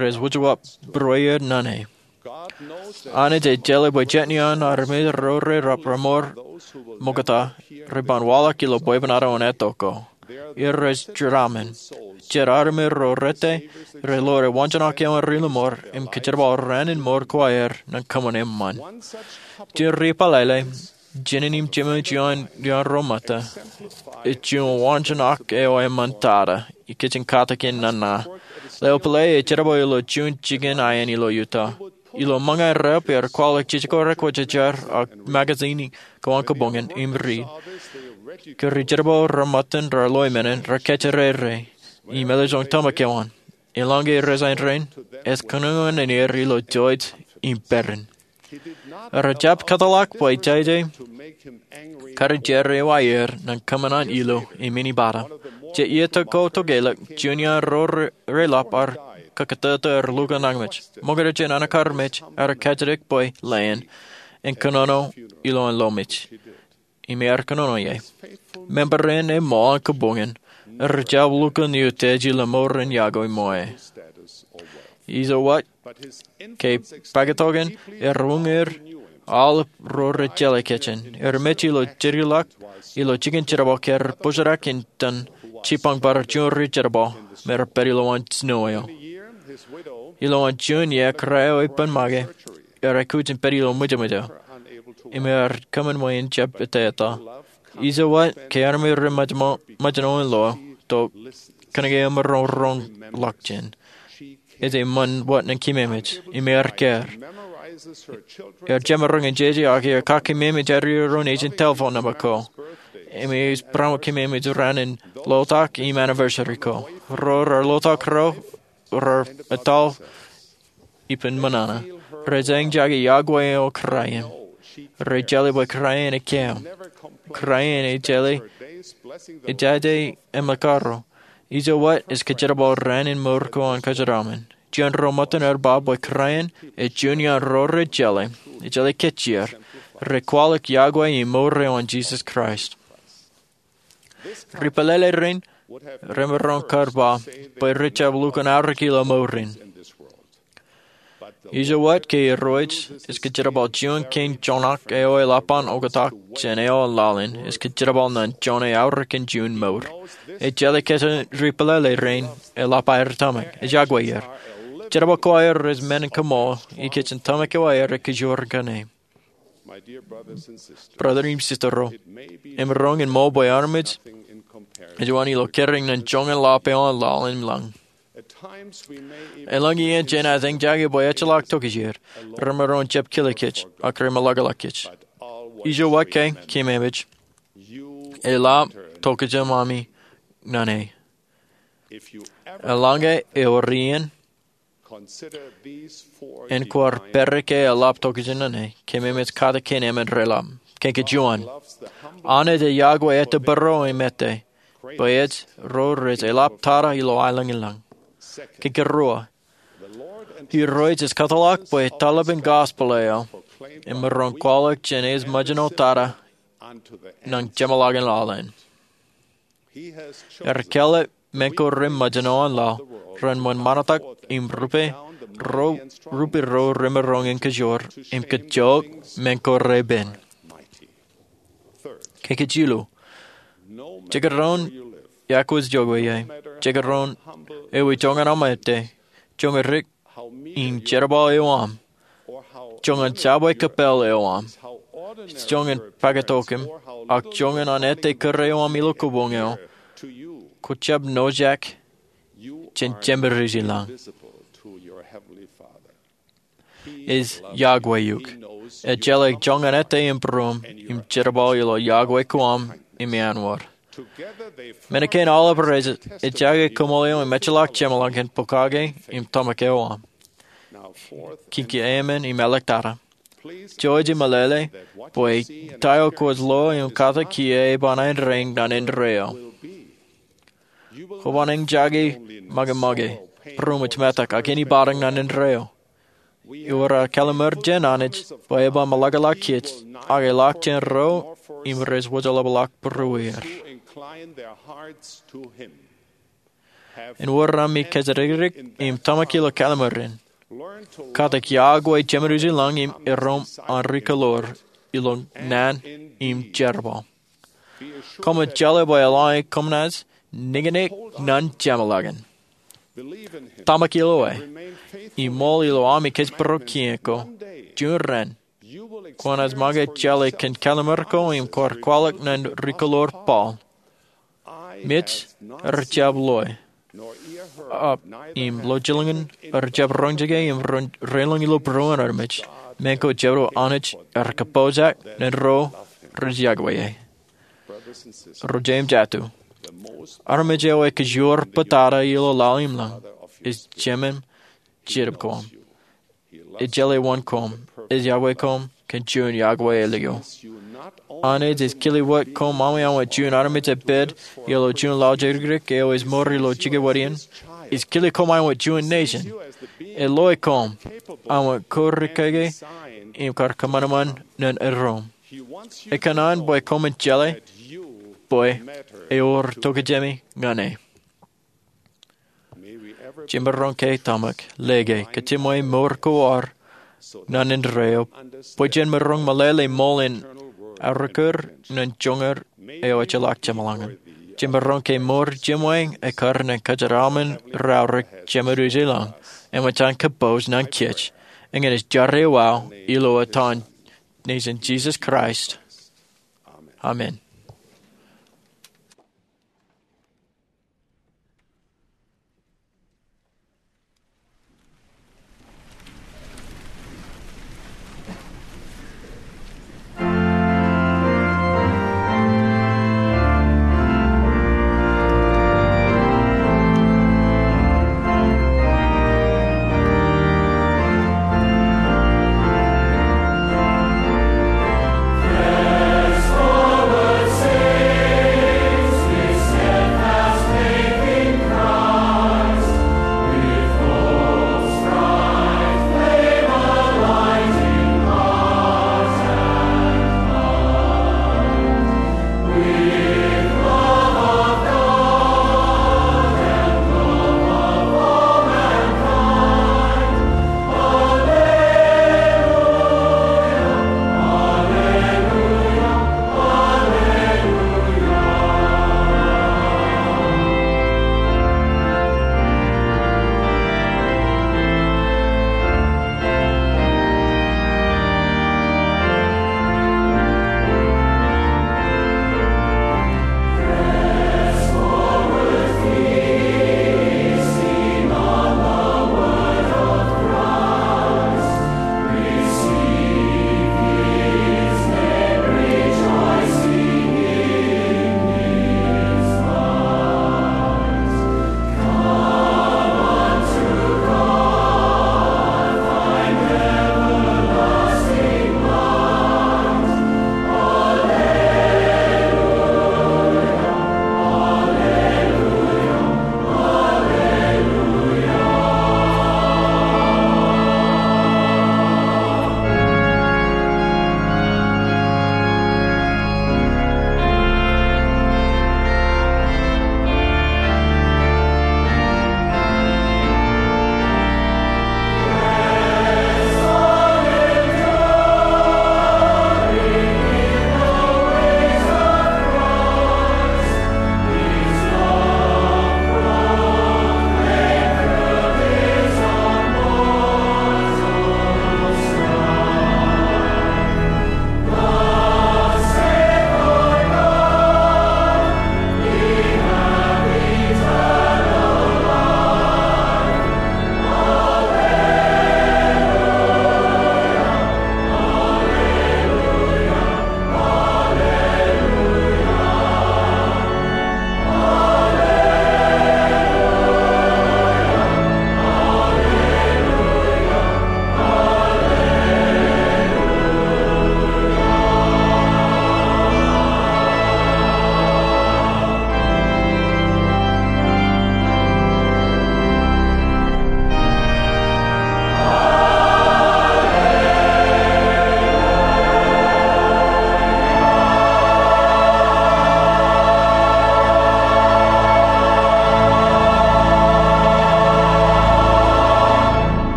rej wōjwōb būrueer ñan e. Anij ej jeḷā bwe jet iaan armej ro reḷap remour ṃokta reban waḷọk ilo bwebwenato in etto ko. Irooj jeramen. Jet armej ro rete relore waanjoñak eo an ri-lọmọọr im kōjerbal raan in mour ko aer ñan kōṃṃan eṃṃan. Jen ri-pālele Jined im jemem eo iaan ro ṃōtta ej juon waanjoñak eo eṃṃan tata ikijjien katak in nana. Leo pālle ej jerbal ilo juon jikin aen ilo Utah. Ilo ṃōñā reep ear kwaḷọk jijikar ekwōjarjar ak magazine ko an kabuñ in im riit. Ke ri-jerbal ro ṃōttan raar loe men in raar kōjro er im ej lọmọọr tōmak eo an. Eḷaññe rej ain rainin, ej kōnono ñan er ilo jouj im peran. Rejjab kōtḷọk bwe jeje kar jerbal eo aer ñan kōṃṃan an ilo im inepata. Jet iiō ko tokālik, juon iaan ro reḷap ar kakatata er lukkuun añōmej. Ṃokta jān an kar mej, ear kajjitōk bwe leen en kōnono ilo an lo mej. Im ear kōnono ie. Member in eṃṃan kabuñ in rejjab lukkuun utiej ilo mour in yokwe ṃōñā. Ijo wōt, ke paketokan ear uññūr Aolep ro rej jeḷā kōj in. Erimej ilo jerbal ilo jikin jerbal ke rej pojadak in tōn jipañ bar juon ri jerbal me rej pād ilowaan snow eo. Ilowaan juon iiō, kōrā eo ippān make ear aikuj in pād ilo ṃwijṃwij eo im ear kōṃṃan bwe en jab ettā etal. Ijo wōt, ke armej rej ṃōjṇo in lo, to kōnke emaroñ roñḷọk jān, ej ṃōn wōt ñan keememej im ear kāār. Ear jemaroñ in jeje ak ear kake keememej aer iiō ro nejin telephone number ko im ear barāinwōt keememej raan in lotak im anniversary ko. Ro raar lotak ro raar etal ippān ṃōṇōṇō. Rej eñjake iọkwe eo kōrā in. Rej jeḷā bwe kōrā in ekkā im kōrā in ejjeḷā ejjaje emekaro. Ijo wōt, ej kōjerbal raan in mour ko an kōjeraṃṃan. Juon ro ṃōttan ear ba bwe kōrā in ej juon iaan ro rej jeḷā, ejjeḷā kōj er, rej kwaḷọk iọkwe im mour eo an Jisōs Kraist. Ri pālele rein remaroñ kar ba bwe rej jab lukkuun aorōk ilo mour in. Ijo wōt, ke Irooj ej kōjerbal juon kein joñak eo eḷap an oktak jān eo an laḷ in, ej kōjerbal ñan joñan aorōk in juon mour. Ejjeḷā kōj ri pālele rein eḷap aer tōmak. Ej iọkwe er. Jerbal ko aer ej men in kaṃool, ikijjien tōmak eo aer ej kōjro kōṇaan. Brother im sister ro, emaroñ in ṃool bwe armej ej juon ilo kōrā ñan joñan ḷap eo an laḷ im lañ. Eḷaññe iien jein ej eñjake bwe ejjeḷọk tokjāer, remaroñ in jab kile kōj ak remaḷōkḷōk kōj. Ijo wōt ke, keememej, eḷap tokjān ami ñan e. Eḷaññe ewōr iien en kwaar pād ke eḷap tokjān ñan e, keememej kate kein emān reḷap. Kein kejuon, Anij ej iọkwe ettā bōro im ettā, bwe ej ro rej eḷap tata ilo aelōñ in lañ. Kein keruo, Irooj ej kōtḷọk bwe taḷap in gospel eo emaroñ kwaḷọk jān ej ṃōjṇo tata ñan jeṃḷọkin aolep. Ear kāālōt men ko reṃōjṇo an laḷ ren ṃōn ṃantak im rupe ro, rupe ro remaroñ in kōjro im kajjook men ko repen. Kein kejilu, jekdọọn iọkwe eo ej, jekdọọn ewi joñan aṃ ettā, joñan dik im jerbal eo aṃ, joñan subway kōppāl eo aṃ, joñan pāktok aṃ, ak joñan an ettā kōrā eo aṃ ilo kōbuñ eo, kwō jab nojak jān Jemedij in lañ. Ej iọkwe eok. Ejjeḷọk joñan ettā im būruōṃ im jerbal ilo iọkwe ko aṃ im iaan wōr. Men kein aolep rej ejjake koṃṃool eo im ejjeḷọk jeṃḷọkin pokake im tōmak eo aṃ. Kein keemān im āliktata, jouj im meḷeḷe bwe ta eo kwōj lo im kate kiiō eban āindein ñan indeeo. Kwōban eñjake ṃōke ṃōke, būruōṃ ej metak ak ej bar ñan indeeo. Ewōr aō kalliṃur jān Anij bwe eban ṃōḷakḷọk kōj ak eḷak jān ro im rej wōjḷapḷọk būrueir. Āinwōt ami kōjatdikdik im tōmak ilo kalliṃur in, kate iọkwe Jemedij in lañ im erom an ri kōḷoor ilo naan im jerbal. Koṃwin jeḷā bwe eḷaññe koṃ naaj niñniñ ñan jeṃḷọkin, tōmak ilo e, im ṃool ilo ami kōjparok kien ko, juon raan kwōnaaj ṃōñā jeḷā kōn kalliṃur ko im kwaar kwaḷọk ñan ri kōḷoor Paul, Mej rej jab loe, ak im lọjilñin rej jab roñjake im rein lōñ ilo būruon armej, men ko jebdewōt Anij ej kapojak ñan ro rej iọkwe e. Ro jeiū im jatū, armej eo ej kōjro bōtata ilo laḷ im lañ ej Jemem Jetōb koṃ. Ej jeḷā wōn koṃ, ej iọkwe koṃ kōn juon iọkwe ālikin. Anij ej kile wōt koṃ aṃ iaan wōt juon armej epād ilo juon laḷ jekdikdik eo ej mour ilo jikabwilōñ in. Ej kile koṃ aṃ wōt juon nation. Ej loe koṃ aṃ wōt kōrā kōke im kar kōṃanṃan ñan erom. Ekōṇaan bwe koṃwin jeḷā bwe ewōr tokjāmi ñan e. Jemaroñ ke tōmak, lōke, kōtmwe mour ko ad naan indeeo, bwe jen maroñ meḷeḷe ṃool in aorōk er ñan joñan eo ejjeḷọk jeṃḷọkin. Jemaroñ ke mour jemweeñ ekkar ñan kōjatdāṃin raorōk Jemedwōj ilañ, eṃōj an kōpooj ñan kōj, ñan ej jar eo aō ilo etan Nejin Jisōs Kraist, amen.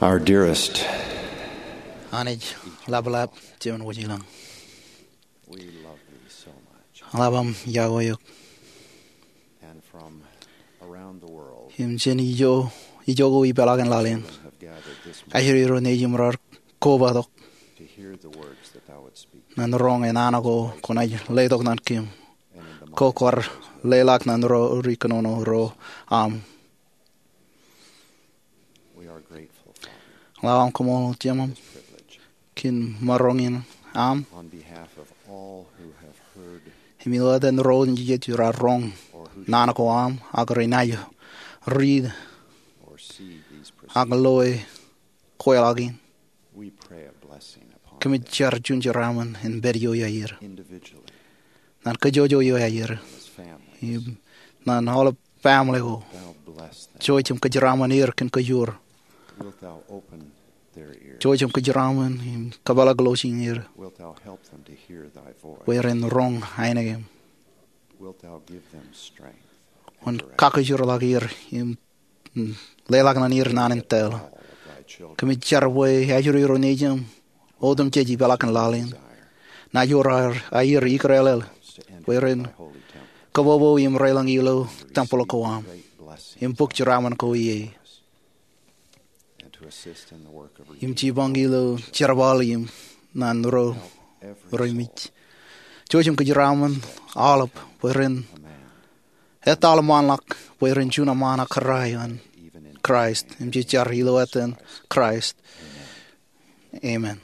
Our dearest, Anij ḷaplap, Jemān wōj ilañ. We love thee so much. Ḷap aṃ iọkwe eok. And from around the world, im jān ijo, ijo ko ipeḷaakin laḷ in, children have gathered this morning aer ro nejūṃ raar kobatok to hear the words that thou wouldst speak. Ñan roñ naan ko kwōnaaj letok ñan kōm. And in the mighty name of Jesus, ko kwaar leḷọk ñan ro ri kōnono ro aṃ. We are grateful, Father, ḷap aṃ koṃṃool Jemem, for this privilege, kōn maroñ in aṃ. On behalf of all who have heard, im ilo etan ro nejū raar roñ, or who, naan ko aṃ, ak renaaj riit, or see these proceedings, ak loe kweilọk in. We pray a blessing upon them. Kōmij jar juon jeraaṃṃan in pād ioon aer, individually, ñan kōjwōj ioon aer, as families, im ñan aolep family ko. Thou bless them. Jouj im kōjeraaṃṃan er kōn kōjwōj. Wilt thou open Jouj im kōjeraṃṃan im kōpeḷḷọk lọjien er bwe ren roñ ainikien. Kwōn kakijeraḷọk er im leḷọk ñan er naan in tōl. Kōmij jar bwe ajri ro nejūṃ otemjej ipeḷaakin laḷ in. Naaj wōr aer ikdeḷeḷ bwe ren kōbobo im reilōñ ilo tempel ko aṃ im bōk jeraaṃṃan ko ie, im jipañ ilo jerbal im naan ro reimej. Jouj im kōjeraṃṃan aolep bwe ren etal ṃaanḷọk bwe ren juon aṃ ṃaan ak kōrā ioon Kraist. Im jej jar ilo etan Kraist, amen.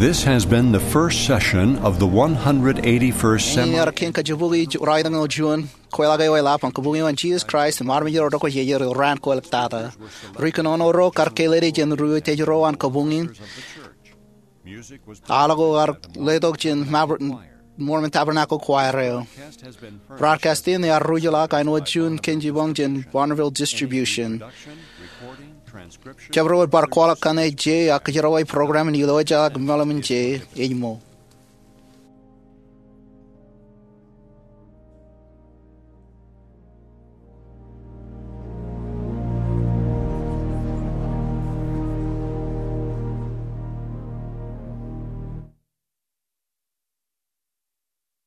This has been the first session of the one hundred eighty-first Seminar. Ear kōn kajjibukwi ralitōñoul juon kweilọk eo eḷap an kabuñe an Jesus Christ im armej ro rej kwe jeje ilo raan ko ḷaptata. Ri kōnono ro kar kāālōt jān ri-tejro an kabuñ in. Aḷ ko ear letok jān Mormon Tabernacle Choir eo. Broadcast in ear ruj ḷọk āinwōt juon kōn jipañ jān Bonneville Distribution. Jabdewōt bar kwaḷọk kaṇe je ak kōjeraṃṃan program in ilo ejjeḷọk meḷeṃ in je ej ṃool.